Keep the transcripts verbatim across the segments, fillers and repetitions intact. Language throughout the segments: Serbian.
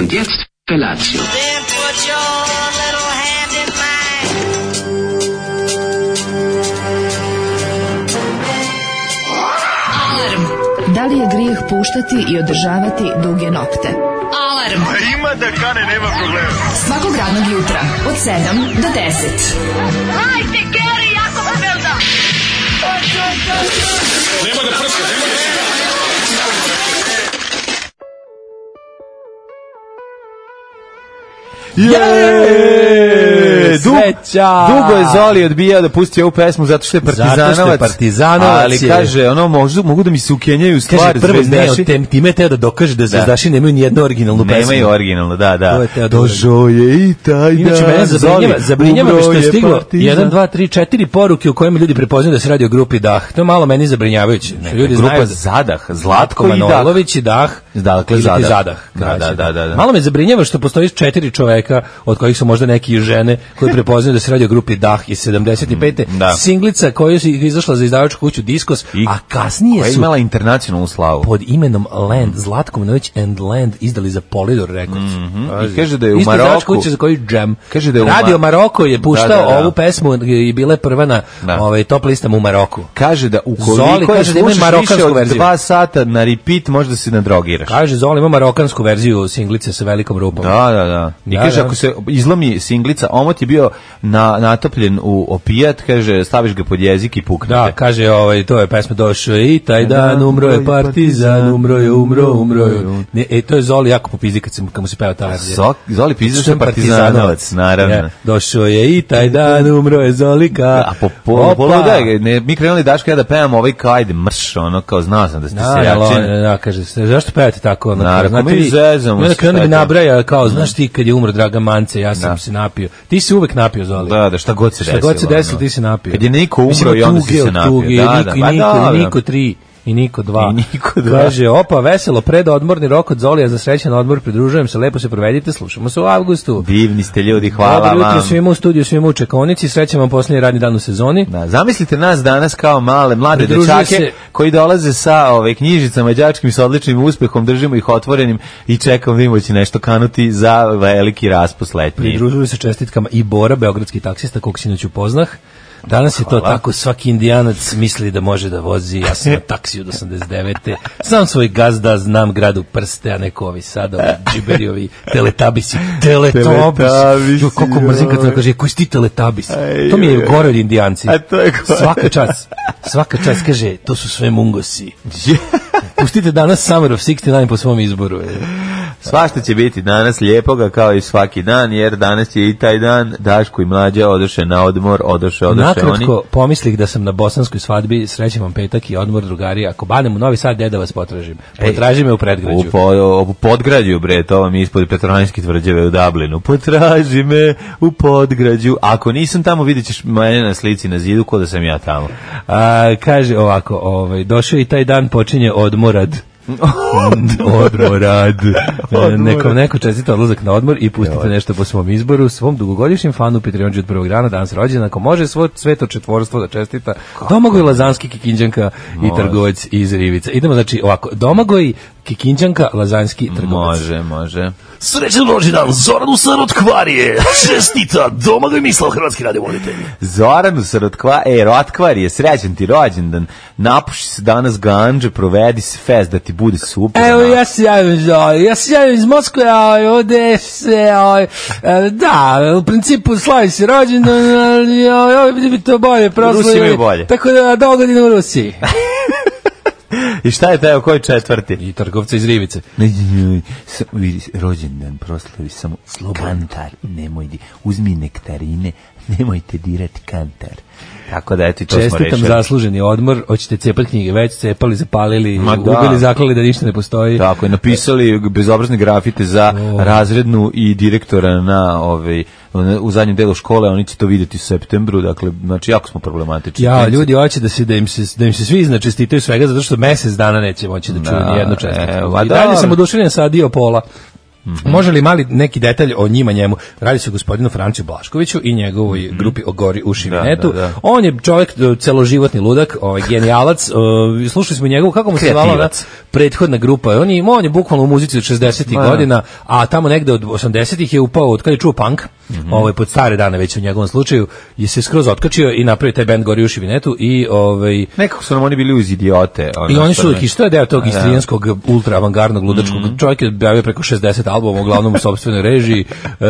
Und jetzt Felatio. Then put your little hand in mine. Alarm. Da li je grijeh puštati i održavati duge nokte? Alarm. A ima da kane, nema problema. Svakog radnog jutra od sedam do deset. Hajde, Geri, jako se velda. Nema da prska, nema da prska. Je, Sreća! Dugo je Zoli odbijao da pusti ovu pesmu zato što je partizanovac. Zato što je partizanovac. Ali je. kaže, ono, mogu, mogu da mi se ukenjaju stvari. Kaže, prvo, ne, zvezdaši. tem, time je teo da dokaže da zvezdaši nemaju ni jednu originalnu pesmu. Nemaju originalno, da, da. To je teo da Došao je i taj dan. Inače, mene zabrinjava, zabrinjava me što je stiglo partizan. jedan, dva, tri, četiri poruke u kojima ljudi prepoznaju da se radi o grupi Dah. To je malo meni zabrinjavajuće. Ne, Ljudi grupa znaju Zadah, Zlatko Zlatko i Dah. Manojlović i Dah. Dakle, ili ti Zadah. Zadah. Da, Znači, da, da, da, da. Malo me zabrinjava što postoji četiri čoveka, od kojih su možda neki i žene, koji prepoznaju da se radi o grupi Dah iz sedamdeset pete. Da. Singlica koja je izašla za izdavačku kuću Diskos, I a kasnije koja je su imala internacionalnu slavu. pod imenom Land, Zlatko Manojlović and Land izdali za Polydor Records. Mm-hmm. I kaže da je u Isto izdavačka Maroku. kuća za koju Jam. Kaže da je u Radio Ma- Maroko je puštao Da, da, da. ovu pesmu i bila je prva na Da. ovaj, top listama u Maroku. Kaže da Zoli ukoliko je kaže da ima slušaš više marokansku od verziju. dva sata na repeat, možda se nadrogiraš. Kaže, Zoli ima marokansku verziju singlice sa velikom rupom. Da, da, da. I Da, kaže, da. ako se izlomi singlica, omot je bio na, natopljen u opijat, kaže, staviš ga pod jezik i puknete. Da, kaže, ovaj, to je pesma došao i taj dan umro je partizan, umro je, umro, umro je. Ne, e, to je Zoli jako popizdi kad, se, kad mu se peva ta verzija. Zok, Zoli pizda što je Partizanovac. partizanovac, naravno. Ja, došao je i taj dan umro je Zolika. A po Opa. polu da, ne, mi krenuli Daško ja da pevam ovaj kao ajde mrš, ono kao znao sam da ste Da, seljačin. da, da, kaže, zašto pevate tako? Ono, Naravno, znate mi vi- zezamo i onda se, krenuo bi šta je to? nabraja, kao, znaš ti kad je umro Dragan Mance, ja sam Da. se napio. Ti si uvek napio, Zoli. Da, da, šta god se desilo. Šta god se desilo, ono. ti si napio. Kad je Niko umro Mislim, i onda tuge si se od napio. tuge, Da, i da, Niko, i pa Niko, da, i da. Niko tri. I Niko dva. I Niko dva. Kaže, opa, veselo, predodmorni rok od Zolija za srećan odmor, pridružujem se, lepo se provedite, slušamo se u avgustu. Divni ste ljudi, hvala Dobro jutro vam. svima u studiju, svima u čekonici, srećan vam posljednji radni dan u sezoni. Da, zamislite nas danas kao male, mlade Pridružuje dečake se- koji dolaze sa ove knjižicama đačkim sa odličnim uspehom, držimo ih otvorenim i čekamo da im će nešto kanuti za veliki raspust letnji. Pridružuju se čestitkama i Bora, beogradski taksista, kog sinoć upoznah. Danas je to Hvala. tako, svaki indijanac misli da može da vozi, ja sam na taksiju od osamdeset devete Znam svoj gazda, znam grad u prste, a neko ovi sada, ovi džiberiovi, teletabisi, teletabisi. Teletabisi, Jo, koliko mrzim kad se kaže, koji si ti teletabis? Aj, To mi je joj. gore od indijanci. A to je gore. Svaka čast, svaka čast kaže, to su sve mungosi. Pustite danas Summer of šezdeset devet po svom izboru. Svašta će biti danas lijepoga kao i svaki dan, jer danas je i taj dan Daško i Mlađa odoše na odmor, odoše, odoše oni. Nakratko, pomislih da sam na bosanskoj svadbi, srećem vam petak i odmor, drugari. Ako banem u Novi Sad, gdje da vas potražim? Potraži me u predgrađu. U, po, u podgrađu, bre, to vam je ispod Petrohranjske tvrđave u Dublinu. Potraži me u podgrađu. Ako nisam tamo, vidjet ćeš mene na slici na zidu, ko da sam ja tamo. A, kaže ovako, ovaj, došao i taj dan počinje odmorad. Odmorad. Neko, neko čestita odlazak na odmor i pustite nešto po svom izboru, svom dugogodišnjem fanu Patreonđu od prvog rana, danas rođena, ako može svo sveto četvorstvo da čestita, Domagoj Lazanski, Kikinđanka i trgovac iz Rivica. Idemo, znači, ovako, Domagoj, Kikinđanka, Lazanski, trgovac. Može, može. Srećan rođendan Zoranu Sarotkvarije. Čestita Domagoj Mislav, hrvatski radiovoditelj. Zoranu sa Rotkva, e, Rotkvar je srećan ti rođendan. Napuši se danas ganđe, provedi se fest da ti bude super. Evo, ja se javim, Zoli, ja se javim iz Moskve, a ovde se, a, da, u principu slavi se rođendan, ali ovdje bi to bolje Rusi imaju proslavili, bolje. tako da dogodine u Rusiji. I šta je taj, koji četvrti? I trgovca iz Rivice. Ne, vidi, rođendan proslavi samo kantar, nemoj di, uzmi nektarine, nemojte dirati kantar. Tako da, eto, i to smo Čestitam rešili. zasluženi odmor, hoćete cepati knjige, već cepali, zapalili, Ma da. ubili, zaklali da ništa ne postoji. Tako je, napisali bezobrazne grafite za O. razrednu i direktora na ovaj, u zadnjem delu škole, oni će to vidjeti u septembru, dakle, znači, jako smo problematični. Ja, ljudi hoće da se da im se da im se svi iznačestitaju svega zato što mesec dana neće moći da čuju Da, ni jednu čestitku. evo, a I dalje dobro. sam oduševljen sa Adio Pola. Mm-hmm. Može li mali neki detalj o njima njemu? Radi se o gospodinu Franciju Blaškoviću i njegovoj mm-hmm. grupi o Gori u Šivinetu. Da, da, da. On je čovjek celoživotni ludak, ovaj genijalac. Uh, slušali smo njegovu, kako mu se zvala prethodna grupa. On je, on je bukvalno u muzici od šezdesetih godina, a tamo negde od osamdesetih je upao, od kada je čuo punk, mm-hmm. ovaj, pod stare dane već u njegovom slučaju, je se skroz otkačio i napravio taj bend Gori u Šivinetu i ovaj nekako su nam oni bili uz idiote. I oni su i što je deo tog istrijanskog ultra avangardnog ludačkog mm-hmm. čovjek je objavio preko šezdeset albuma, uglavnom u sopstvenoj režiji. Uh,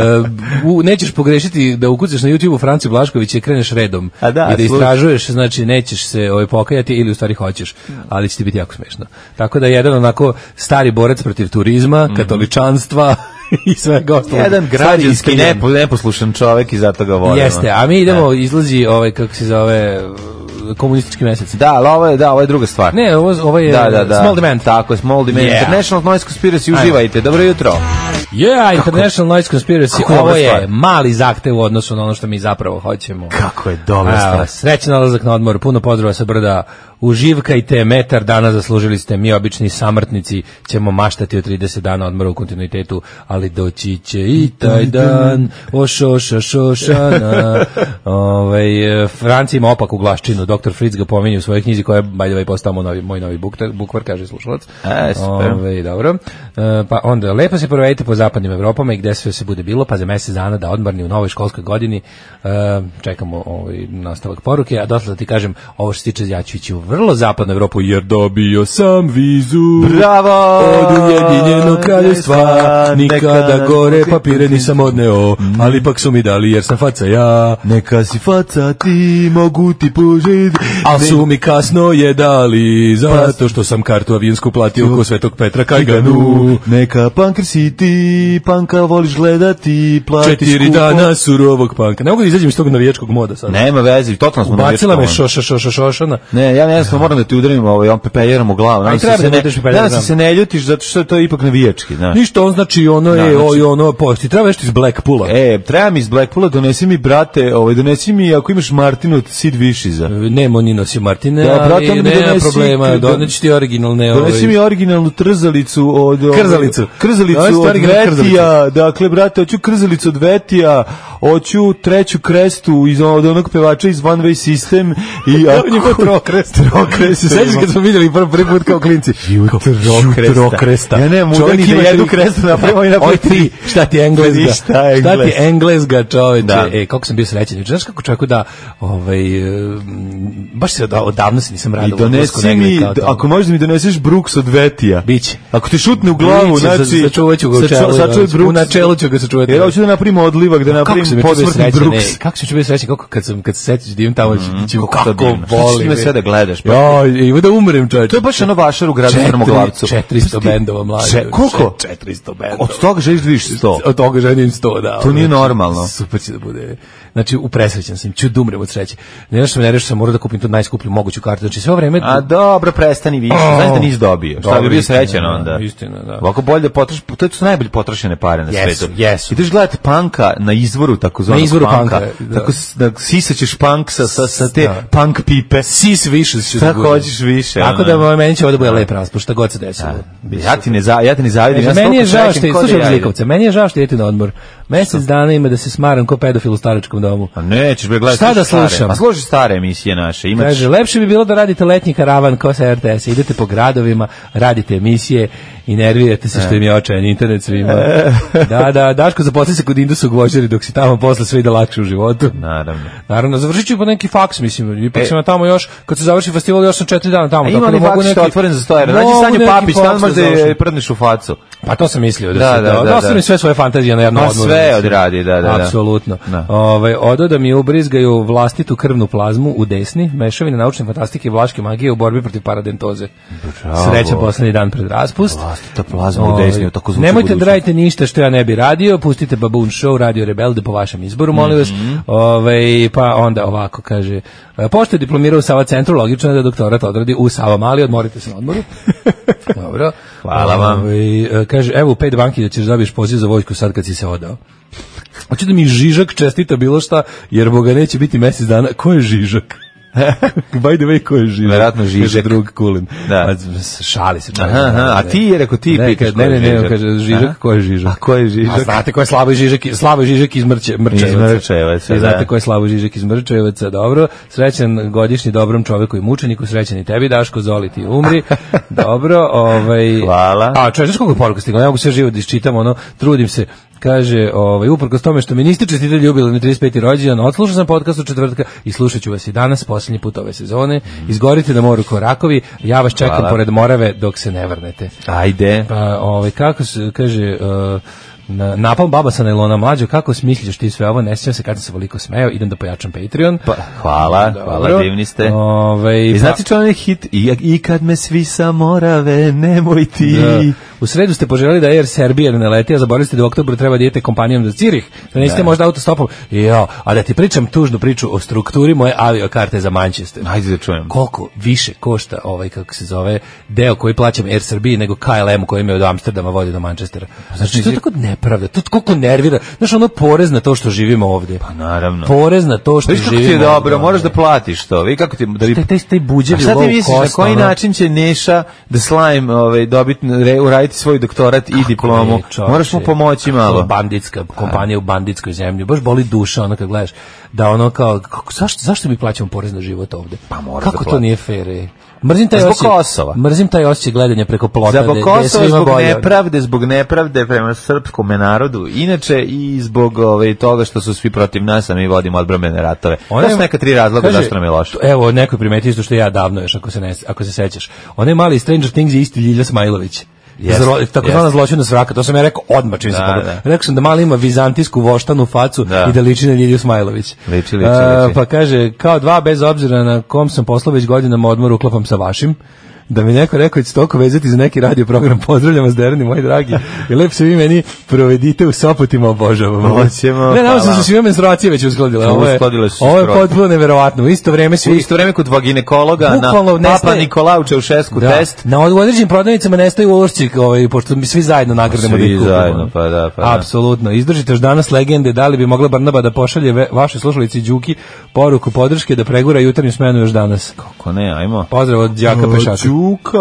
u, nećeš pogrešiti da ukucaš na YouTubeu Franci Blašković i kreneš redom da, i da istražuješ, znači nećeš se ovaj, pokajati ili u stvari hoćeš, ali će ti biti jako smešno. Tako da jedan onako stari borac protiv turizma, mm-hmm. katoličanstva i svega ostalog. Jedan građanski nepo, neposlušan čovjek i zato ga volimo. Jeste, a mi idemo, ne. izlazi ovaj, kako se zove, komunistički mesec. Da, ali ovo je, da, ovo je druga stvar. Ne, ovo, ovo je da, da, da. Small Demand. Tako je, Small Demand. Yeah. International Noise Conspiracy, uživajte. Dobro jutro. Yeah, International Noise Conspiracy. Kako ovo je stvar? Mali zahtev u odnosu na ono što mi zapravo hoćemo. Kako je dobra stvar. Srećan nalazak na odmor, puno pozdrava sa brda. Uživkajte, metar dana zaslužili ste, mi obični samrtnici ćemo maštati o trideset dana odmora u kontinuitetu, ali doći će i taj dan, o šoša šošana. Ovaj Franci ima opaku glaščinu, doktor Fritz ga pominje u svojoj knjizi koja je by the way postao novi, moj novi bukvar, bukvar kaže slušalac. E, super. Ovaj dobro. E, pa onda lepo se provedite po zapadnim Evropama i gde sve se bude bilo, pa za mesec dana da odmorni u novoj školskoj godini. E, čekamo ovaj nastavak poruke, a dotle da ti kažem ovo što se tiče ja ću ići u vrlo zapadnu Evropu jer dobio sam vizu. Bravo! Od Ujedinjenog kraljevstva nikada gore papire nisam odneo, ali ipak su mi dali jer sam faca ja. Neka si faca ti, mogu ti požeti. Al su mi kasno je dali zato što sam kartu avionsku platio ko Svetog Petra Kajganu. Neka punkr si ti, panka voliš gledati, plati četiri skupo. Dana surovog panka. Ne mogu da izađem iz tog navijačkog moda sad. Nema veze, totalno smo navijački. Bacila me šoša šoša šošana. Ne, ja ne znam, moram da ti udarim ovaj on pepejerom u glavu. Aj treba da se ne, da se se ne ljutiš zato što je to ipak navijački, znaš. Ništa, on znači ono je, da, znači, ono posti. Treba nešto iz Blackpoola. E, treba mi iz Blackpoola, donesi mi brate, ovaj donesi mi ako imaš Martinu od Sid Višiza. Nemo ni nosi Martine, da, brate, ali nema problema, doneći ti originalne ovaj. Donesi mi originalnu trzalicu od krzalicu. Krzalicu od Vetija, dakle brate, hoću krzalicu od Vetija, hoću treću krestu iz od onog pevača iz One Way System i ako trokrest. Trokrest. Se sećaš kad smo vidjeli prvi prvi put kao klinci? Trokresta. Ja ne mogu ni da jedu krestu napravimo i napravimo tri. Šta ti engleska? Šta ti engleska, čoveče? E, kako sam bio srećan. Znaš kako čovjeku da, ovaj, baš se odavno se nisam radao. I donesi mi, ako možeš da mi doneseš Brooks od Vetija. Biće. Ako ti šutne u glavu, znači... Sačuvat ću ga u čelu. U načelu ću ga sačuvati. Jer hoću da napravimo odlivak, da napravimo posmrtni Brooks. Kako ću biti srećan, kako kad se setiš da imam tamo, kako volim. Sve da gledaš. Ja, i da umrem, čovječe. To je baš ono vašar u gradu Strmoglavcu. četiristo bendova mlađe. Koliko? četiristo bendova. Od toga želiš da vidiš sto. Od toga želim sto, da. To nije normalno. Super će da bude. Znači, upresrećan sam, ću da umrem od sreće. Ne znaš što me ne reši, sam morao da kupim tu najskuplju moguću kartu. Znači, sve vreme... A dobro, prestani više. Znaš da nisi dobio. Šta bi bio srećan onda? Istina, da. Ovako bolje da potroš, to su najbolje potrošene pare na svetu. Jesu, ideš gledati panka na izvoru takozvanog na izvoru panka. panka da. Tako da sisaćeš punk sa, sa, sa te da. Punk pipe. Sis više se šta hoćeš više. Tako ono. Da meni će ovdje bude lep raspust, šta god se desilo. Ja ti ne za, ja ti ne zavidim. Ja meni je žao što je, slušaj Zlikovce, meni je žao što idete na odmor. Mesec dana ima da se smaram ko pedofil u staračkom domu. A nećeš bre gledati. Šta da slušam? Pa slušaj stare emisije naše. Imaš... Kaže, lepše bi bilo da radite letnji karavan kao sa R T S. Idete po gradovima, radite emisije i nervirate se što im je očajan internet svima. Da, da, Daško zaposli se kod Indusa u Gvožđeri dok si tamo posle sve ide lakše u životu. Naravno. Naravno, završit ću po neki faks, mislim. Ipak e. sam tamo još, kad se završi festival, još sam četiri dana tamo. A ima li faks neki... što je otvoren za sto evra? Nađi Sanju Papić, tamo možda je prdneš u facu. Pa to sam mislio da, da se da, da, da, da. sve svoje fantazije na jednom odmoru. Sve odradi, da, da, da. Apsolutno. Ovaj odo da mi ubrizgaju vlastitu krvnu plazmu u desni, mešavina naučne fantastike i vlaške magije u borbi protiv paradentoze. Srećan poslednji dan pred raspust. Vlastita plazma u desni, tako zvuči. Nemojte da radite ništa što ja ne bi radio, pustite Baboon Show, Radio Rebelde po vašem izboru, molim vas. Mm-hmm. Ovaj pa onda ovako kaže, pošto je diplomirao u Sava centru, logično je da doktorat odradi u Sava Mali, odmorite se na odmoru. Dobro. Hvala vam. Ovaj kaže, evo u pet banki da ćeš dobiješ poziv za vojsku sad kad si se odao. Hoće da mi Žižak čestita bilo šta, jer Boga neće biti mesec dana. Ko je Žižak? By the way, ko je Žižek? Verovatno Žižek. Kaže drug Kulin. Da. A, šali se. Aha, aha, a ti je rekao ti ne, pitaš ne, ne, ne, ne, kaže Žižek, ko je Žižek? A ko je Žižek? A znate ko je Slavoj Žižek, Slavoj Žižek iz Mrče, Mrčevaca. Iz Mrčevaca, I da. znate ko je Slavoj Žižek iz Mrčevaca, dobro. Srećan godišnji dobrom čoveku i mučeniku, srećan i tebi, Daško, Zoli, ti umri. Dobro, ovaj... Hvala. A, čovječ, znaš koliko poruka stigla? Ja mogu sve živo da iščitam, ono, trudim se. Kaže, ovaj, uprkos tome što mi niste čestitali jubilarni trideset peti rođendan, odslušao sam podcast od četvrtka i slušat ću vas i danas, posljednji put ove sezone. Izgorite na moru ko rakovi, ja vas čekam Hvala. pored Morave dok se ne vrnete. Ajde. Pa, ovaj, kako se, kaže... Uh, na, napal baba sa najlona mlađo, kako smisliš ti sve ovo, ne sjećam se kad sam se veliko smeo, idem da pojačam Patreon. Pa, hvala, Dobro. hvala, divni ste. Ove, I znate čo onaj hit, I, i kad me svi sa Morave, nemoj ti. Da. U sredu ste poželjeli da Air Serbia ne leti, a zaboravili ste da u oktobru treba da idete kompanijom za Cirih, da niste možda autostopom. Jo, a da ti pričam tužnu priču o strukturi moje aviokarte za Manchester. Ajde da čujem. Koliko više košta ovaj, kako se zove, deo koji plaćam Air Serbia nego K L M koji me od Amsterdama vodi do Manchestera. Znači, to je tako nepravda, to koliko nervira. Znaš, ono porez na to što živimo ovdje. Pa naravno. Porez na to što Viš kako živimo ti je dobro, ovdje. moraš da platiš to. Vi kako ti da vi Taj, taj, taj buđevi A šta ti low misliš, na cost, koji ono- način će Neša da Slime ovaj, dobiti, re- uraditi svoj doktorat i diplomu? E, čovječe, Moraš mu pomoći kako malo. Banditska kompanija u banditskoj zemlji. Baš boli duša ono kad gledaš da ono kao kako, zašto zašto mi plaćamo porez na život ovdje? Pa moraš kako da to platiš. nije fair. E? Mrzim taj Zbog osjećaj. Kosova. Mrzim taj osjećaj gledanja preko plota. Zbog gde- gde Kosova, svima zbog bolje. nepravde, zbog nepravde prema srpskom narodu, inače i zbog ovaj, toga što su svi protiv nas, a mi vodimo odbrambene ratove. To su neka tri razloga kaže, zašto nam je loše. Evo, neko je primetio isto što ja davno još, ako se, ne, ako se sećaš. Onaj mali Stranger Things je isti Ljilja Smajlović. Jeste, Zro- tako zvana jeste. zločina svraka, to sam ja rekao odmah čim se Da, pogledao. da. Rekao sam da mali ima vizantijsku voštanu facu Da. i da liči na Ljilju Smajlović. Liči, liči, A, liči. pa kaže, kao dva bez obzira na kom sam poslao već godinama odmor uklapam sa vašim. Da mi neko rekao da će toliko vezati za neki radio program, pozdravljam vas derani moji dragi. I lepo se vi meni provedite u Sopotima, obožavam. Hoćemo, Ne, nam se hvala. su sve menstruacije već uskladile. Ovo je, Uskladile su se ovo je skroz. potpuno neverovatno. U isto vreme U svi isto vreme kod dva ginekologa Bukvalno na Papa nestaje- Nikolaju Čaušesku Da, test. na od- u određenim prodavnicama nestaju ulošci, ovaj, pošto mi svi zajedno nagradimo Svi da ih kupimo. zajedno, pa da, pa da. Apsolutno. Izdržite još danas legende, da li bi mogla Barnaba da pošalje ve, vašoj slušalici Đuki poruku podrške da pregura jutarnju smenu još danas. Kako ne, ajmo. Pozdrav od đaka Pešaka. Đuka,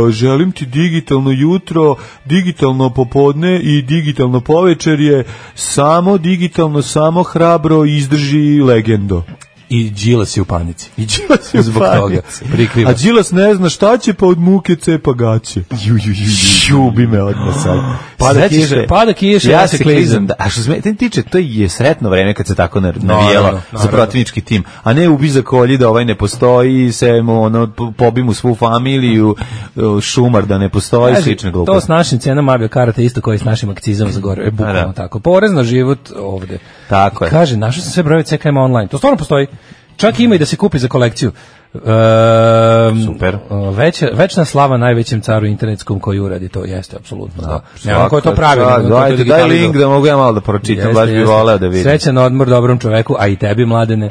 želim ti digitalno jutro, digitalno popodne i digitalno povečerje, samo digitalno, samo hrabro, izdrži legendo. I Đilas je u panici. I Đilas je u Zbog toga. panici. Prikriva. A Đilas ne zna šta će, pa od muke cepa gaće. Ju, ju, ju, ljubi me odmah sad. Pada Sećaš kiša, se? pada kiša, ja ja se se klizam. klizam. Da, a što se mene tiče, to je sretno vreme kad se tako nar- Naravno, navijelo za naravno. protivnički tim. A ne ubi za kolji da ovaj ne postoji, se mu ono, pobi mu svu familiju, šumar da ne postoji, Kaže, slične to gluposti. s našim cenama aviokarata isto koji s našim akcizama za gore. E, bukvalno da. tako. Porez na život ovde. Tako je. Kaže, našao sam sve brojeve C K M online. To stvarno postoji. Čak ima i da se kupi za kolekciju. Um, Super. Veća, večna slava najvećem caru internetskom koji uradi to, jeste, apsolutno. Da. Nemam ko je to Svaka pravi. čast. nego ko je to Dajte, daj digitalizovao. link da mogu ja malo da pročitam, Jeste, baš bi jeste. voleo da vidim. Srećan odmor dobrom čoveku, a i tebi, mladene.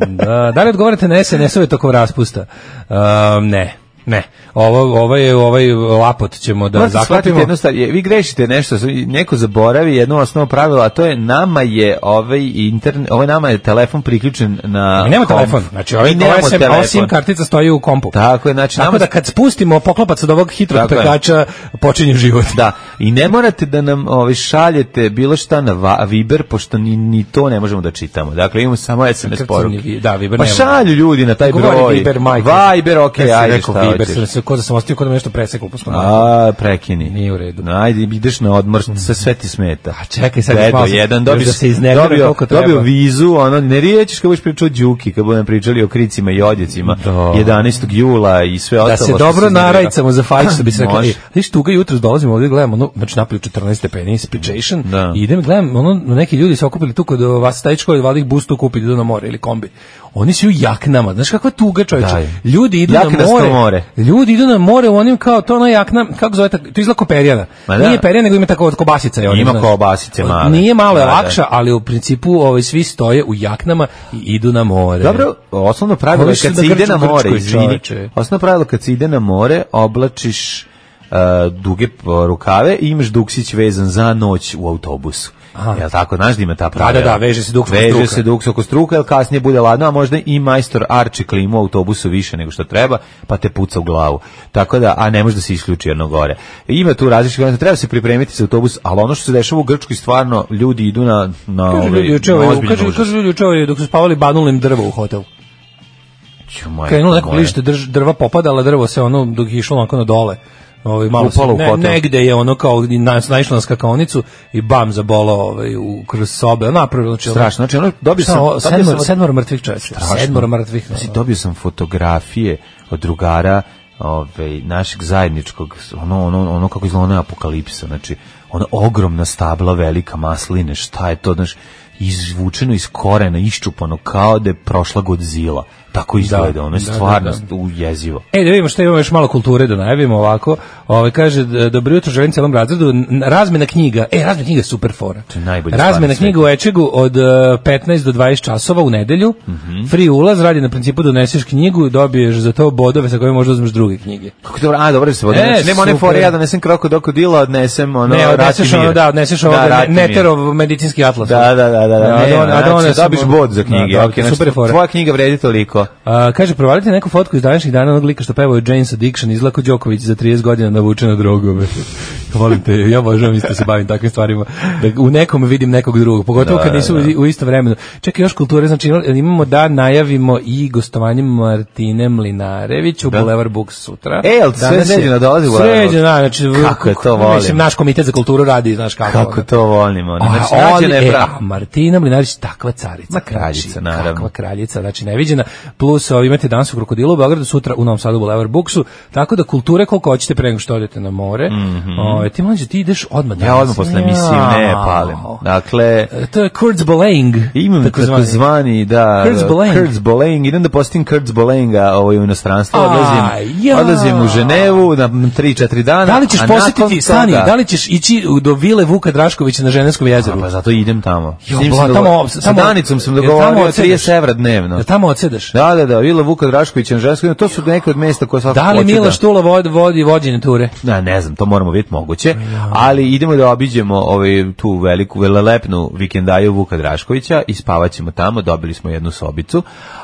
da, da li odgovarate na S N S-ove tokom raspusta? Um, ne. Ne, ovo, ovo je ovaj lapot ćemo da Morate shvatiti zaklatimo. jednu stvar, je- vi grešite nešto, neko zaboravi jedno osnovno pravilo, a to je nama je ovaj internet, ovaj nama je telefon priključen na Mi nemamo komp. telefon, znači ovaj, Mi nemamo ovaj sem, telefon. ova SIM kartica stoji u kompu. Tako je, znači Tako nama da kad spustimo poklopac od ovog hitrog Tako je. pekača, počinje život. Da, i ne morate da nam ovaj, šaljete bilo šta na va, Viber, pošto ni, ni to ne možemo da čitamo. Dakle, imamo samo S M S Kako poruke. ni vi- da, Viber Pa nema. šalju ljudi na taj Govori broj. Viber, majke. Viber, okej, Ja sam ajde, rekao šta Viber, hoćeš. sam se ko da sam ostio, ko da me nešto preseklo po skonu. A, prekini. Nije u redu. Ajde, ideš na odmor, sve, sve ti smeta. A čekaj, sad Dedo, malo sam- jedan, još dobiš, da se iznervira dobio, koliko treba. dobio vizu, ono, ne riječiš kad budeš pričao o Đuki, kad budem pričali o kricima i odjecima, Da. jedanaestog jula i sve ostalo. Da se što dobro iznervira. narajcamo za fajt, što bi se rekla. Može. E, viš, tuga jutros dolazimo ovdje, gledamo, ono, znači napolju četrnaest stepeni, inspiration, Da. i idem, gledam, ono, neki ljudi se okupili tu kod vas stajičko, i valjda ih bus tu kupiti, idu na more ili kombi. Oni su u jaknama, znaš kakva tuga, čovječe. Daj. Ljudi idu Jaknasto na more, more. ljudi idu na more u onim kao, to ona jakna, kako zove, tak- to izgleda ko perjana. Ma da. Nije perjana, nego ima tako od kobasica. je ona, Ima znaš. kobasice male. Nije malo, je Da, da. lakša, ali u principu ovaj, svi stoje u jaknama i idu na more. Dobro, osnovno pravilo Oni je su kad da se ide grču na more, Grčkoj, izvini, čoveče. osnovno pravilo kad se ide na more, oblačiš uh, duge uh, rukave i imaš duksić vezan za noć u autobusu. Jel tako, znaš da ima ta pravila? Da, da, da, veže se duks oko struka. Veže se duks oko struka, jer kasnije bude ladno, a možda i majstor arči klimu u autobusu više nego što treba, pa te puca u glavu. Tako da, a ne može da se isključi jedno gore. Ima tu različitih, treba se pripremiti za autobus, ali ono što se dešava u Grčkoj, stvarno, ljudi idu na, na, kaže, ove, ljudi, na ozbiljnu kaže, užas. kaže ljudi juče dok su spavali banulim drvo u hotel. Krenulo neko klište drž, drva popadala, drvo se ono dok je išlo onako na dole. Ovaj malo se, ne, negde je ono kao na, naišlo na skakaonicu i bam zabolo ovaj u kroz sobe. Napravilo znači strašno. Znači ono dobio sam dobio sedmor, sam sedmor mrtvih čovjeka. Sedmor mrtvih. Znači dobio sam fotografije od drugara ovaj našeg zajedničkog ono ono ono kako izgleda ona apokalipsa. Znači ona ogromna stabla velika masline, šta je to, znači izvučeno iz korena, iščupano kao da je prošla Godzilla. Tako izgleda, da, ono je stvarno da, da, da. jezivo. E, da vidimo što imamo još malo kulture da najavimo ovako. Ovaj kaže, dobro jutro, želim celom razredu. Razmena knjiga, e, razmena knjiga je super fora. Razmena knjiga u Ečegu od petnaest do dvadeset časova u nedelju. Mm -hmm. Free ulaz, radi na principu da doneseš knjigu i dobiješ za to bodove sa kojima možda uzmeš druge knjige. Kako dobro, a dobro se vodi. E, nema one fore, ja donesem krokodila, odnesem ono ne, odneseš ono, da, odneseš ovo da, Neterov medicinski atlas. Da, da, da, da. da ne, a da one dobiš bod za knjige. Da, okay, super fora. Tvoja knjiga vredi toliko. Uh, kaže, provalite neku fotku iz današnjih dana onog lika što pevao Jane's Addiction, izlako Đoković za trideset godina navučen na drogove. Volim te, ja obožavam isto se bavim takvim stvarima, da u nekom vidim nekog drugog, pogotovo da, kad nisu da, da. u isto vremenu. Čekaj, još kulture, znači imamo da najavimo i gostovanje Martine Mlinarević u Boulevard Books sutra. E, ali sve Sređena dolazi u Boulevard Books? Sređena, znači, kako je to volim. Mislim, naš komitet za kulturu radi, znaš kako. Kako to volimo. Znači, nađena je prav. Martina Mlinarević, takva carica. Ma kraljica, naravno. Takva kraljica, znači neviđena, plus ovi imate danas u Krokodilu u Beogradu, sutra u Novom Sadu u Boulevard Booksu, tako da kulture koliko hoćete pre nego što odete na more. Mm -hmm. o, ti mlađe, ti ideš odmah danas. Ja odmah posle emisije ne palim. Dakle, to je Kurzbelaying. Imam tako zvani, da, Kurzbelaying. Idem da postim Kurzbelayinga ovaj, u inostranstvo, odlazim, ja. odlazim u Ženevu na tri četiri dana. Da li ćeš posjetiti, stani, da li ćeš ići do vile Vuka Draškovića na Ženevskom jezeru? Pa zato idem tamo. Jo, bla, tamo sa Danicom sam dogovorio trideset evra dnevno. Da tamo odsedeš? Da, da, da, vila Vuka Draškovića na Ženevskom, to su neke od mesta koje svakako hoće da... Da li Mila Štula vodi, vodi vođenje ture? Ne, ne znam, to moramo vidjeti moguće, ali idemo da obiđemo ovaj, tu veliku, velelepnu vikendaju Vuka Draškovića i spavaćemo tamo, dobili smo jednu sobicu,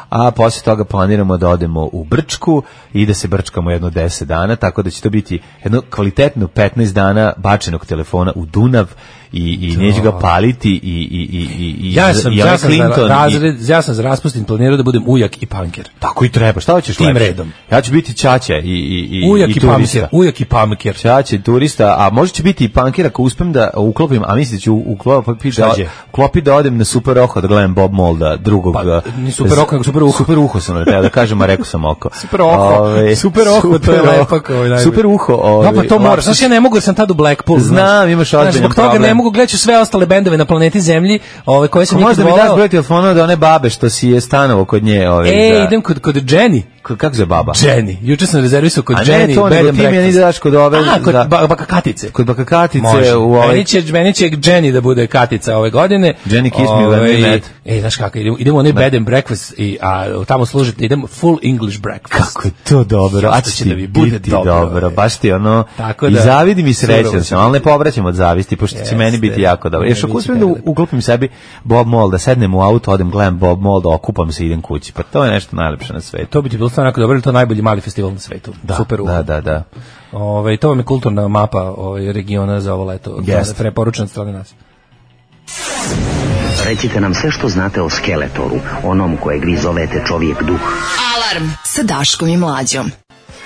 a posle toga planiramo da odemo u Brčku i da se brčkamo jedno deset dana, tako da će to biti jedno kvalitetno petnaest dana bačenog telefona u Dunav i, i neću ga paliti i, i, i, i, ja sam, i ja, sam za razred, i, ja sam za raspustin planirao da budem ujak i panker. Tako i treba, šta hoćeš tim lepše? Redom. Ja ću biti ćaća i, i, i, ujak i, i turista. Panker, ujak i panker. Ćaća i turista, a može će biti i panker ako uspem da uklopim, a mislim da ću uklopiti da, uklopi da odem na Super Oko da gledam Bob Molda, drugog. Pa, ni Super Oko, nego Super Uho. Super Uho sam rekao da kažem, a rekao sam oko. Super Oko, ove, super Oko, to je lepak. Super Uho. Ove, no, pa to moraš, znaš, ja ne mogu jer sam tad u Blackpool. Znam, imaš ozbiljan problem. Zbog toga ne mogu gledati sve ostale bendove na planeti Zemlji, ove koje sam nikad volao. Možda mi daš broj telefona da one babe što si je stanovo kod nje. Ove, e, idem kod, kod Jenny. Kako se baba? Jenny. Juče sam rezervisao kod Jenny. A ne to, nego ti mi ne daš kod ove... A, kod baka Katice. Kod baka Katice. U ovaj... Meni će, meni će Jenny da bude Katica ove godine. Jenny kiss me when we met. E, znaš kako, idemo, idemo onaj bed and breakfast i a, tamo služiti, idemo full English breakfast. Kako je to dobro. A će da mi bude dobro. dobro. Baš ti ono... Tako da, i zavidi mi srećan sam, ali ne povraćam od zavisti, pošto će meni biti jako dobro. Još ako uspijem da uklopim sebi Bob Mold, da sednem u auto, odem, gledam Bob Mold, okupam se i idem kući. Pa to je nešto najlepše na svetu. To bi ti bilo stvarno jako dobro, to je najbolji mali festival na svetu. Da, super da, da, da. Ove, to vam je kulturna mapa ove, regiona za ovo leto. Yes. Preporučen od strane nas. Recite nam sve što znate o Skeletoru, onom kojeg vi zovete čovjek duh. Alarm sa Daškom i Mlađom.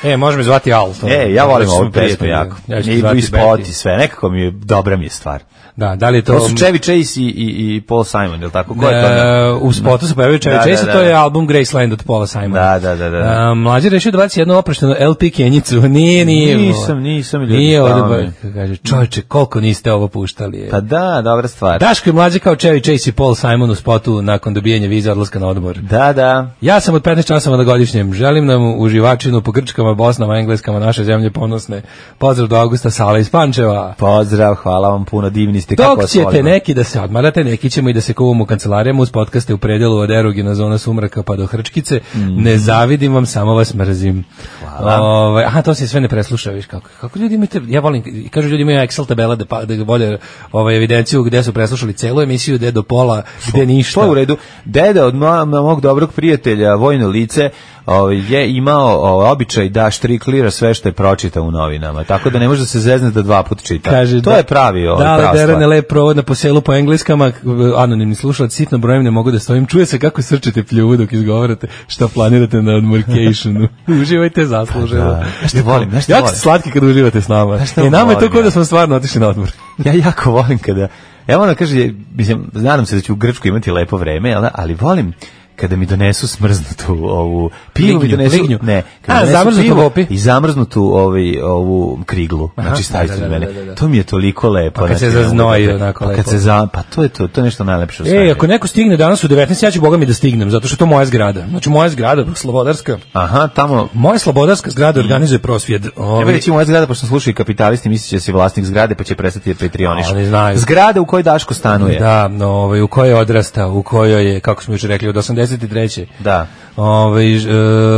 E, može me zvati Al. E, ja volim ovu pesmu jako. Ja i spot i sve, nekako mi je, dobra mi je stvar. Da, da li je to... To su Chevy Chase i, i, i Paul Simon, je li tako? Ko je to? Da, u spotu se pojavio Chevy da, Chase, da, da, to je album Graceland od Paula Simona. Da, da, da. da. Uh, mlađe rešio da baci jednu opraštenu L P Kenjicu. Nije, nije. Nisam, nisam. Ljudi, nije ovdje, kaže, čovječe, koliko niste ovo puštali. Je. Pa da, dobra stvar. Daško je mlađe kao Chevy Chase i Paul Simon u spotu nakon dobijanja vize odlaska na odmor. Da, da. Ja sam od petnaest časova na godišnjem. Želim nam uživačinu po Grčkama Srbima, Bosnama, Engleskama, naše zemlje ponosne. Pozdrav do Augusta Sala iz Pančeva. Pozdrav, hvala vam puno, divni ste. Kako Dok vas ćete volimo. neki da se odmarate, neki ćemo i da se kuvamo u kancelarijama uz podcaste u predelu od erogena zona sumraka pa do Hrčkice. Mm. Ne zavidim vam, samo vas mrzim. Hvala. Ove, aha, to se sve ne presluša, viš kako. Kako ljudi imate, ja volim, kažu ljudi imaju Excel tabela da, pa, da vode ovaj, evidenciju gde su preslušali celu emisiju, gde do pola, gde ništa. To je u redu. Deda od mo, mog dobrog prijatelja, vojno lice, ovaj, je imao ovaj, običaj da štriklira sve što je pročitao u novinama. Tako da ne može da se zezne da dva put čita. Kaže, to da, je pravi ovaj, da, prava derane stvar. lep provod po selu po engleskama, anonimni slušalac, sitno brojem ne mogu da stojim. Čuje se kako srčete pljuvu dok izgovarate šta planirate na odmorkationu. Uživajte zasluženo. Da. Nešto volim, nešto jako volim. ste slatki kad uživate s nama. I nama je to kao da smo stvarno otišli na odmor. Ja jako volim kada, evo ona kaže, mislim, nadam se da ću u Grčku imati lepo vreme, ali, ali volim kada mi donesu smrznutu ovu pivu, mi Lignju, donesu, lignju. ne, A, kada mi zamrznutu donesu pivo vopi. i zamrznutu ovaj, ovu kriglu, Aha, znači stavite da, da, od mene. da, da, da. To mi je toliko lepo. Pa kad se znači, zaznoji ne mogu da- onako pa kad lepo. se za, pa to je to, to je nešto najlepše u E, svemiru. ako neko stigne danas u devetnaest, ja ću boga mi da stignem, zato što je to moja zgrada. Znači, moja zgrada, Slobodarska, Aha, tamo, moja Slobodarska zgrada organizuje prosvjed. evo Ovaj, reći moja zgrada, pošto slušaju kapitalisti, misli će se vlasnik zgrade, pa će prestati da Patreoniš. Oni znaju. Zgrada u kojoj Daško stanuje. Da, no, ovaj, u kojoj je odrastao, u kojoj je, kako smo juče rekli, od osamdeset treće Da. Ovaj, e,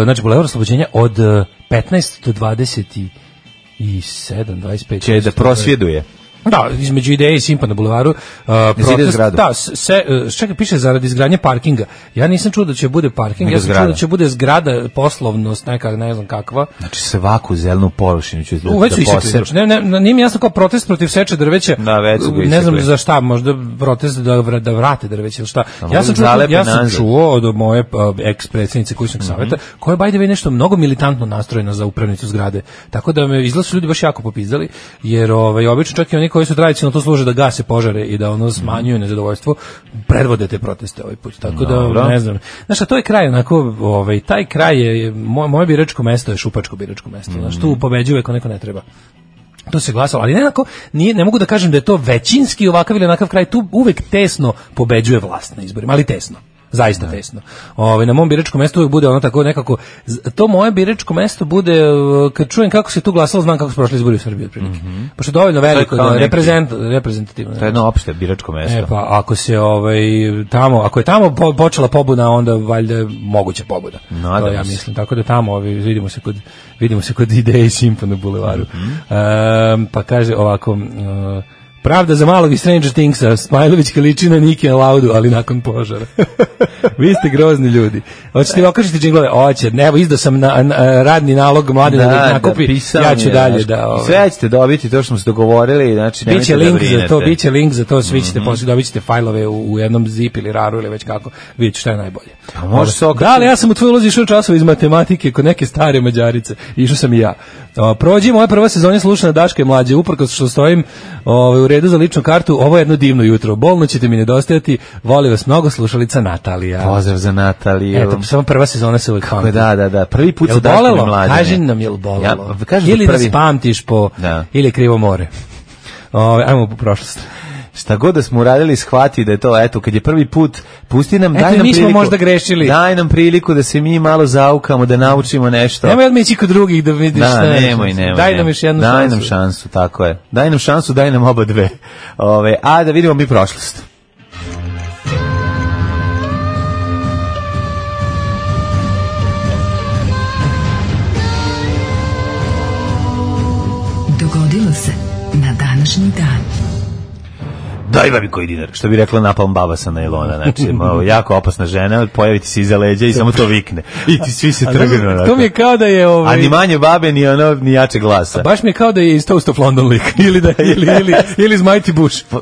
znači, Bulevar Oslobođenja od e, petnaest do dvadeset sedam, dvadeset pet. Će da prosvjeduje. Da, između Ideje i Simpa na bulevaru. Uh, protest, zgradu. da, se, uh, čekaj, piše zaradi izgradnje parkinga. Ja nisam čuo da će bude parking, Nego ja sam zgrada. čuo da će bude zgrada, poslovnost, neka, ne znam kakva. Znači svaku zelenu površinu ću da, U, već su da isekli, posem. znači, ne, ne, nije mi jasno kao protest protiv seče drveća. Da, već su ga ne znam isekli. za šta, možda protest da, vra- da vrate drveće ili šta. mogu Ja sam, da čuo, zalepe ja sam nazad. čuo od moje uh, eks-predsjednice kućnog savjeta, koja je by the way nešto mnogo militantno nastrojena za upravnicu zgrade. Tako da me izgleda su ljudi baš jako popizdali, jer ovaj, obično čak i oni koji su tradicionalno to služe da gase požare i da ono smanjuju nezadovoljstvo, predvode te proteste ovaj put. Tako da, Dobro. ne znam. Znaš, a to je kraj, onako, ovaj, taj kraj je, moj, moje biračko mesto je šupačko biračko mesto. Znaš, tu pobeđuje ako neko ne treba. To se glasalo, ali nekako nije, ne mogu da kažem da je to većinski ovakav ili onakav kraj, tu uvek tesno pobeđuje vlast na izborima, ali tesno. Zaista tesno. Ovaj na mom biračkom mestu uvek bude ono tako nekako z- to moje biračko mesto bude uh, kad čujem kako se tu glasalo, znam kako su prošli izbori u Srbiji otprilike. Mm-hmm. Pošto je dovoljno veliko kao da neki- reprezent reprezentativno. To je jedno opšte biračko mesto. E pa ako se ovaj tamo, ako je tamo po, počela pobuda, onda valjda je moguća pobuda. Nadam To ja se. mislim. Tako da tamo ovaj, vidimo se kod vidimo se kod Ideje i Simpa na bulevaru. Ehm, pa kaže ovako, uh, pravda za malog i Stranger Thingsa, Smajlović liči na Niki Laudu, ali nakon požara. Vi ste grozni ljudi. Hoćete vi okažete džinglove? Hoće. Evo, izdao sam na, na, radni nalog mladina da, ih nakupi. pisao Ja mi ću je, dalje znaš, da... Ovaj, sve ćete dobiti, to što smo se dogovorili, znači nemojte biće da link brinete. za to, biće link za to, svi ćete posle dobit ćete fajlove u, u jednom zip ili raru ili već kako, vidite šta je najbolje. A može se okačiti. Da, ali ja sam u tvojoj ulozi išao časova iz matematike kod neke stare Mađarice, išao sam i ja. O, prođi moja prva sezona slušana Daška i mlađe, uprkos što stojim ovaj, u redu za ličnu kartu, ovo je jedno divno jutro, bolno ćete mi nedostajati, voli vas mnogo, slušalica Natalija. Pozdrav za Nataliju. Eto, samo prva sezona se uvijek Kako pamti. je, da, da, da. Prvi put Jel sa Daškom i bolelo? Mlađane. Kaži nam, jel bolelo? Ja, kažem da ili prvi- nas pamtiš po, Da. ili krivo more. Ove, ajmo po prošlost. Šta god da smo uradili, shvati da je to, eto, kad je prvi put, pusti nam, Eto, daj nam mi smo priliku. možda grešili. Daj nam priliku da se mi malo zaukamo, da naučimo nešto. Nemoj odmah ići kod drugih da vidiš Da, šta je. nemoj, nemoj. Daj nam nemoj. još jednu daj šansu. Daj nam šansu, tako je. Daj nam šansu, daj nam oba dve. Ove, a da vidimo mi prošlost. Dogodilo se na današnji dan. Daj vam mi koji dinar, što bi rekla napalm baba sa najlona, znači malo, jako opasna žena, pojaviti se iza leđa i samo to vikne. I ti svi se trgnu onako. To mi je kao da je ovaj, A ni manje babe, ni ono, ni jače glasa. baš mi je kao da je iz Toast of London lik ili da ili ili ili iz Mighty Bush. Pa,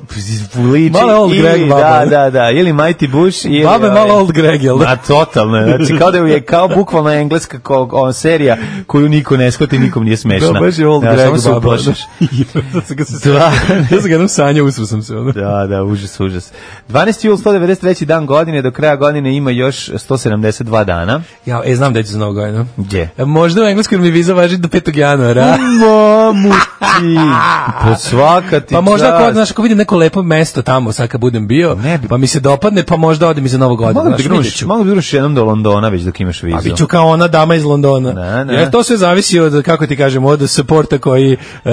liči Malo old ili, Greg baba. Da, da, da, ili Mighty Bush ili... Babe ovaj, malo old Greg, jel da? A totalno, znači kao da je kao bukvalno engleska ko, o, serija koju niko ne shvati, nikom nije smešna. Da, baš je old Ja, Greg samo se baba. uplašiš. Da se ga se Da. ja sam ga jednom sanjao, usro sam se ono. Da, Da, da, užas, užas. dvanaesti jul, sto devedeset treći dan godine, do kraja godine ima još sto sedamdeset dva dana. Ja, e, znam da ću za novu godinu. Gdje? Možda u engleskom mi viza važi do petog januara. Mamu ti, pa svaka ti Pa možda čast. ako, znaš, ako vidim neko lepo mesto tamo, sad kad budem bio, Ne bi- pa mi se dopadne, pa možda odem i za novu godinu. Mogu da znaš, gruneš, vidjet ću. mogu da gruneš jednom do Londona već dok imaš vizu. A bit ću kao ona dama iz Londona. Ne, ne. Jer to sve zavisi od, kako ti kažem, od supporta koji uh,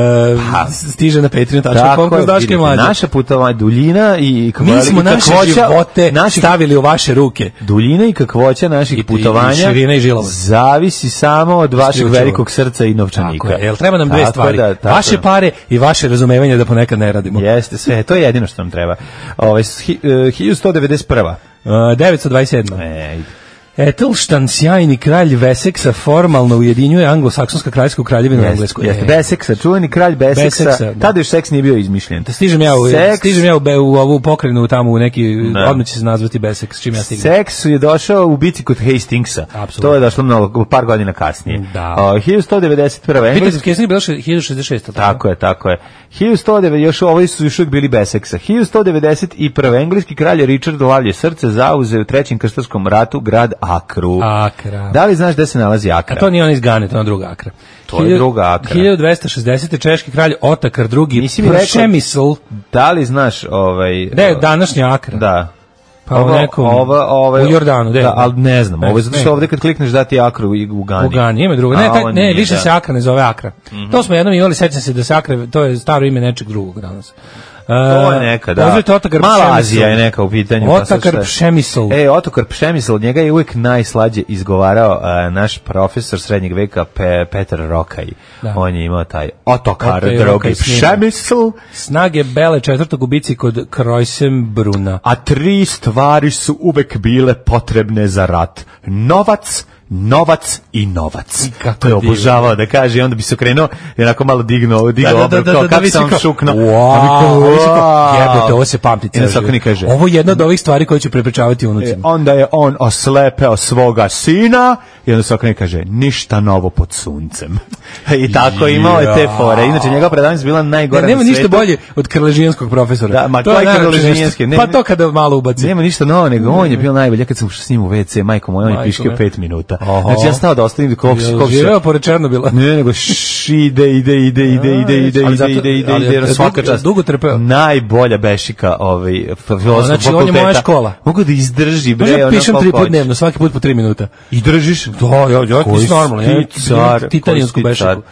stiže na patreon tačka com Tako kroz je, Daške vidite, Mlađe. naša putovanja, duljina i Mi smo i naše kakvoća živote naših- stavili u vaše ruke. Duljina i kakvoća naših I- i- putovanja i širina i žilova. zavisi samo od vašeg Šljučeva. velikog srca i novčanika. Tako je, jel treba nam dve Tako stvari, da, tako vaše je. pare i vaše razumevanje da ponekad ne radimo. Jeste, sve, to je jedino što nam treba. Ove, hi, uh, hiljadu sto devedeset prva. Uh, devetsto dvadeset sedma. Ej, Etelštan, sjajni kralj Veseksa, formalno ujedinjuje anglosaksonska kraljevsku kraljevinu u Englesku. jeste, E, Beseksa, čuveni kralj Beseksa, Beseksa, da. tada još seks nije bio izmišljen. Da stižem ja, u, Seks- stižem ja u, Be- u ovu pokrenu tamo u neki, Da. odmah će se nazvati Beseks, čim ja stignem. Seks je došao u bici kod Hastingsa. Apsolutno. To je došlo mnogo, par godina kasnije. Da. O, hiljadu sto devedeset prva. Peter Kesnik je bilo še- hiljadu šezdeset šest. Tako je, tako je. hiljadu sto devedeset, još ovi su još uvijek bili Beseksa. hiljadu sto devedeset prva. engleski kralj Richard Lavlje srce zauzeo u trećem krstarskom ratu grad Akru. Akra. Da li znaš gde se nalazi Akra? A to nije on iz Gane, to je ona druga Akra. To je druga Akra. hiljadu dvesta šezdeset. češki kralj Otakar drugi. Nisi mi rekao- Pršemisl. Da li znaš ovaj... Gde je današnja Akra? Da. Pa u nekom- ova, ova, u Jordanu, gde? Da, ali ne znam. Ne, Ovo je zato što ne. ovde kad klikneš dati Akru i u Gani. U Gani, ima drugo. Ne, A, taj, ovo ne, nije, više da. se Akra ne zove Akra. To smo jednom imali, sećam se da se Akra, to je staro ime nečeg drugog danas. To je neka, da. Pozovite Otakar Mala Pšemisl. Azija je neka u pitanju. pa sad Otakar šta je? Pšemisl. E, Otokar Pšemisl, od njega je uvijek najslađe izgovarao a, naš profesor srednjeg veka Pe, Petar Rokaj. Da. On je imao taj Otokar Otaj drugi Rokaj snima. Pšemisl. Snage Bele četvrtog u bici kod Krojsenbruna. A tri stvari su uvek bile potrebne za rat. Novac, novac i novac. kako To je divno. obožavao da kaže i onda bi se okrenuo i onako malo dignuo, digao Da, da, obrv, da, kao da, kako da, sam kao, šuknuo. Wow, A mi kao, a vi si kao, wow. jebote, ovo se pamti I ceo onda Sokoni život. kaže, Ovo je jedna od ovih stvari koje ću prepričavati E, unucima. onda je on oslepeo svoga sina i onda Sokoni kaže ništa novo pod suncem. I tako imao je te fore. Inače njegova predavanja su bila najgora Ne, nema na ništa svetu. bolje od krležijanskog profesora. Da, ma To je koji najlepše krležijanski? nešto. Ne, Pa ne. to kada malo ubaci. Nema ništa novo, nego on je bio najbolji. Ja kad sam ušao s njim u ve ce, majko moj, on je Majko piškio me. pet minuta. Oho. Znači ja stao da ostavim koliko se... Jel koliko se- živeo pored Černobila? Ne, nego š, ide, ide, ide, ide, ide, ide, ali ide, zato- ide, ide, ali ide, je svaka dugo- čast. dugo trpeo. Najbolja bešika ovaj, filozofskog Znači, on je moja fakulteta. škola. Mogu da izdrži, bre, Može ono pišem koliko tri put hoće. dnevno, svaki put po tri minuta. I držiš? Da, ja, ja, Koji ti si normalno. si Ja, ti car, titanijansku koji si ti bešiku.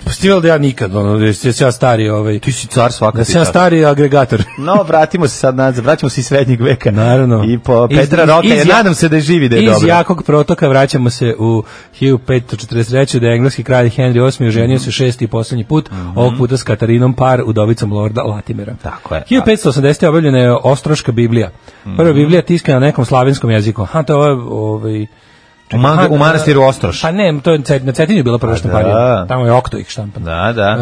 Stival da ja nikad, ono, da si ja stari, ovaj, Ti si car svaka da ti si ja čast. stari agregator. No, vratimo se sad nazad, vraćamo se iz srednjeg veka. Naravno. I po Iz- Petra iz- Roka, iz ja- nadam se da je živi, da je Iz dobro. jakog protoka vraćamo se u hiljadu petsto četrdeset treće. da je engleski kralj Henry osmi oženio se šesti i poslednji put, ovog puta s Katarinom Par, udovicom lorda Latimera. Tako je. hiljadu petsto osamdesete. objavljena je Ostroška Biblija. Prva Biblija tiskana na nekom slavenskom jeziku. Ha, to je ovaj... U, man, Ha, u manastiru Ostroš. Pa ne, to je Cet- na Cetinju je bila prva štamparija. Tamo je Okto ih štampan. Da, da.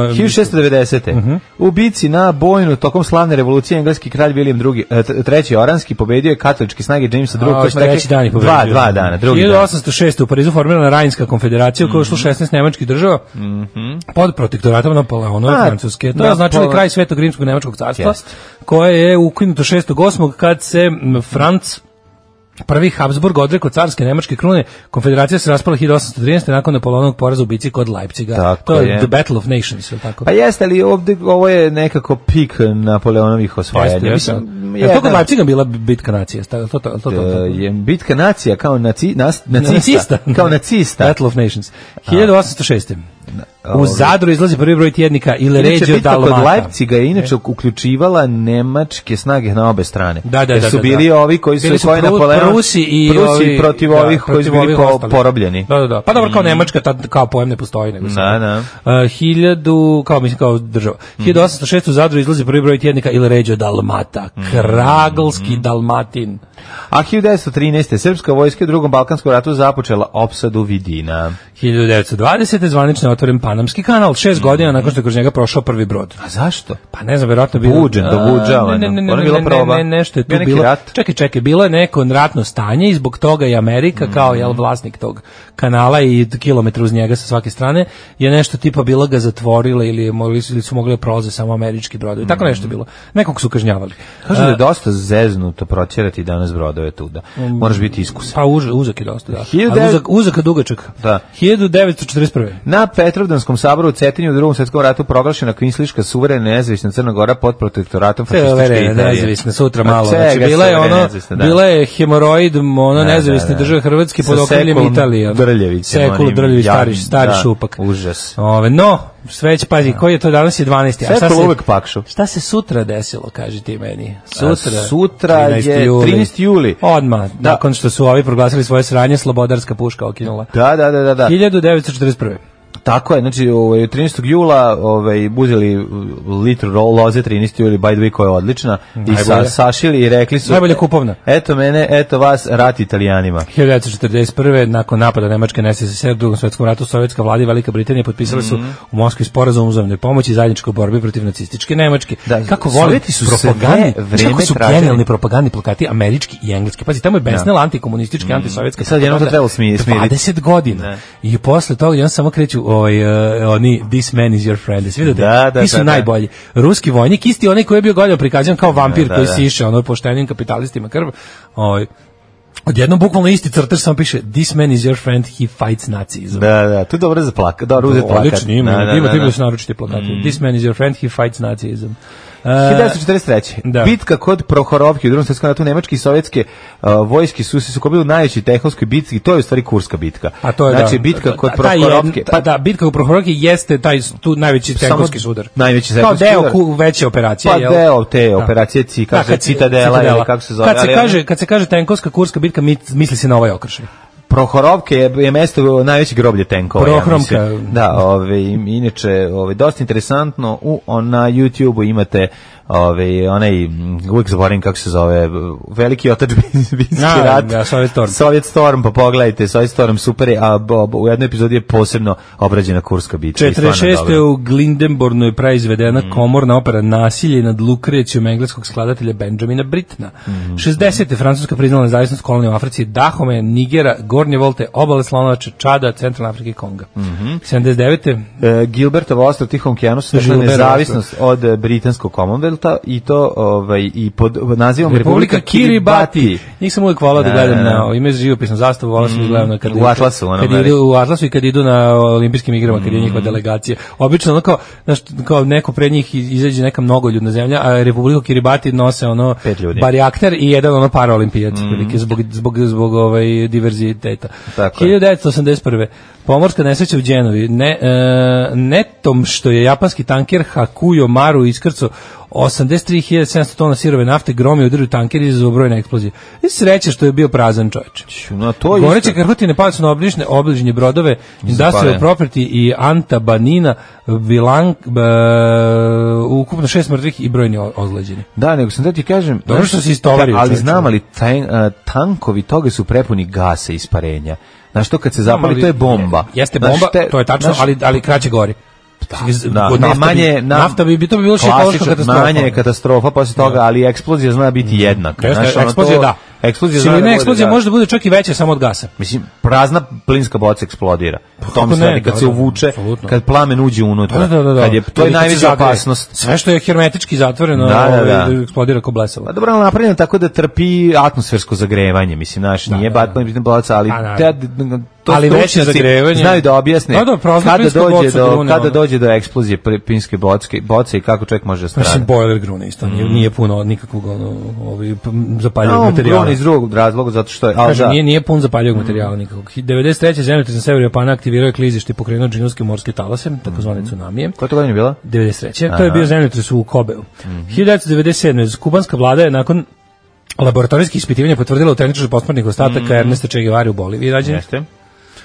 E, hiljadu šessto devedesete. U bici na Bojnu tokom slavne revolucije engleski kralj William drugi, e, t- treći Oranski pobedio je katoličke snage Jamesa drugog. A, koji smo treći rekli, dan je pobedio. Dva, dva dana, drugi dan. hiljadu osamsto šeste. u Parizu formirana Rajnska konfederacija u kojoj je ušlo šesnaest nemačkih država pod protektoratom Napoleonove A, Francuske. To je Napole- označilo i kraj Svetog rimskog nemačkog carstva, Jeste. koje je ukinuto šestog osmog kad se m, Franc Prvi Habsburg odrekao carske nemačke krune, konfederacija se raspala hiljadu osamsto trinaeste. nakon Napoleonovog poraza u bici kod Leipciga. Tako to je, je. The Battle of Nations, je li tako? Pa jeste, ali ovde, ovo je nekako pik Napoleonovih osvajanja. Jeste, jeste. Mislim, Je li to kod jedan- Leipciga bila bitka nacija? To, to, to, to, to, E, je bitka nacija kao naci, nas, nacista, Nacista. kao nacista. Battle of Nations. hiljadu osamsto šeste. U Ovaj. Zadru izlazi prvi broj tjednika Il Inače, Regio bitka kod Dalmata. Leipciga je inače uključivala nemačke snage na obe strane. Da, da, Jer da, su da, bili da. ovi koji su, Bili su koji Pru- Napoleon, Prusi i Prusi ovi- protiv da, ovih koji su protiv bili ovih po, ostalih. porobljeni. Da, da, da. Pa dobro, kao Nemačka tad kao pojem ne postoji, nego Da, samo. da. Uh, hiljadu, kao mislim kao država. hiljadu osamsto šeste. u Zadru izlazi prvi broj tjednika Il Regio Dalmata. Kragalski Dalmatin. A hiljadu devetsto trinaeste. srpska vojska u drugom Balkanskom ratu započela opsadu Vidina. hiljadu devetsto dvadesete. zvanična zatvoren Panamski kanal, šest godina nakon što je kroz njega prošao prvi brod. A zašto? Pa ne znam, verovatno bilo Buđen, dobuđavano. Ne, ne, ne, Ono ne, je bila ne, proba. ne, nešto je tu Bio neki bilo. rat. Čekaj, čekaj, bilo je neko ratno stanje i zbog toga i Amerika kao jel vlasnik tog kanala i kilometra uz njega sa svake strane je nešto tipa bila ga zatvorila ili je mogli ili su mogli da prolaze samo američki brodovi. Tako nešto je bilo. Nekog su kažnjavali. Kažu da je dosta zeznuto protjerati danas brodove tuda. Moraš biti iskusan. Pa uz, uzak je dosta, da. Hiljadu Ali devet- uzak, uzak a dugačak. Da. hiljadu devetsto četrdeset prve. Na Petrovdanskom saboru u Cetinju u Drugom svjetskom ratu proglašena kvinsliška suverena nezavisna Crna Gora pod protektoratom fašističke Severna Italije. nezavisna sutra Ma malo. čega Znači bila je suverena ono, nezavisna, da. bila je hemoroid, ono Da, nezavisne da, da. države Hrvatske pod Sa okriljem Sekulom Italije. ono. Drljevićem, Sekul onim Drljević, stari, jadnim, stari da, šupak. užas. Ove, no, sve će, pazi, koji je to danas je dvanaesti. A šta Sekul se, uvek pakšu. šta se sutra desilo, kaži ti meni? Sutra, A sutra trinaesti je juli. trinaesti juli. Odmah, Da. nakon što su ovi proglasili svoje sranje, slobodarska puška okinula. Da, da, da, da. da. hiljadu devetsto četrdeset prve. Tako je, znači ovaj trinaestog jula ovaj uzeli litru ro- loze trinaesti juli by the way koja je odlična i sa, Najbolja. sašili i rekli su Najbolja kupovna. Eto mene, eto vas, rat Italijanima. hiljadu devetsto četrdeset prve. nakon napada Nemačke na es es es er u Drugom svetskom ratu, sovjetska vlada i Velika Britanija potpisali su u Moskvi sporazum o uzajamnoj pomoći i zajedničkoj borbi protiv nacističke Nemačke. Da, Kako volim Sovjeti su sve propagandni, vreme kako su tražili. genijalni propagandni plakati američki i engleski. Pazi, tamo je besnela antikomunistička, antisovjetska. I sad jednom to propaganda trebalo smiri- smiriti. dvadeset godina. Ne. I posle toga jedan samo kreću ovaj, uh, oni, this man is your friend. Jesi vidio Da, da, Ti su da, da. najbolji. Ruski vojnik, isti onaj koji je bio godinama prikazan kao vampir Da, koji da. siše ono poštenim kapitalistima krv. Ovaj, odjednom bukvalno isti crtež samo piše this man is your friend, he fights Nazism. Da, da, to je dobro za plakat, dobro uzeti plakat. Odlično, ima, Da, da, ima, da, ima da. su naročiti plakati. This man is your friend, he fights Nazism. Uh, hiljadu devetsto četrdeset treće. Da. Bitka kod Prohorovke u Drugom svjetskom ratu nemačke i sovjetske uh, vojske su se sukobili u najvećoj tehničkoj bitci, to je u stvari Kurska bitka. a to je znači da, bitka kod ta- taj je- Prohorovke. ta- da, bitka u Prohorovke jeste taj tu najveći Samo tenkovski sudar. najveći Kao tenkovski deo sudar. ku, veće operacije, Pa jel? deo te Da. operacije Ci, Da, kako se kad se- Citadela ili kako se zove. Kad se ali kaže, kad se kaže tenkovska Kurska bitka, mi- misli se na ovaj okršaj. Prohorovke je, je mesto najveće groblje tenkova. Ja Prohromka. mislim. Da, ove, inače, ove, dosta interesantno, u, on, na YouTube-u imate ove, onaj, m, uvijek zaboravim kako se zove, veliki otadžbinski Da, rat. da, Soviet Storm. Soviet Storm, pa pogledajte, Soviet Storm super je, a bo, bo, u jednoj epizodi je posebno obrađena Kurska bitka. i stvarno četrdeset šeste. dobro. u Glindenbornu je praizvedena komorna opera Nasilje nad Lukrecijom engleskog skladatelja Benjamina Britna. šezdesete. Francuska priznala nezavisnost kolonije u Africi, Dahome, Nigera, Gornje Volte, obale Slonovače, Čada, Centralna Afrika i Konga. sedamdeset devete. E, Gilbertovo ostrvo Tihom okeanu su Gilbertovo nezavisnost od e, britanskog Commonwealtha i to ovaj i pod nazivom Republika Kiribati. Njih sam uvijek volao da Da, gledam da, da. na ime živopisnu zastavu, volao sam da gledam na kad U Atlasu, ono kad veliki. idu u Atlasu i kad idu na olimpijskim igrama, kad je njihova delegacija. Obično ono kao, znaš, kao neko pred njih izađe neka mnogoljudna zemlja, a Republiku Kiribati nose ono Pet ljudi. barijakter i jedan ono paraolimpijac, mm. zbog zbog zbog ovaj diverziteta. Tako je. hiljadu devetsto osamdeset prve. Pomorska nesreća u Đenovi. Ne, e, netom što je japanski tanker Hakuyo Maru iskrcao osamdeset tri hiljade sedamsto tona sirove nafte, gromio udario tanker i izazvao brojne eksplozije. I sreća što je bio prazan, čoveče. No, to je Goreće isto. krhotine pali su na obližnje, obližnje brodove Industrial Zapaljen. Property i Anta Banina, Bilang, b, ukupno šest mrtvih i brojni o- ozleđeni. Da, nego sam da ti kažem, Dobro znaš, što si istovario, ali čoveče. znam ali taj, a, tankovi toga su prepuni gasa i isparenja. Znaš, to kad se zapali, Ali to je bomba. Jeste Znaš, bomba, te- to je tačno, znaš, ali, ali kraće gori. da, Od ne, nafta manje, bi, na- nafta bi, bi to bi bilo ekološka klasična, katastrofa. manje je katastrofa posle toga, ali eksplozija zna biti jednaka. Jeste, Znaš, ono, eksplozija to- da. Eksplozija zna Silina da bude, eksplozija da. može da bude čak i veća samo od gasa. Mislim, prazna plinska boca eksplodira. Po kako tome se ne, radi, kad da, se da, uvuče, apsolutno. kad plamen uđe unutra. Da, da, da, da. Kad je, to je Ili kad se najveća zagreje. opasnost. Sve što je hermetički zatvoreno, Da, da, da. ovaj, eksplodira kao blesavo. Pa dobro, ali napravljeno tako da trpi atmosfersko zagrevanje, mislim, znaš, nije da, bat plin boca, ali Pa, te, naravno. to Ali veće stručnjaci zagrevanje- znaju da objasne Da, da, prazna kada plinska dođe boca do grune, kada ono. dođe do eksplozije pl- plinske boce, boce i kako čovjek može da Mislim, strada. boiler grune isto, nije, nije puno nikakvog ono, ovaj, p- zapaljivog No, materijala. on iz drugog razloga, zato što je, ali Kažem, da, nije, nije pun zapaljivog materijala nikakvog. devedeset treće. zemljotres na severu Japana aktivirao je klizište i pokrenuo džinovske morske talase, takozvane tsunamije. koja to godina je bila? devedeset treće. To je bio zemljotres u Kobeu. hiljadu devetsto devedeset sedme. kubanska vlada je nakon laboratorijskih ispitivanja potvrdila autentičnost posmrtnih ostataka Ernesta Che Guevare u Boliviji rađen. Jeste.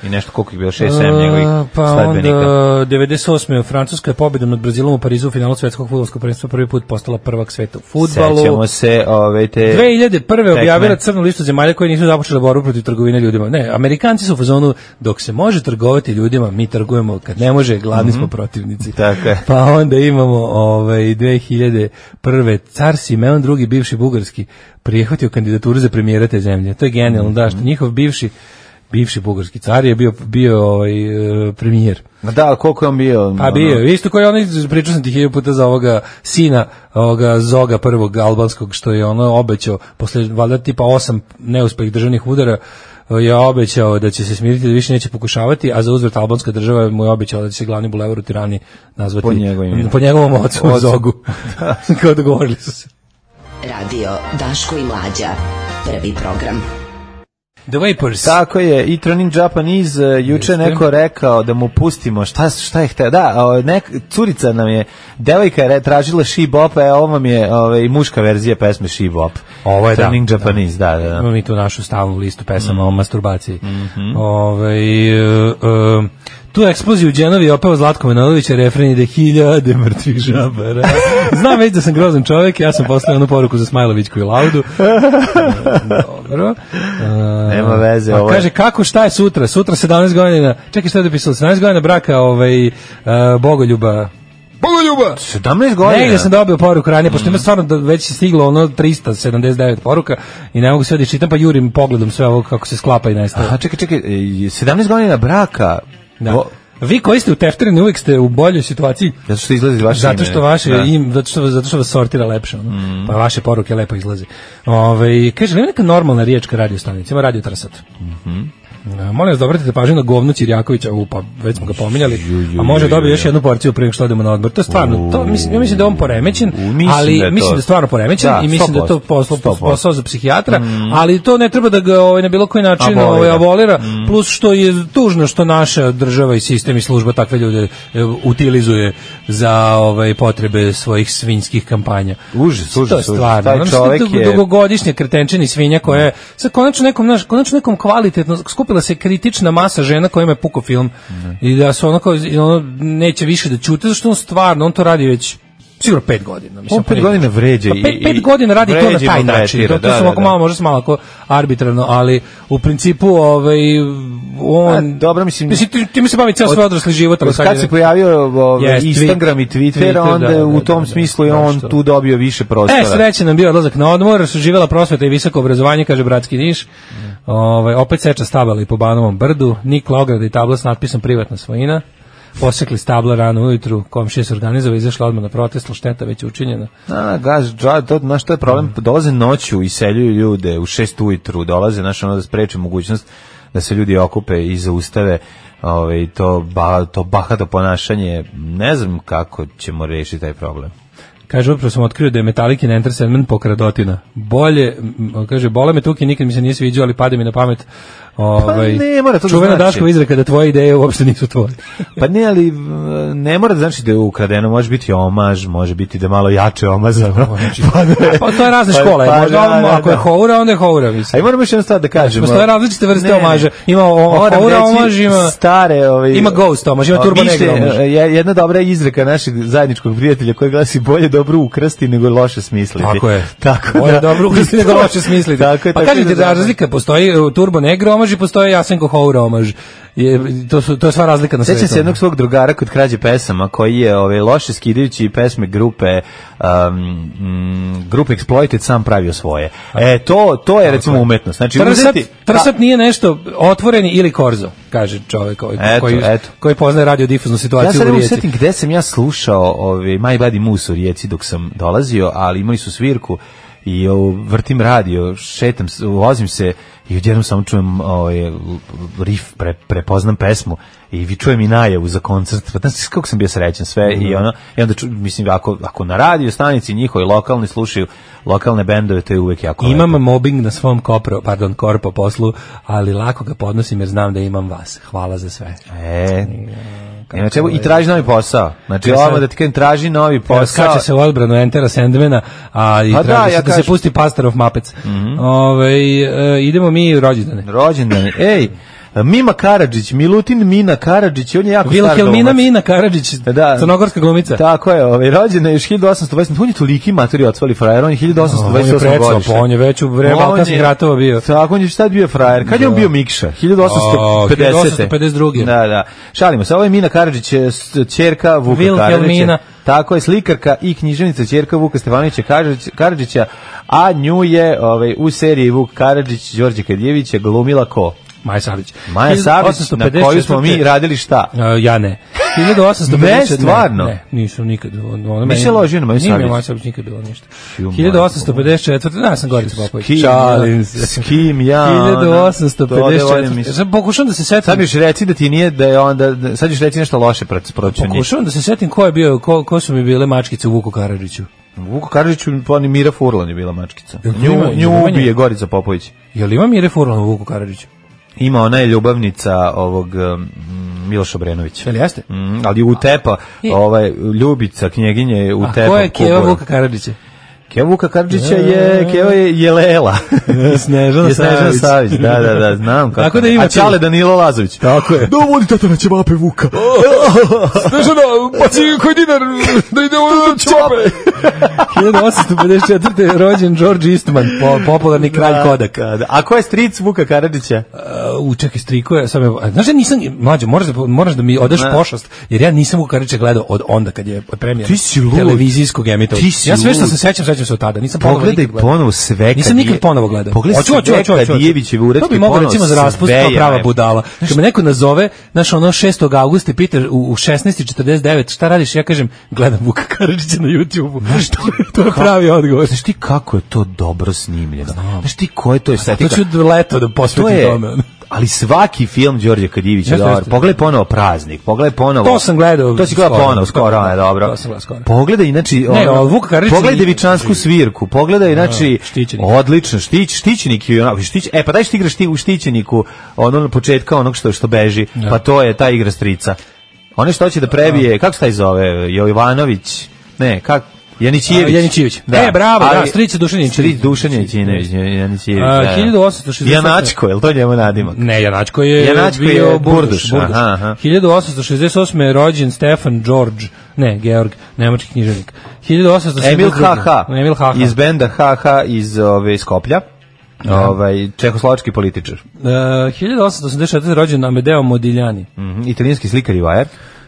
I nešto koliko je bilo šest sedam njegovih pa sledbenika. onda devedeset osme Francuska je pobedom nad Brazilom u Parizu u finalu svetskog fudbalskog prvenstva prvi put postala prvak sveta u fudbalu. Sećamo se ove te dve hiljade prve tekme. objavila crnu listu zemalja koje nisu započele borbu protiv trgovine ljudima. Ne, Amerikanci su u fazonu dok se može trgovati ljudima, mi trgujemo, kad ne može, gladni smo protivnici. Tako je. Pa onda imamo ovaj dve hiljade prve car Simeon drugi bivši bugarski prihvatio kandidaturu za premijera te zemlje. To je genijalno, da, što njihov bivši bivši bugarski car je bio bio ovaj premijer. Da, koliko je on bio? Pa bio, isto koji onaj, pričao sam ti hiljadu puta za ovoga sina, ovoga Zoga prvog albanskog, što je ono obećao, posle valjda tipa osam neuspelih državnih udara, je obećao da će se smiriti, da više neće pokušavati, a za uzvrat albanska država mu je obećala da će se glavni bulevar u Tirani nazvati po, njegovim, po njegovom ocu, ocu. Zogu. Kao dogovorili su se. Radio Daško i Mlađa, prvi program. The Vapors. Tako je, i Turning Japanese, uh, juče je neko rekao da mu pustimo, šta, šta je hteo, da, uh, nek, curica nam je, devojka je tražila She Bop, a ovo vam je ovaj, muška verzija pesme She Bop. Ovo je, Turning da, Japanese, da, da. da. Imamo mi tu našu stalnu listu pesama mm. o masturbaciji. Mm-hmm. Ove, uh, uh, tu eksploziju u Đenovi opeo Zlatko Manojlović, refren ide hiljade mrtvih žabara. Znam već da sam grozan čovjek, ja sam poslao jednu poruku za Smajlovićku i Laudu. Dobro. Uh, Nema veze. Pa ovo kaže, kako, šta je sutra? Sutra sedamnaest godina, čekaj šta je dopisalo, sedamnaest godina braka ovaj, uh, Bogoljuba. Bogoljuba! sedamnaest godina? Ne, gde sam dobio poruku ranije, pošto ima stvarno da već je stiglo ono trista sedamdeset devet poruka i ne mogu sve da čitam, pa jurim pogledom sve ovo kako se sklapa i nestaje. Aha, čekaj, čekaj, sedamnaest godina braka. Da. Bo... Vi koji ste uteftereni uvijek ste u boljoj situaciji. Zato što izlazi vaše zato što ime. vaše da. im, zato što zato što vas sortira lepše, ono. Mm. Pa vaše poruke lepo izlaze. Ovaj kaže, nema neka normalna riječka radio stanica, ima Radio Trsat. Mhm. Mm Molim vas da obratite pažnju na govno Ćirjakovića, u, pa već smo ga pominjali, a može dobiti još jednu porciju prije što odemo na odmor. To je stvarno, to, mislim, ja mislim da je on poremećen, ali da mislim da je stvarno poremećen da, i mislim da je to posao, posao za psihijatra, mm. ali to ne treba da ga ovaj, na bilo koji način abolira, ovaj, abolira mm. plus što je tužno što naša država i sistem i služba takve ljude utilizuje za ovaj, potrebe svojih svinjskih kampanja. Užas, užas, to je stvarno. Taj čovjek je dugogodišnja kretenčina svinja koja je sad konačno nekom, naš, konačno nekom kvalitetno skupila se kritična masa žena kojima je puko film mm. i da su ono kao ono neće više da ćute, zašto on stvarno on to radi već sigurno pet godina. Mislim, on pet godina vređa. Pa pet, pet godina radi to na taj način. To, to da, su ovako da, malo, možda se malo ako arbitrarno, ali u principu ovaj, on... A, dobro, mislim... Mislim, ti, ti mi se bavi cijel svoj odrasli život. Od kad se pojavio ovaj, yes, Instagram i Twitter, Twitter onda da, u tom da, smislu je on da, tu dobio više prostora. E, srećan nam bio odlazak na odmor, živjela prosveta i visoko obrazovanje, kaže bratski Niš. Mm. Ovaj, opet seča stabala i po Banovom brdu, nikla ograda i tabla s natpisom privatna svojina. Posekli stabla rano ujutru, komšije se organizovali, izašla odmah na protest, šteta već učinjena. A, gaz, to, znaš, to je problem, dolaze noću i seljuju ljude u šest ujutru, dolaze, znaš, ono da spreče mogućnost da se ljudi okupe i zaustave ovaj, to, ba, to bahato ponašanje. Ne znam kako ćemo rešiti taj problem. Kaže, upravo sam otkrio da je Metallicin Enter Sandman pokradotina. Bolje, kaže, bole me tuki, nikad mi se nije sviđao, ali pade mi na pamet. Ovaj, pa ne mora to da čuvena znači. Daškova izreka da tvoje ideje uopšte nisu tvoje. Pa ne, ali ne mora da znači da je ukradeno, može biti omaž, može biti da malo jače omazano. pa, pa to je razne pa, škole, pa, možda da, da, ako je houra, onda je houra, mislim. A i moramo još jednu stvar da kažemo. Postoje različite vrste omaža. Ima houra omaž, ima stare, ovaj, ima ghost omaž, ima turbo negro omaž. Jedna dobra izreka našeg zajedničkog prijatelja koja glasi bolje dobro ukrasti nego loše smisliti. Tako je. Tako bolje dobro ukrasti nego loše smisliti. Pa kažete da razlika postoji turbo negro omaž i postoji Jasenko houra omaž. Je, to, su, to je sva razlika na svetu. Sjećam se jednog svog drugara kod krađe pesama koji je ove, loše skidajući pesme grupe um, m, grupe Exploited sam pravio svoje. E, to, to je recimo umetnost. Znači, Trsat, uzeti, trsat nije nešto otvoreni ili korzo, kaže čovjek koji, eto, koji, eto. koji poznaje radiodifuznu situaciju ja u Rijeci. Ja sad gde sam ja slušao ove, My Body Moose u Rijeci dok sam dolazio, ali imali su svirku i o, vrtim radio, šetam, vozim se i odjednom samo čujem ovaj, riff, pre, prepoznam pesmu i vi čujem i najavu za koncert, pa znači kako sam bio srećan sve mm. i ono, i onda ču, mislim, ako, ako na radio stanici njihovi lokalni slušaju lokalne bendove, to je uvek jako imam lepo. Mobbing na svom kopro, pardon, korpo poslu, ali lako ga podnosim jer znam da imam vas. Hvala za sve. E, Ima čemu, i traži novi posao. Znači, ja ovo da ti kažem, traži novi posao. Skače se u odbranu Entera Sandmana, a i pa traži da, ja se da se pusti Pastor of Muppets. Mm -hmm. Ove, e, idemo mi rođendane. Rođendane. Ej, Mima Karadžić, Milutin Mina Karadžić, on je jako star glumac. Vilhelmina Mina Karadžić, da, crnogorska glumica. Tako je, ovaj, rođena je još hiljadu osamsto dvadeset. On je toliki materi odsvali frajer, on je hiljadu osamsto dvadeset osam godišnji. On je već u vreme Balkanskih ratova bio. Tako, on je šta bio frajer? Kad je on bio Mikša? hiljadu osamsto pedesete. hiljadu osamsto pedeset druge. Da, da. Šalimo se, ovo je Mina Karadžić, ćerka Vuka Karadžića. Tako je, slikarka i književnica ćerka Vuka Stefanovića Karadžića, a nju je ovaj, u seriji Vuk Karadžić, Đorđe Kadjevića glumila ko? Maja Savić. Maja Savić, na koju smo mi radili šta? Uh, ja ne. hiljadu osamsto pedeset Ne, stvarno? Ne, ne, nisam nikad. Mi se ložio na Maju Savić. Nije Maja Savić nikad bilo ništa. hiljadu osamsto pedeset četvrte. Da, sam Gorica Popović. Šalim se. S kim ja? hiljadu osamsto pedeset četvrte. Sad pokušam da se setim. Sad biš reci da ti nije, da je onda, sad ćeš reći nešto loše protiv njih. Pokušavam da se setim ko je bio, ko, ko su mi bile mačkice u Vuku Karadžiću. Vuku Karadžiću, pa ni Mira Furlan je bila mačkica. Nju, nju ubije Gorica Popović. Je li ima Mire Furlan u Vuku Karadžiću? Ima, ona je ljubavnica ovog um, Miloša Obrenovića. Jel jeste? Mm, ali utepa, ovaj, Ljubica, knjeginje utepa. A ko je Keva Vuka Karadžića? Keva Vuka Karadžića je, Keva je Jelela. Snežana Savić. Savić. Da, da, da, znam kako. Tako da ima a Čale Danilo Lazović. Tako je. Da voli tata na ćevape Vuka. Snežana, baci koji dinar da ide u ćevape. hiljadu osamsto pedeset četvrte rođen George Eastman, po, popularni kralj Kodak. Da, da. A ko je stric Vuka Karadžića? Uh, u čekaj, striko je, sam je, znaš, ja nisam, mlađe, moraš da, moraš da mi odaš pošast, jer ja nisam Vuka Karadžića gledao od onda kad je premijer televizijskog emitovanja. Ja sve što se sećam, sećam se od tada. Nisam pogledaj ponovo sve. Nisam nikad ponovo gledao. Pogledaj sve Kadijevićeve uretke. To bi mogao recimo za raspust kao prava budala. Kad me neko nazove, znaš, ono šestog avgusta pita u šesnaest i četrdeset devet, šta radiš? Ja kažem, gledam Vuka Karadžića na YouTubeu. To je pravi odgovor. Znaš ti kako je to dobro snimljeno? Znaš ti ko je to estetika? To ću leto da posvetim tome. Ali svaki film Đorđe Kadijevića je dobar. Pogledaj ponovo Praznik, pogledaj ponovo. To sam gledao. To si gledao ponovo, skoro, ne, dobro. To sam gledao skoro. Pogledaj, znači, ne, ono, Vuka Karadžić. Pogledaj Devičansku svirku, pogledaj, znači, odlično, štić, štićenik je onako, štić, e, pa daj što igraš ti u štićeniku, ono na početka onog što, što beži, ja. Pa to je ta igra strica. One što će da prebije, kako se taj zove, Jovanović, ne, kako, Janićijević. Janićijević. Da. E, bravo, ali, da, stric Dušan Janićijević. Stric Dušan Janićijević, Janićijević. Da. hiljadu osamsto šezdeset Janačko, je li to njemu nadimak? Ne, Janačko je Janačko bio je Burduš. Burduš. Burduš. Aha, aha. hiljadu osamsto šezdeset osme je rođen Stefan George, ne, Georg, nemački književnik. hiljadu osamsto šezdeset druge. Emil Haha. Emil Haha. Iz benda Haha iz ove Skoplja. Ja. Ovaj čehoslovački političar. Uh, hiljadu osamsto osamdeset četvrte rođen Amedeo Modigliani. Mhm, italijanski slikar i vajar.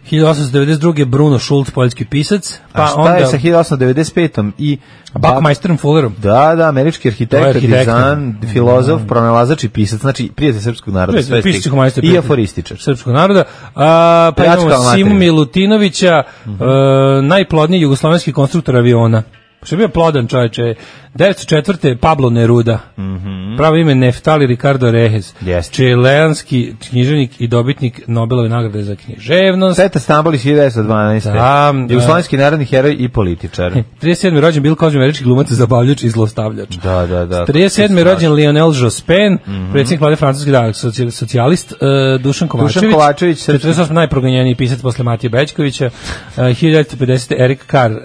hiljadu osamsto devedeset druge Bruno Schulz, poljski pisac. Pa a šta onda je sa hiljadu osamsto devedeset petom i Buckminsterom Fullerom? Da, da, američki arhitekt, dizajn, filozof, pronalazač i pisac, znači prijatelj srpskog naroda, sve stik. I aforističar. Srpskog naroda. A, pa imamo Simu Milutinovića, uh -huh. uh, najplodniji jugoslovenski konstruktor aviona. Što je bio plodan čovječe. devetsto četvrte Pablo Neruda. Mm -hmm. Pravo ime Neftali Ricardo Rehes. Yes. Čileanski književnik i dobitnik Nobelove nagrade za književnost. Petar Stambolić hiljadu devetsto dvanaeste. Da, jugoslovenski narodni heroj i političar. trideset sedme rođen Bill Cosby, američki glumac, zabavljač i zlostavljač. Da, da, da. trideset sedme rođen Lionel Jospin, mm -hmm. predsjednik vlade francuski, da, socijalist, uh, Dušan Kovačević. Dušan Kovačević, četrdeset osme najproganjeniji pisac posle Matije Bećkovića. Uh, hiljadu devetsto pedesete Erik Carr, uh,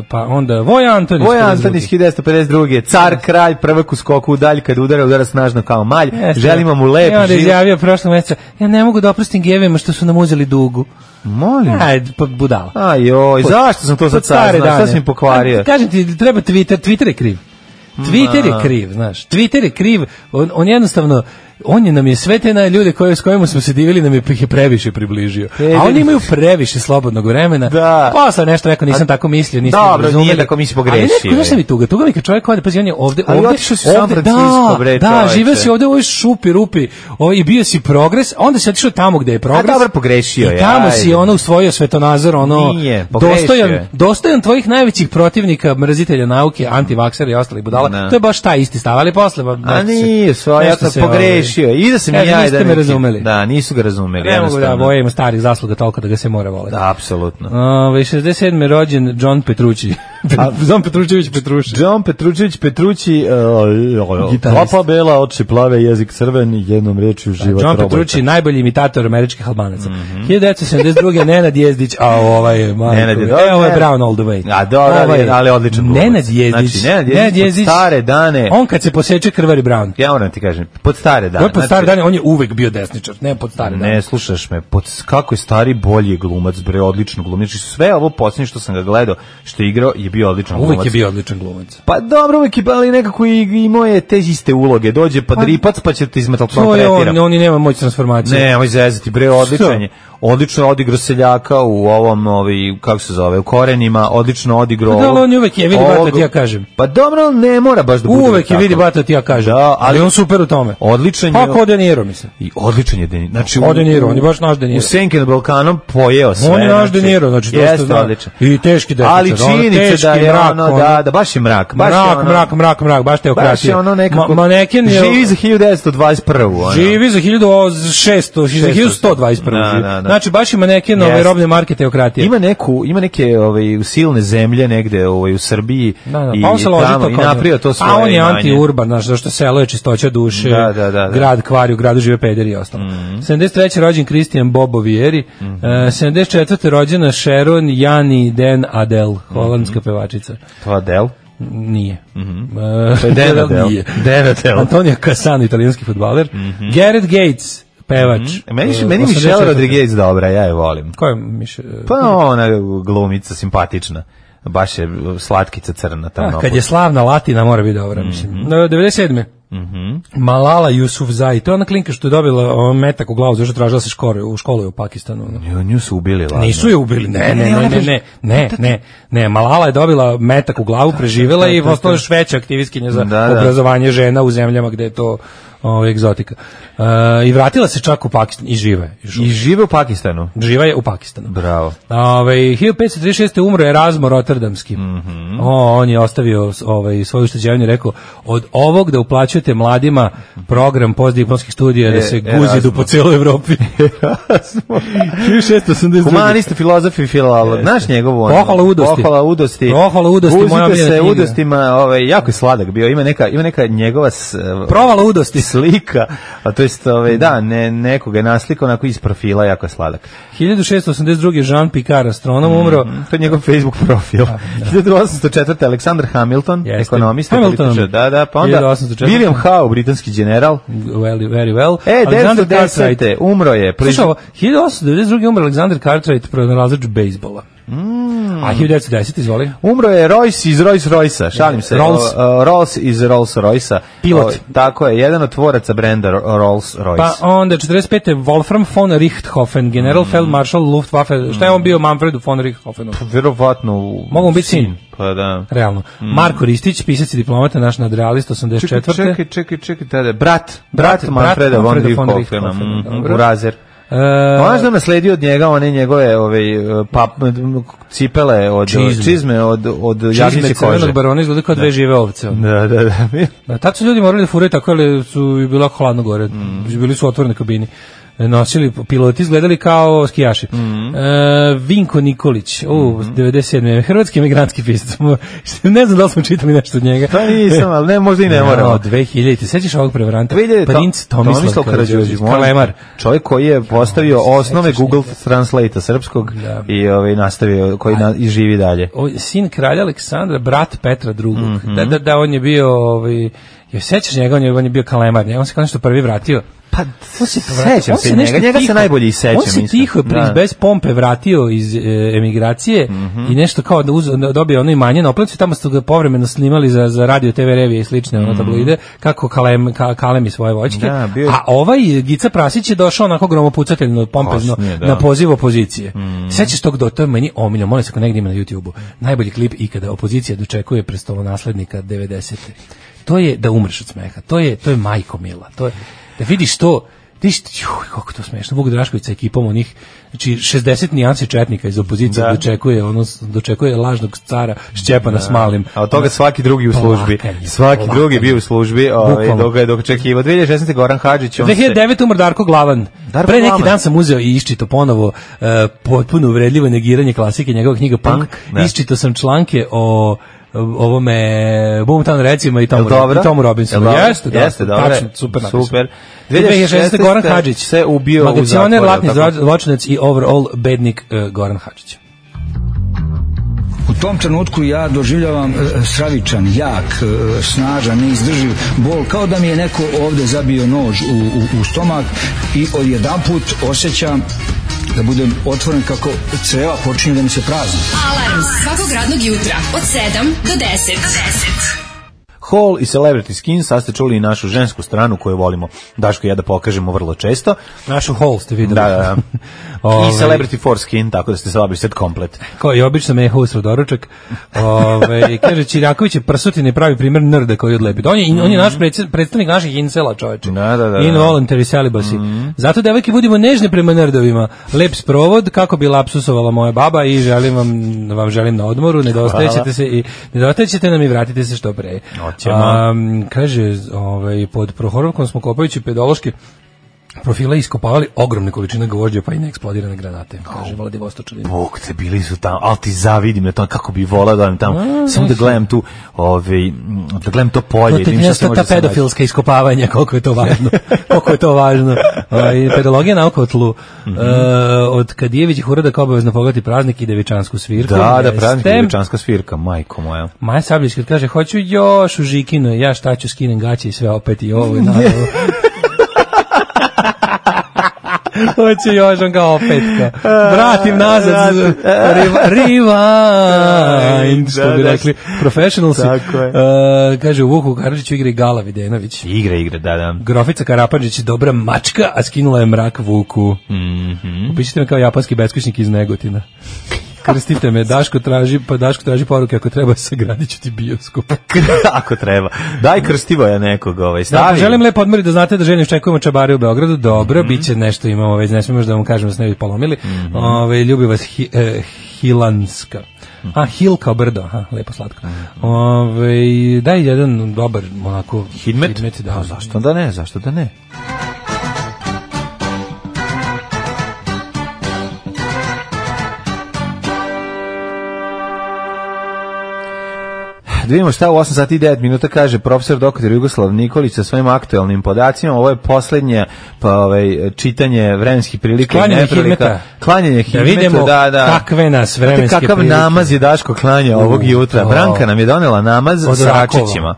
pa onda Voja Antonić. Voja Antonić hiljadu devetsto pedeset druge. Car, kralj, prvak u skoku u dalj, kad udara, udara snažno kao malj. Jeste. Želimo mu lep život. I onda izjavio prošlog mjeseca, ja ne mogu da oprostim gevima što su nam uzeli dugu. Molim. Ajde, pa budala. Aj joj, zašto sam to sad saznao? Šta si mi pokvario? Kažem ti, treba Twitter, Twitter je kriv. Twitter je kriv, znaš. Twitter je kriv, on, on jednostavno, on je nam je sve te na ljude koje, s kojima smo se divili, nam je, je previše približio. A oni imaju previše slobodnog vremena. Da. Posle nešto rekao, nisam A, tako mislio, nisam dobro, razumeli. Nije tako mi si pogrešio. Ali neko, znaš šta mi tuga? Tuga mi kad čovjek ode, pazi, on je ovde, ali ovde, otišao si u San Francisco, bre, da, da, živeo si ovde u ovoj šupi, rupi, ovaj, i bio si progres, onda si otišao tamo gde je progres. A dobro, pogrešio je. I tamo aj. si ono usvojio svetonazor, ono, nije, dostojan, dostojan tvojih najvećih protivnika, mrzitelja nauke, antivaksera i ostalih budala. No. To je baš taj isti stav, ali posle ba, a nije, svoje pogrešio. I da se mi ja da me razumeli. Da, nisu ga razumeli. Ne mogu da, Voja ima starih zasluga toliko da ga se mora voleti. Da, apsolutno. Ove, šezdeset sedme rođen John Petrucci. Zom Petručević Petruši. John Petručević Petrući, uh, Gitarist. klopa bela, oči plave, jezik crven, jednom rečju život John robota. Petrući, najbolji imitator američkih Albanaca. hiljadu devetsto sedamdeset druge. Nenad Jezdić, a ovaj, Marko, Nenad je e, dobro, ovo je ne. Brown all the way. A dobro, ali, Ovaj, ali odličan glumac. Nenad Jezdić, Znači, Nenad Nenad Jezdić, Jezdić, pod stare dane, on kad se poseče krvari Brown. ja moram ti kažem, pod stare dane. On je pod stare dane, on je uvek bio desničar, ne pod stare dane. Ne, slušaš me, pod, kako je stari bolji glumac, bre, odlično glumac. Znači, sve ovo posljednje što sam ga gledao, što je igrao, je bio odličan glumac. Uvek je bio odličan glumac. Pa dobro, uvek je, ali nekako i imao je te iste uloge. Dođe pa dripac, pa će te izmetal To je on, on i nema moć transformacije. Ne, moj zezati, bre, odličan je. Odlično je odigrao seljaka u ovom, ovi, kako se zove, u Korenima, odlično odigrao... Da, ali on je uvek je, vidi ovog- bata ti ja kažem. Pa dobro, on ne mora baš da bude Uvek je tako. vidi bata ti ja kažem. Da, ali- ali on super u tome. Odličan je. Pa kao De Niro, mislim. I odličan je De Niro. Znači, O De Niro, on je baš naš De Niro. U Senke na Balkanom pojeo sve. On je naš znači, De Niro, znači to jeste što zna. odličan. I teški desničar. Ali ono, činjenica teški da je mrak, ono, ono. da, da baš je mrak. Baš je Mrak, ono, mrak, mrak, mrak, baš teokratija. baš je ono nekako... Ma, maneken je... Živi za hiljadu devetsto dvadeset prvu. ono. Živi za hiljadu šesto, za hiljadu sto dvadeset prvu. Da, da, da. Znači, baš je maneken ove Jeste. robne marke teokratije. Ima neku, ima neke ovaj silne zemlje negde ovaj u Srbiji Da, da, i, pa on se i loži tamo to i kao- napravio to svoje. A on je imanje. anti-urban, znaš, zašto selo je čistoća duše, Da, da, da, da. grad kvari, u gradu žive pederi i ostalo. Mhm. sedamdeset treće rođen Christian Bobo Vieri, e, sedamdeset četvrte rođena Sharon Jani Den Adel, holandska pevačica. To Adel. Nije. Mhm. E, To je Den Adel. Nije. Den Adel. Antonio Cassano, italijanski fudbaler. Gareth Gates, pevač. E, Meni, e, meni Michelle osamdeset četvrte. Rodriguez dobra, ja je volim. Ko je Michelle? Pa ona glumica, simpatična. Baš je slatkica crna tamo. A, kad je slavna Latina, mora biti dobra, mislim. E, devedeset sedme Malala Yousafzai, to je ona klinka što je dobila o, metak u glavu, zašto tražila se škole, u školu u Pakistanu. ono. Nju, nju su ubili, ladno. Nisu je ubili, ne, ne, ne, ne, ne, ne, ne, ne, Malala je dobila metak u glavu, preživela i postala još veća aktivistkinja za Da, da. obrazovanje žena u zemljama gde je to o, egzotika. E, I vratila se čak u Pakistan i žive. je. još I žive u Pakistanu. Živa je u Pakistanu. Bravo. Ove, hiljadu petsto trideset šeste umro je Razmo Rotterdamski. O, on je ostavio ovaj, svoju ušteđevinu i rekao, od ovog da uplaćujete mladima program postdiplomskih studija da E, se Erasmo. guzidu po cijeloj Evropi. hiljadu šessto osamdeset druge Humanista, filozof i filolog. Znaš njegovu ono? Pohvala udosti. Pohvala udosti. Pohvala udosti, moja Guzite omiljena se knjiga. udostima, ovaj, jako je sladak bio. Ima neka, ima neka njegova s, Provala udosti. slika, a to jest, ovaj, da, ne, nekoga je naslikao onako iz profila, jako je sladak. hiljadu šessto osamdeset druge Jean Picard, astronom, umro. Mm, to je njegov Facebook profil. hiljadu osamsto četvrte Aleksandar Hamilton, Jeste. ekonomista, Hamilton. političar, da, da, pa onda hiljadu osamsto četvrte. William Howe, britanski general. Very, very well. E, Alexander devetsto desete umro je. Slušaj ovo, hiljadu osamsto devedeset druge umro Alexander Cartwright, pronalazač bejsbola. Mm. A hiljadu devetsto desete izvoli. Umro je Royce iz Rolls Royce-a, šalim se. Rolls. O, o, Rolls iz Rolls Royce-a. Pilot. O, tako je, jedan od tvoraca brenda Ro- Rolls Royce. Pa onda četrdeset pete Wolfram von Richthofen, general feldmaršal Luftwaffe. Šta je on bio Manfredu von Richthofenu? Verovatno u- Mogu mu biti sin. Pa da. Realno. Marko Ristić, pisac i diplomata, naš nadrealist, osamdeset Čekaj, četvrte čekaj, čekaj, čekaj, tada. Brat, Brat, brat Manfreda brat von Manfreda von Richthofena, Richthofena, mm, dobro. Urazer. E, Ona što nasledio od njega one njegove ove pap, cipele od Čizme. čizme, od od Čizme jagnjeće crvenog kože. barona izgleda kao dve žive ovce. Da, da, da. Da, tad su ljudi morali da furaju tako, ali su i bila hladno gore. Mm. Bili su otvorene kabini. Nosili, piloti izgledali kao skijaši. Mm. E, Vinko Nikolić, u, Mm-hmm. devedeset sedme hrvatski emigrantski pisac. Ne znam da li smo čitali nešto od njega. Pa nisam, ali ne, možda i ne moramo. dve hiljadite. Sećaš ovog prevaranta? dve hiljadite Princ Tomislav Karađorđević, molim te. Kalemar. Čovjek koji je postavio Kako se osnove sećaš Google njega? Translate srpskog Da. i ovaj nastavio koji na, i živi dalje. O, sin kralja Aleksandra, brat Petra drugog. Mhm. Da, da, da, on je bio, ovaj, joj sećaš njega, on je, on je bio kalemar, njega, on se kao nešto prvi vratio. Pa On se vratio, sećam on se se njega, nešto njega se tiho- najbolje i sećam. On se isto. tiho, Da. Mhm. bez pompe vratio iz e, emigracije i nešto kao da uz, da dobio ono imanje na oplancu, tamo su ga povremeno snimali za, za radio, te ve revije i slične ono tabloide, kako kalem, ka, kalemi svoje voćke. Mhm. Da, bio je- A ovaj Gica Prasić je došao onako gromopucateljno, pompezno, Kasnije, da. na poziv opozicije. Sećaš tog do, to je meni omiljeno, molim se ako negdje ima na YouTubeu. Najbolji klip ikada opozicija dočekuje prestolonaslednika devedesete. To je da umreš od smeha. To je to je majko mila. To je da vidiš to Ti što, juj, kako to smešno, Vuk Drašković sa ekipom onih, znači šezdeset nijansi četnika iz opozicije Da. dočekuje, ono, dočekuje lažnog cara Šćepana s Malim. A od toga svaki drugi u službi. Plakanje, Svaki plakanje. drugi bio u službi, ovaj, Bukvalno. dok ga je dok čekivao. dve hiljade šesnaeste. Goran Hadžić, on dve hiljade devete. umr Darko Glavan. Darko Pre neki Glavan. dan sam uzeo i iščito ponovo uh, potpuno uvredljivo negiranje klasike, njegova knjiga Punk. Punk, da. Iščito sam članke o ovome Boomtown recima i tomu, Jel dobro? i tomu Robinsonu. Jel dobro? Jeste, da, Jeste, dobro. tačno, super napisano. Super. dve hiljade šesnaeste. Goran Hadžić se ubio u magacioner, zatvoru, latni tako? zločinac i overall bednik uh, Goran Hadžić. U tom trenutku ja doživljavam e, stravičan, jak, e, snažan, neizdrživ bol, kao da mi je neko ovde zabio nož u, u, u stomak i odjedanput osjećam da budem otvoren kako creva počinju da mi se prazni. Alarm svakog radnog jutra od sedam do deset. Hall i Celebrity Skin, sad ste čuli i našu žensku stranu koju volimo, Daško i ja da pokažemo vrlo često. Našu Hall ste videli. Da, da, da. Ove, I Celebrity Foreskin, tako da ste slabili set komplet. Kao i obično me je husro doručak. Ove, kaže, Čirjaković je prsutin i pravi primjer nrda koji odlepi. On je, on je naš predsjed- predstavnik naših incela, čoveče. Da, da, da, da. Involuntary celibacy. Mm. Zato, devojke, budimo nežne prema nrdovima. Lep sprovod, kako bi lapsusovala moja baba i želim vam, vam želim na odmoru, nedostajećete se i nedostajećete nam i vratite se što pre. Um, kaže, ovaj, pod Prohorovkom smo kopajući pedološke profile iskopavali ogromne količine gvožđa pa i neeksplodirane granate. Kaže Vladivostočanin. Bog te, bili su tamo, ali ti zavidim na to, kako bi volao da vam tamo, A, samo da gledam tu, ovaj, da gledam to polje. To da te vidim šta se ta, može ta da se nađe. pedofilska iskopavanja, koliko je to važno. koliko je to važno. Ovaj, pedologija nauka o tlu. Mm -hmm. uh, od Kadijevićih urada kao obavezno pogledati praznik i devičansku svirku. Da, da, Jeste. praznik i devičanska svirka, majko moja. Maja Sabljić kad kaže, hoću još u Žikino, ja šta ću, skinem gaće i sve opet i ovo i naravno. Hoće još on kao opet kao, vratim nazad rewind, što bi rekli professionalsi. Uh, kaže, u Vuku Karadžiću igra i Gala Videnović. Igra, igra, da, da. Grofica Karapadžić, dobra mačka, a skinula je mrak Vuku. Mm -hmm. Upišite me kao japanski beskućnik iz Negotina. Krstite me, Daško traži, pa Daško traži poruke, ako treba sagradit ću ti bioskop. Ako treba. Daj krstivo je nekog, ovaj, stavi. Da, pa želim lepo odmoriti da znate da željno iščekujemo čabare u Beogradu. Dobro, mm -hmm. bit će nešto, imamo već, ne smijemo da vam kažemo da se ne bi polomili. Mm -hmm. Ove, ljubi vas hi, eh, Hilanska. Mm -hmm. A, Hil kao brdo, aha, lepo slatko. Mm -hmm. Ove, daj jedan dobar, onako, Hidmet? Hidmet, da. A zašto da ne, zašto da ne? Da vidimo šta u osam sati i devet minuta kaže profesor doktor Jugoslav Nikolić sa svojim aktuelnim podacima. Ovo je poslednje pa, ovaj, čitanje vremenskih prilika i Klanjanje neprilika. hidmeta. Klanjanje hidmeta, Da vidimo da, da. kakve nas vremenske Znate kakav prilike. namaz je Daško klanja ovog jutra. to. Branka nam je donela namaz Od sa rakova. račićima.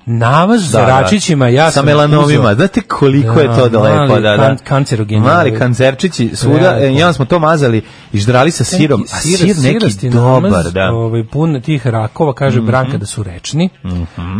Namaz za Da, da. račićima, ja sa sam melanomima. uzeo- Znate koliko je to Da, daleko, mali da, da. kan- kancerogeni. Mali kancerčići svuda, Veliko. e, i onda smo to mazali i ždrali sa sirom, a Sir- sir neki sirasti dobar, namaz, da. ovaj, pun tih rakova, kaže Mhm. Branka da su rečni.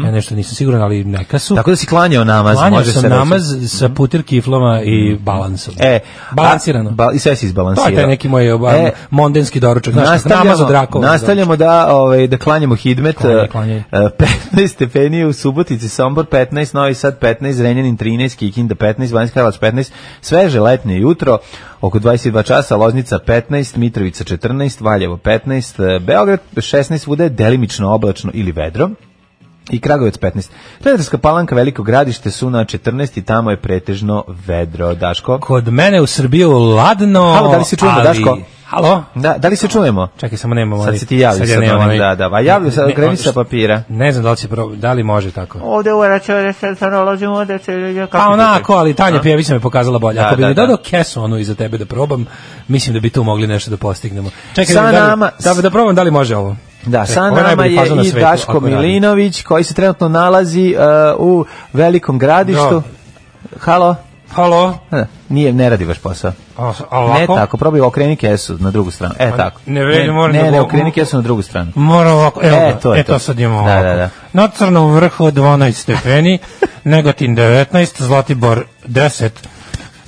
Ja nešto nisam siguran, ali neka su. Tako da si klanjao namaz, Klanjao može sam se reći. namaz sa putir kiflama i balansom. E, Balansirano. a, ba, i sve si To izbalansirao. je taj neki moj e, E, mondenski doručak. Znaš, nastavljamo, namaz od rakova. nastavljamo da, ovaj, da klanjamo hidmet. Klanjaj, klanjaj. e, petnaest stepeni u Subotici, Sombor petnaest, Novi Sad petnaest, Zrenjanin trinaest, Kikinda petnaest, Banjska Karlovac petnaest, sveže letnje jutro, oko dvadeset dva časa, Loznica petnaest, Mitrovica četrnaest, Valjevo petnaest, e, Beograd šesnaest, svuda je delimično oblačno ili vedro. I Kragujevac petnaest. Redarska Palanka, Veliko Gradište su na četrnaest i tamo je pretežno vedro. Daško? Kod mene u Srbiju ladno. Halo, da li se čujemo, ali... Daško? Halo? Da, da li se čujemo? Čekaj, samo nemamo. Sad ali- se ti javlja sad sa ja nemam onim, onaj- da, da. A javlja se, Ne, kreni on- sa papira. Ne znam da li će prob... da li može tako. Ovde uveraću da se nalazimo da se... Pa onako, ali Tanja Pjević me pokazala bolje. Da, Ako bi da, mi da. dodao kesu onu iza tebe da probam, mislim da bi tu mogli nešto da postignemo. Čekaj, Sa da, li- nama- da, da probam da li može ovo. Da, sa Ovo je nama najbolji je fazon na i svetu, Daško ako radi. Milinović, koji se trenutno nalazi uh, u Velikom Gradištu. Halo? Halo? Ne, nije, ne radi vaš posao. A, a ovako? Ne tako, probaj okreni kesu na drugu stranu. E, Pa, tako. ne vredi, moram ne, da ne, go- okreni kesu na drugu stranu. Mora ovako, evo E, ga, to je e to to. sad imamo Da, ovako. da, da. Na Crnom vrhu dvanaest stepeni, Negotin devetnaest, Zlatibor deset,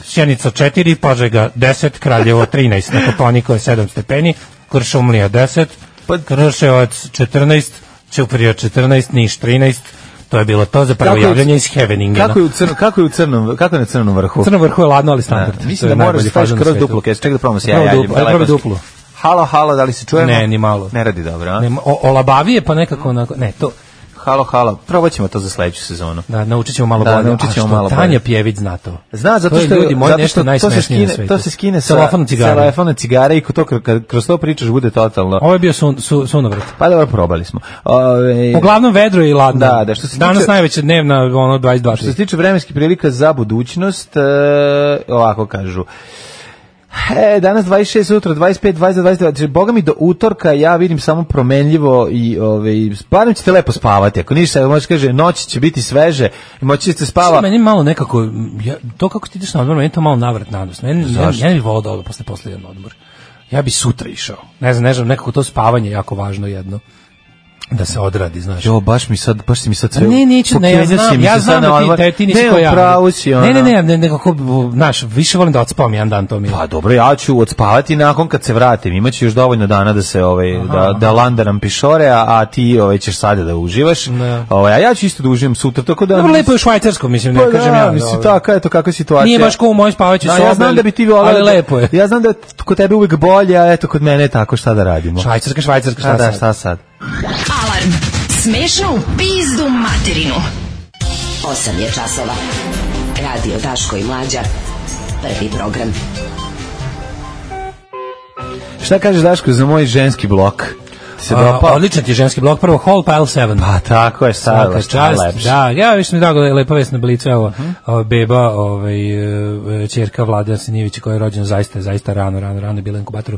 Sjenica četiri, Požega deset, Kraljevo trinaest, na Kopaoniku je sedam stepeni, Kuršumlija deset, Pa- Kruševac četrnaest, Ćuprija četrnaest, Niš trinaest, To je bilo to za prvo javljanje iz Heaveningena. Kako je u crnom, kako je u crnom, kako je na crnom vrhu? U crnom vrhu je ladno, ali standard. Da, mislim da moraš da staviš kroz duplo kesu. Čekaj da probamo se ja javim. Prvo duplo. Halo, halo, da li se čujemo? Ne, ni malo. Ne radi dobro, a? Ne, o, olabavije pa nekako onako, ne, to... Halo, halo, probat ćemo to za sledeću sezonu. Da, naučit ćemo malo da, bolje. Naučit ćemo malo bolje. Tanja Pjević zna to. Zna, zato što, to je ljudi moji nešto najsmešnije na svetu. To se skine sa telefona cigare. telefona cigare i to, kad kroz to pričaš bude totalno. Ovo je bio sun, su, sunovrat. Pa dobro, probali smo. Ove... Uglavnom vedro i ladno. Da, da, što se Danas tiče, najveća dnevna, ono, dvadeset dva. Što se tiče vremenskih prilika za budućnost, e, ovako kažu. E, danas dvadeset šest, sutra dvadeset pet, dvadeset, dvadeset, dvadeset, boga mi do utorka ja vidim samo promenljivo i ovaj barem ćete lepo spavati. Ako ništa, možeš kaže noći će biti sveže i moći ćete spava. Meni malo nekako ja, to kako ti ideš na odmor, meni to malo navrat nados. Meni ja, ja ne bih volao da odem posle posle jedan odmor. Ja bi sutra išao. Ne znam, ne znam, nekako to spavanje je jako važno jedno. Da se odradi, znaš. Jo, baš mi sad, baš si mi sad sve. Ne, neću, ne, ja znam, ja znam da ti, te, ti nisi ko ja. Pravo si, ne, ne, ne, ne, nekako, znaš, više volim da odspavam jedan dan, to mi je. Pa dobro, ja ću odspavati nakon kad se vratim. Imaće još dovoljno dana da se, ovaj, aha, da, da landaram pišore, a, a ti ovaj, ćeš sada da uživaš. Ovaj, a ja ću isto da uživam sutra, tako da... Dobro, lepo je švajcarsko, mislim, ne pa kažem da, ja. Mislim, tako, eto, kakva situacija. Nije baš ko u mojoj spavaćoj sobi, ja znam da bi ti volao, ali lepo je. Ja znam da kod tebe uvek bolje, a eto, kod mene je tako, šta da radimo. Švajcarska, švajcarska, šta, da, šta sad? Alarm. Smešno u pizdu materinu. osam je časova. Radio Daško i Mlađa. Prvi program. Šta kažeš, Daško, za moj ženski blok? Se A, odličan ti je ženski blok, prvo Hall Pile sedam. Pa tako je, sad čast. Da, ja više mi drago da je lepa vest na Blicu, evo, uh-huh. beba, ovaj, ćerka Vlada Sinijevića koja je rođena zaista, zaista rano, rano, rano je bila inkubatoru,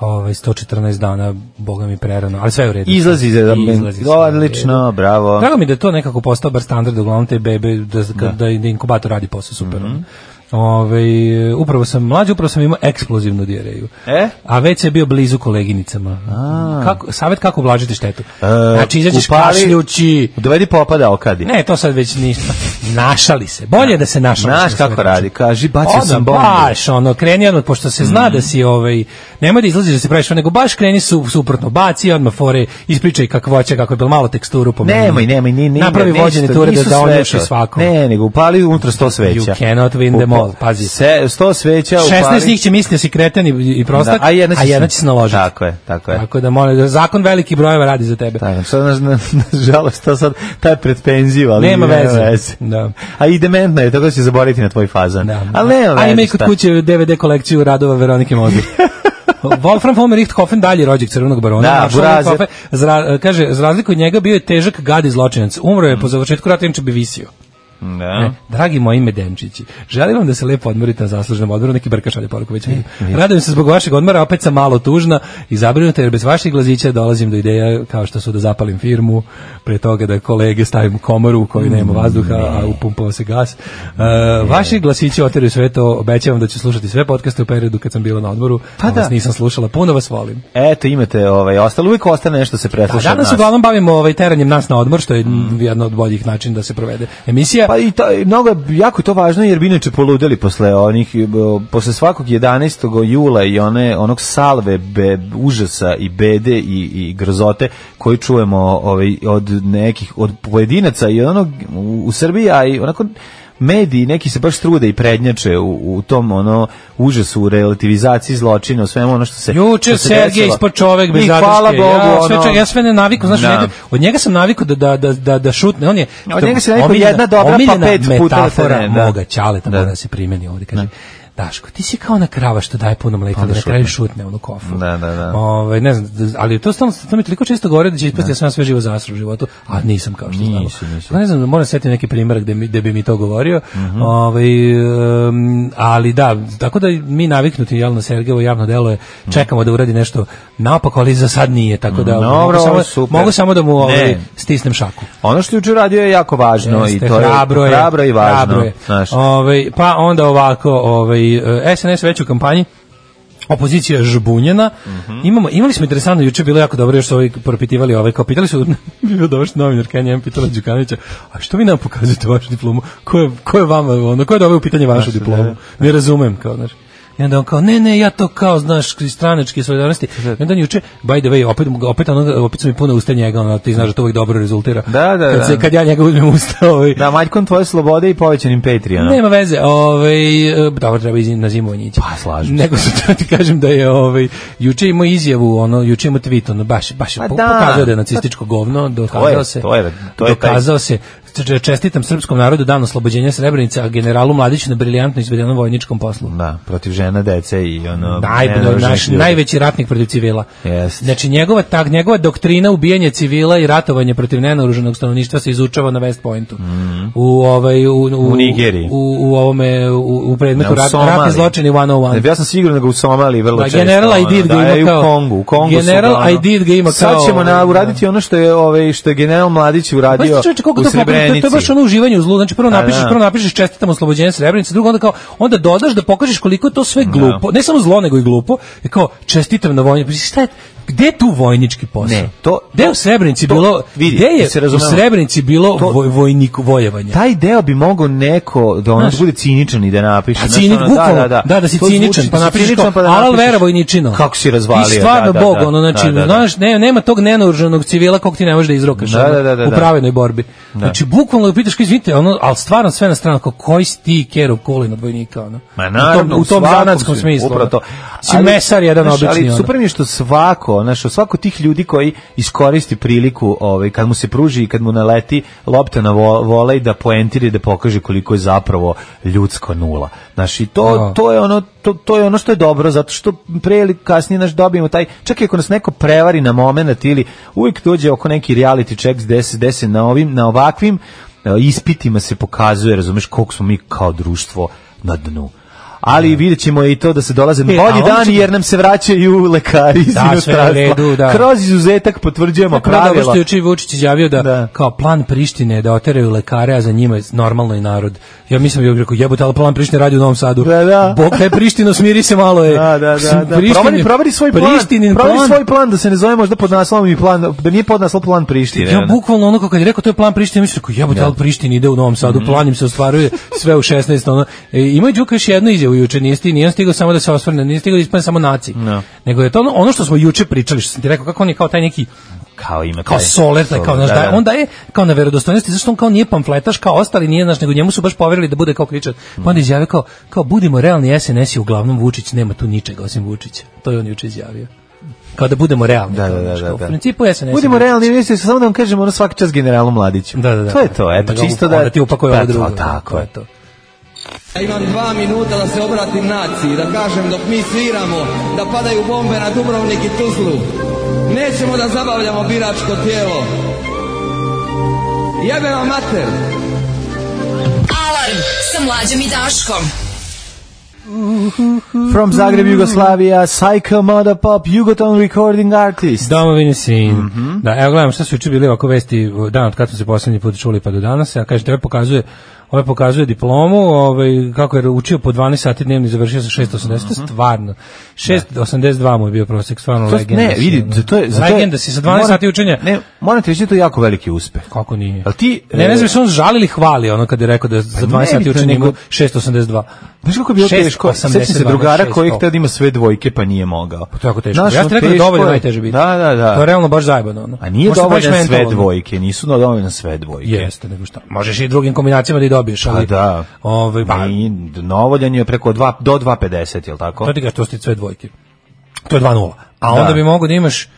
ovaj, sto četrnaest dana, boga mi prerano, ali sve je u redu. Izlazi, za, izlazi odlično, bravo. Drago mi da je to nekako postao bar standard, uglavnom te bebe, da, da. da, da inkubator radi posao super. Mm-hmm. Ove, upravo sam mlađi, upravo sam imao eksplozivnu dijareju. E? A već je bio blizu koleginicama. A. Kako, savjet kako ublažiti štetu? E, znači, izađeš kašljući. Dovedi popada okadi. Ne, to sad već ništa. Našali se. Bolje je da se našali. Znaš kako radi, kaži, bacio sam bombu. Baš, ono, kreni odmah, pošto se zna mm. da si, ovaj, nemoj da izlaziš da se praviš, nego baš kreni su, suprotno, baci odmah fore, ispričaj kakvoća, kako je bilo malo teksturu pomeni. Nemoj, nemoj, ni, ni, napravi vođene ture da, da onjuši svako. Ne, nego upali unutra sto sveća. You cannot win them all, pazi. Se, sto sveća upali. šesnaest njih će misliti da si kreten i, i prostak, da, a jedna će, a jedna će se naložiti. Tako je, tako je. Tako da molim, zakon veliki brojeva radi za tebe. Tako, sad, na, na, nažalost, to sad, taj pred penziju, ali nema veze. veze. Da. A i dementno je, tako da će zaboraviti na tvoj fazan. Da. Ali nema veze. A ima i kod kuće D V D kolekciju radova Veronike Mozer. Wolfram von Richthofen dalje rođak crvenog barona. Da, Burazer. Zra, kaže, za razliku od njega bio je težak gad i zločinac. Umro je mm. po završetku rata, inače bi visio. Da. Ne, dragi moji medenčići, želim vam da se lepo odmorite na zasluženom odmoru, neki brka šalje poruku već vidim. Radujem se zbog vašeg odmora, opet sam malo tužna i zabrinuta jer bez vaših glazića dolazim do ideja kao što su da zapalim firmu, pre toga da kolege stavim komoru u kojoj nema vazduha, a upumpava se gas. Uh, vaši glasići oteraju sve to, obećavam da ću slušati sve podcaste u periodu kad sam bila na odmoru, pa da. Vas nisam slušala, puno vas volim. Eto, imate ovaj, ostalo, uvijek ostane nešto se presluša. Da, danas uglavnom bavimo ovaj, teranjem nas na odmor, što je mm. jedno od boljih načina da se provede emisija. Pa i to, mnogo, jako je to važno jer bi inače poludeli posle onih, posle svakog jedanaestog jula i one, onog salve be, užasa i bede i, i grozote koji čujemo ovaj, od nekih, od pojedinaca i onog u, u Srbiji, a i onako mediji neki se baš trude i prednjače u, u tom ono užasu, u relativizaciji zločina, u svemu ono što se juče Sergej ispod čovek bez zadrške. Hvala Bogu, ja, ono, sve, ja sve ne naviku, znaš, njega, od njega sam naviku da, da, da, da, da šutne, on je od njega se naviku jedna dobra pa pet puta metafora moga ćaleta da. da se primeni ovdje, kaže. Daško, ti si kao na krava što daje puno mleka, da na kraju šutne onu kofu. Da, da, da. Ove, ne znam, ali to stalno, to mi toliko često govore da će ispasti ja sam sve živo zasru u životu, a nisam kao što znamo. Ne znam, moram setiti neki primjer gde, mi, gde bi mi to govorio. Mm-hmm. Ove, um, ali da, tako da mi naviknuti jel, na Sergejevo javno delo je, čekamo da uradi nešto naopako, ali za sad nije, tako da no, mogu, bro, samo, mogu samo da mu ove, stisnem šaku. Ono što je juče radio je jako važno. Jeste, i to hrabro je hrabro i važno. Hrabro je. Ove, pa onda ovako, ove, S N S već u kampanji, opozicija žbunjena. Mm-hmm. Imamo, imali smo interesantno, juče bilo jako dobro, još su ovi propitivali ove, kao pitali su, bio došli novinar, Kenja, ja pitala Đukanovića, a što vi nam pokazujete vašu diplomu? Ko je, ko je vama, ono, ko je doveo u pitanje vašu diplomu? Ne razumem, kao, znaš. I onda on kao, ne, ne, ja to kao, znaš, iz stranačke solidarnosti. I onda juče, by the way, opet, opet, ono, opet su mi puno usta njega, ono, ti znaš da to uvijek dobro rezultira. Da, da, kad, da. se, kad ja njega uzmem usta. Ovaj. Da, Maljkom tvoje slobode i povećanim Patreonom. Nema veze, ovaj, dobro, treba ići na zimovanje ići. Pa, slažem Nego se to ti kažem da je, ovaj, juče imao izjavu, ono, juče imao tweet, ono, baš, baš, Pa po, da. pokazao da je nacističko govno, dokazao se, to je, to je dokazao se, čestitam srpskom narodu dan oslobođenja Srebrenice, a generalu Mladiću na briljantno izvedenom vojničkom poslu. Da, protiv žena, dece i ono... Naj, naš najveći ratnik protiv civila. Yes. Znači, njegova, tak, njegova doktrina ubijanja civila i ratovanje protiv nenaoruženog stanovništva se izučava na West Pointu. Mm. U, ovaj, u, u, u Nigeriji. U, u, ovome, u, u predmetu ne, rat, ratni zločini sto jedan. Ne, ja sam siguran da ga u Somaliji vrlo da, često. General I did ga da, ima kao... U Kongu, u Kongu General su, ono, I did ga ima kao... Sad ćemo na, uraditi ono što je, ovaj, što je general Mladić uradio u Srebrenici. To je baš ono uživanje u zlu. Znači prvo napišeš, prvo napišeš čestitam oslobođenje Srebrenice, drugo onda kao onda dodaš da pokažeš koliko je to sve glupo. Ne samo zlo nego i glupo. Je kao čestitam na vojni. Šta je gde je tu vojnički posao? Ne, to gde u Srebrenici to, bilo vidi, gde je u Srebrenici bilo to, voj, vojnik vojevanje? Taj deo bi mogao neko da on bude ciničan i da napiše. A cinik, ono, da, da, da, da, da si to ciničan, zvuči, pa napišeš kao, pa da alal vera vojničino. Kako si razvalio? I stvarno da, Bog, da, ono, znači, da, da, da. Znaš, ne, nema tog nenaoružanog civila kog ti ne možeš da izrokaš da, da, da, da, u pravednoj borbi. Da. Znači, bukvalno pitaš, kao izvinite, ono, ali stvarno sve na stranu, kao koji si ti Kerov Kolin od vojnika, ono. Ma naravno, u tom zanatskom smislu. Upravo to. Si mesar jedan obični. Ali super mi je što svako, znači, svako tih ljudi koji iskoristi priliku, ovaj, kad mu se pruži i kad mu naleti lopta na vo, volej da poentira i da pokaže koliko je zapravo ljudsko nula. Znači, to, no. to je ono to, to je ono što je dobro, zato što pre ili kasnije naš dobijemo taj, čak i ako nas neko prevari na moment ili uvijek dođe oko neki reality check gde se, gde se na, ovim, na ovakvim ispitima se pokazuje, razumeš, koliko smo mi kao društvo na dnu. Ali vidjet ćemo i to da se dolaze bolji dani jer nam se vraćaju lekari iz da, inostranstva. Da. Kroz izuzetak potvrđujemo pravila. Dobro što je juče Vučić izjavio da, da kao plan Prištine da oteraju lekare, a za njima je normalno i narod. Ja mislim da je rekao jebote, ali plan Prištine radi u Novom Sadu. Da, da. Bog taj Prištino, smiri se malo je. Da, da, da. da. Proveri, proveri svoj plan. Proveri plan. svoj plan da se ne zove možda pod naslovom i plan, da nije pod naslov plan Prištine. Ja bukvalno ono kad je rekao to je plan Prištine, mislim rekao jebote, ali Priština ide u Novom Sadu, mm. plan im se ostvaruje sve u šesnaest ono. E, ima Đuka još jednu izjavu juče, nije sti, nije stigao samo da se osvrne, nije stigao da ispadne samo naci. No. Nego je to ono, ono što smo juče pričali, što sam ti rekao kako on je kao taj neki kao ima kao soler, taj, kao, znaš, da, da. onda je kao na verodostojnosti, zašto on kao nije pamfletaš kao ostali, nije, znaš, nego njemu su baš poverili da bude kao kričar. Pa onda izjavio kao, kao budimo realni, S N S je uglavnom Vučić, nema tu ničega osim Vučića. To je on juče izjavio. Kao da budemo realni. Da, da, da, da, u principu S N S. Budimo realni, mislim samo da vam kažemo ono svaki čas generalu Mladiću. Da, da, da. To je to, eto, čisto da da ti upakuje ovo drugo. Tako je to. Ja imam dva minuta da se obratim naciji, da kažem dok mi sviramo, da padaju bombe na Dubrovnik i Tuzlu. Nećemo da zabavljamo biračko tijelo. Jebe vam mater. Alarm sa Mlađom i Daškom. From Zagreb, Jugoslavia, Psycho Mother Pop, Jugoton Recording Artist. Domovini sin. Mm-hmm. Da, evo gledam šta su juče bili ovako vesti dan od kada smo se poslednji put čuli pa do danas. Ja kažem, tebe pokazuje Ovaj pokazuje diplomu, ovaj kako je učio po dvanaest sati dnevno i završio sa šest osamdeset, uh-huh. stvarno. šest osamdeset dva mu je bio prosek, stvarno to, legenda. Ne, vidi, to je za legenda si sa dvanaest sati učenja. Ne, moram ti reći da to je jako veliki uspeh. Kako nije? Al ti ne, ne znam što on žali ili hvali ono kad je rekao da za dvanaest sati učenja ima šest osamdeset dva. Znaš kako je bilo teško? Sećam se drugara koji hteo da ima sve dvojke pa nije mogao. Pa to je jako teško. Ja ti rekao da dovoljno najteže biti. Da, da, da. To je realno baš zajebano ono. A nije dovoljno sve dvojke, nisu dovoljno sve dvojke. Jeste, nego šta. Možeš i drugim kombinacijama da i dobiješ, ali da. Ovaj pa novoljan je preko dva do dva pedeset, je l' tako? To ti ga to sti sve dvojke. To je dva nula. A onda bi mogao da imaš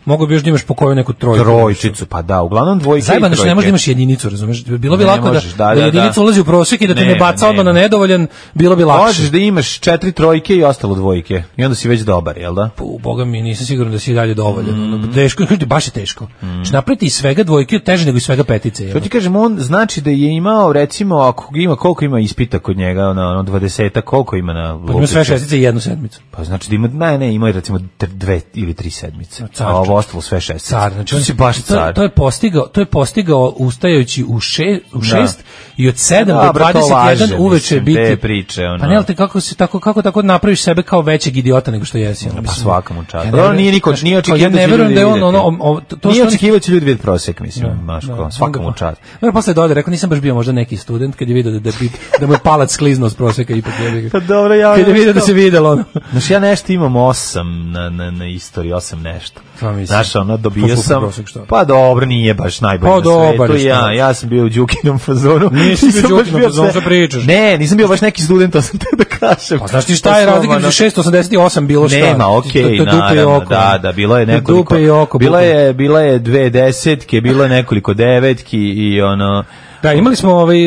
mogu bi još da imaš po koju neku trojku. Trojčicu, pa da, uglavnom dvojke. Zajebano što ne možeš da imaš jedinicu, razumeš? Bilo bi lako možeš, da, da, da jedinica da. ulazi u prosjek i da te ne baca odmah na nedovoljan, bilo bi lakše. Možeš da imaš četiri trojke i ostalo dvojke. I onda si već dobar, jel da? U boga mi nisam siguran da si i dalje dovoljan. Mm. Teško, baš je teško. Mm. Što napraviti iz svega dvojke teže nego iz svega petice. Što ti kažem, on znači da je imao, recimo, ako ima, koliko ima ispita kod njega, ono, ono dvadeset, koliko ima na... Pa ima sve šestice i jednu sedmicu. Pa znači da ima, ne, ne, ima recimo dve ili tri sedmice. A ovo ovo ostalo sve šest. Car, znači on si baš car. To, to je postigao, to je postigao ustajući u šest, u šest da. i od sedam da, do dvadeset jedan uveče biti. Te priče, ono. Pa ne, ali te kako se tako kako tako napraviš sebe kao većeg idiota nego što jesi, ono. Pa svaka mu čast. Ja nije niko, nije očekivao da će ljudi da on ono to nije očekivao će ljudi vidjeti prosjek, mislim, baš kao svaka mu čast. No, posle dođe, rekao nisam baš bio možda neki student kad je video da da, da mu je palac skliznuo s prosjeka ipak je. Pa dobro, ja. Kad je video da se videlo ono. Znači ja nešto imam osam na na na istoriji, osam nešto. Znaš, ono, dobio sam, pa dobro, nije baš najbolji pa na svetu, ja, ja sam bio u Đukinom fazonu. Nisi bio u Đukinom fazonu, što pričaš? Ne, nisam bio baš neki student, to sam te da kažem. Pa znaš ti šta je razlika između šeststo osamdeset osam bilo šta? Nema, okej, okay, naravno, da, da, bilo je nekoliko, oko, bila je, bila je dve desetke, bilo je nekoliko devetki i ono... Da, imali smo ovaj,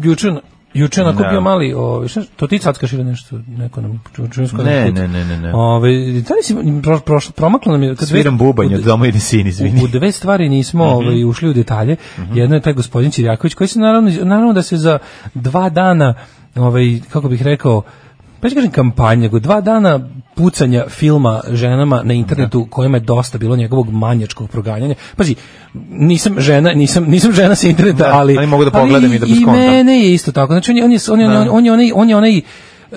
juče, Juče onako bio mali, ovaj šta to ti cackaš ili nešto, neko nam čujsko ne, ne, ne, ne, ne. Ovaj da li si prošlo promaklo nam je kad sviram bubanj od doma ide sin, izvini. U dve stvari nismo mm-hmm. ovaj ušli u detalje. Mm-hmm. Jedno je taj gospodin Ćirjaković koji se naravno naravno da se za dva dana ovaj kako bih rekao pa kažem kampanja, nego dva dana pucanja filma ženama na internetu kojima je dosta bilo njegovog manjačkog proganjanja. Pazi, nisam žena, nisam nisam žena sa interneta, da, ali ali mogu da pogledam i da beskontam. I mene je isto tako. Znači on je on je on je on je, on je onaj on je onaj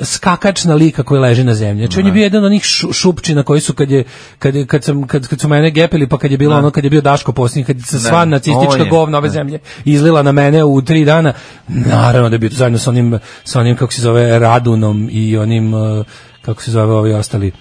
skakač na lika koji leži na zemlji. Znači on je bio jedan od onih šupčina koji su kad je kad je, kad sam kad kad su mene gepili pa kad je bilo ne. ono kad je bio Daško posljednji kad se sva nacistička govna ove zemlje izlila na mene u tri dana. Naravno da je bio zajedno sa onim sa onim kako se zove Radunom i onim kako se zove ovi ostali.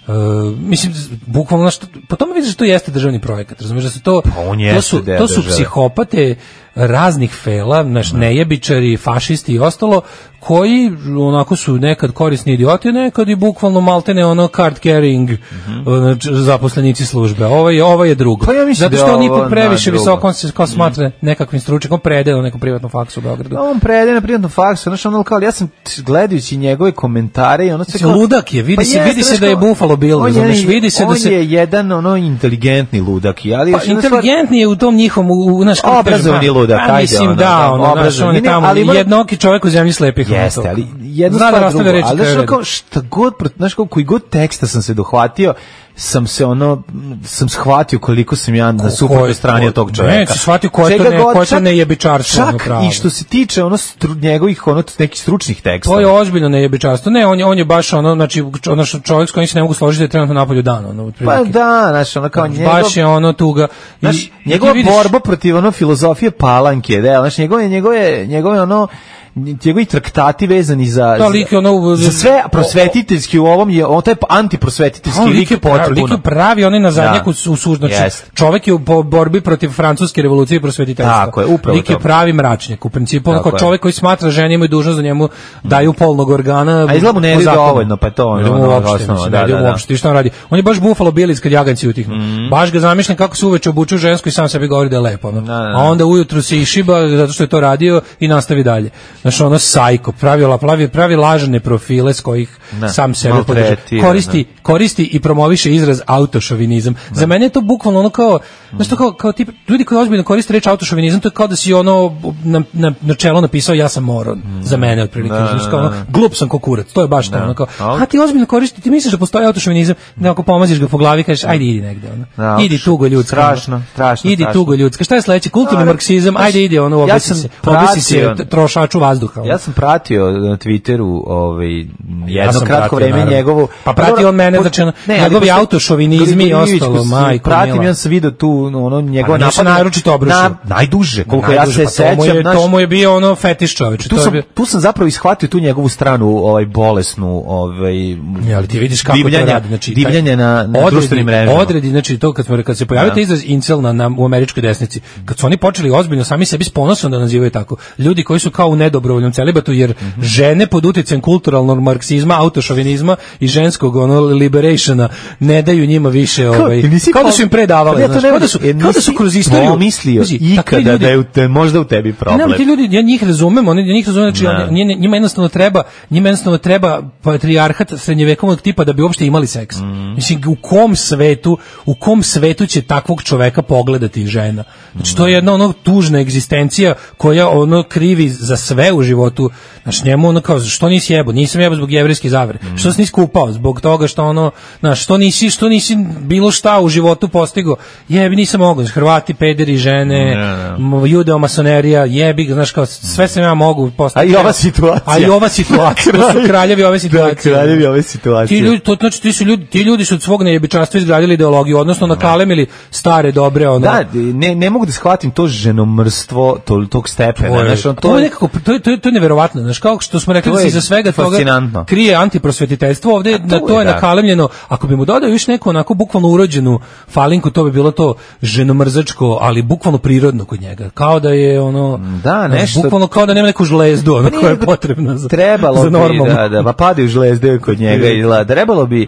Uh, mislim bukvalno što po tome vidiš da to jeste državni projekat, razumiješ da su to pa to su to su psihopate raznih fela, naš nejebičari, fašisti i ostalo koji onako su nekad korisni idioti, nekad i bukvalno maltene ono card carrying mm-hmm. zaposlenici službe. Ovo je ovo je drugo. Pa ja zato što on ipak previše visoko on se kao smatra mm. nekakvim stručnjakom, predaje na nekom privatnom faksu u Beogradu. On predaje na privatnom faksu, znači ono kao ja sam gledajući njegove komentare i ono se kao ludak je, vidi pa se jest, vidi se da je Buffalo Bill, znači vidi se da se on je jedan ono inteligentni ludak, ali pa, inteligentni je u tom njihovom u naš obrazovni ludak, pa, mislim da ono, on je tamo jednoki čovjek u zemlji slepih. Jeste, ali jedno stvar drugo, ali znaš kao šta god, znaš kao koji god teksta sam se dohvatio, sam se ono, sam shvatio koliko sam ja na suprotnoj strani od tog čovjeka. Ne, si shvatio koje to ne, koje to nejebičarstvo. Čak ono i što se tiče ono stru, njegovih ono nekih stručnih tekstova. To je ozbiljno nejebičarstvo. Ne, on je, on je baš ono, znači, ono čovjek s kojim se ne mogu složiti da je trenutno napolju dana. Ono, pa da, znaš, ono kao njegov... Baš je ono tuga. Znaš, njegova vidiš... borba protiv ono filozofije Palanke, da, znaš, njegove, njegove, njegove ono, njegovi traktati vezani za, to lik je ono, za sve prosvetiteljski u ovom je on taj antiprosvetiteljski lik je potpuno. Lik je pravi, on je na zadnjaku u suž, znači yes. čovjek je u borbi protiv francuske revolucije i prosvetiteljstva. Tako je, upravo lik je pravi mračnjak, u principu onako čovjek koji smatra žene imaju dužnost da njemu daju polnog organa. A izgleda mu ne ide dovoljno, pa to on ono osnovno, da, da, uopšte, šta on radi? On je baš Buffalo Bill kad jaganci utihnu. Mm. Baš ga zamišljam kako se uveče obuče žensko i sam sebi govori da je lepo, no. A onda ujutru se išiba zato što je to radio i nastavi dalje. Znači ono sajko, pravi, pravi, pravi lažne profile s kojih ne, sam sebe podrža. Koristi, ne. koristi i promoviše izraz autošovinizam. Ne. Za mene je to bukvalno ono kao, mm. znaš to kao, kao tip, ljudi koji ozbiljno koriste reč autošovinizam, to je kao da si ono na, na, na čelo napisao ja sam moron. Mm. Za mene otprilike. Znači kao ono, glup sam ko kurac, to je baš to. Ono kao, a ti ozbiljno koristi, ti misliš da postoji autošovinizam, da ako pomaziš ga po glavi, kažeš ajde idi negde. Ono. No, idi tugo ljudska. Strašno, strašno. Idi strašno. tugo ljudska. Šta je sledeće? Kulturni no, marksizam, ajde idi ono, obesi ja se, obesi se trošaču vazduha. Ja sam pratio na Twitteru ovaj jedno ja kratko vreme naravno. njegovu pa prati on mene znači njegovi autošovinizmi i ostalo majko pratim ja sam video tu ono njegova napad naročito obrušio na, najduže koliko ja se sećam naš to mu je bio ono fetiš čoveče tu sam tu sam zapravo ishvatio tu njegovu stranu ovaj bolesnu ovaj ja ali ti vidiš kako divljanja, to radi znači divljanje na, na odredi, društvenim mrežama odredi znači to kad smo kad se pojavio taj izraz incel na, na u američkoj desnici kad su oni počeli ozbiljno sami sebi s ponosom da nazivaju tako ljudi koji su kao u nedobrovoljnom celibatu jer mm-hmm. žene pod uticajem kulturalnog marksizma, autošovinizma i ženskog ono liberationa ne daju njima više ovaj kao da su im predavale, znači kao da su kao da su kroz istoriju mislio ikada da je u te, možda u tebi problem. Ne, ti ljudi ja njih razumem, oni ja njih razumem, znači oni, njima jednostavno treba, njima jednostavno treba patrijarhat srednjevekovnog tipa da bi uopšte imali seks. Mm. Mislim u kom svetu, u kom svetu će takvog čoveka pogledati žena? Znači to je jedna ono tužna egzistencija koja ono krivi za sve sve u životu, znaš, njemu ono kao, što nisi jebo, nisam jebo zbog jevrejske zavere, mm. što si nisi kupao, zbog toga što ono, znaš, što nisi, što nisi bilo šta u životu postigao, jebi, nisam mogao, Hrvati, pederi, žene, mm, yeah. judeo-masonerija, jebi, znaš, kao, sve sam ja mogu postigao. A i ova situacija. A i ova situacija, to su kraljevi ove situacije. Da, kraljevi ove situacije. Ti ljudi, to, znači, ti, su ljudi, ti ljudi su od svog nejebičanstva izgradili ideologiju, odnosno nakalemili stare, dobre, ono. Da, ne, ne mogu da shvatim to ženomrstvo tol, tog stepena. To je, znaš, on, to, to je nekako, to je, to je, to je neverovatno, znaš, kao što smo rekli da se iza svega toga krije antiprosvetiteljstvo, ovde to na to je, je nakalemljeno. Ako bi mu dodao još neku onako bukvalno urođenu falinku, to bi bilo to ženomrzačko, ali bukvalno prirodno kod njega. Kao da je ono, da, nešto, bukvalno kao da nema neku žlezdu, ono koja je potrebna za, trebalo za normalno. Bi, da, da, pa padaju žlezde kod njega i da, trebalo bi,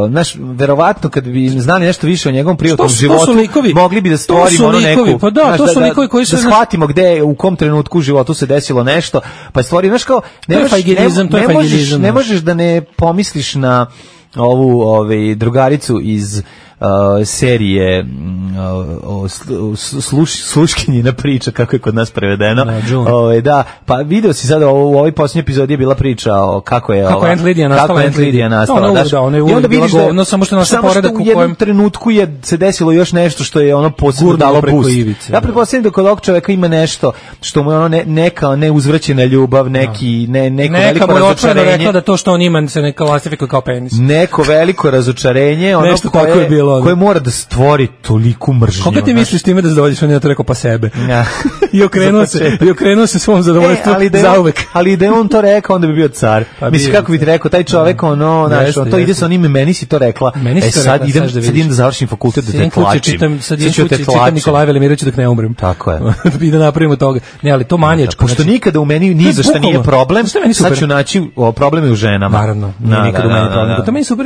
znaš, verovatno kad bi znali nešto više o njegovom privatnom životu, likovi, mogli bi da stvorimo ono neku, pa da, znaš, to su da, likovi koji su, da shvatimo gde, u kom trenutku u životu se desilo nešto, pa stvari, znaš kao, ne, možeš, ne, ne, možeš, ne možeš da ne pomisliš na ovu ovaj, drugaricu iz Uh, serije uh, sluš, sluškinjina priča, kako je kod nas prevedeno. Da, uh, da, pa video si sada u ovoj posljednjoj epizodi je bila priča o kako je kako ova, Aunt Lidija nastala. Kako Aunt Lidija nastala. Da, da, ona je uvijek bila govno, samo što naša poredak u kojem... jednom trenutku je se desilo još nešto što je ono posebno dalo boost. Ivice, ja pretpostavljam da kod ovog čoveka ima nešto što mu je ono ne, neka neuzvraćena ljubav, neki, ne, neko neka veliko razočarenje. Neka mu je rekla da to što on ima se ne klasifikuje kao penis. Neko veliko razočarenje, ono koje koje mora da stvori toliku mržnju. Koga ti misliš time da zadovoljiš? On je to rekao pa sebe. Ja. I okrenuo se, i okrenuo se svom zadovoljstvu e, zauvek. Ali da je on to rekao, onda bi bio car. Pa mislim, kako bi ti rekao, taj čovek, ono, znaš, on to ide sa onim, meni si to rekla. Meni si e, to sad rekla, idem, sad, sad idem da završim fakultet, da te tlačim. Čitam, sad idem kuće, čitam Nikolaj Velimirović dok ne umrem. Tako je. I da napravimo toga. Ne, ali to manjačko. Pošto nikada u meni ni za šta nije problem, sad ću naći probleme u ženama. Naravno, nikada u meni problem. To meni super,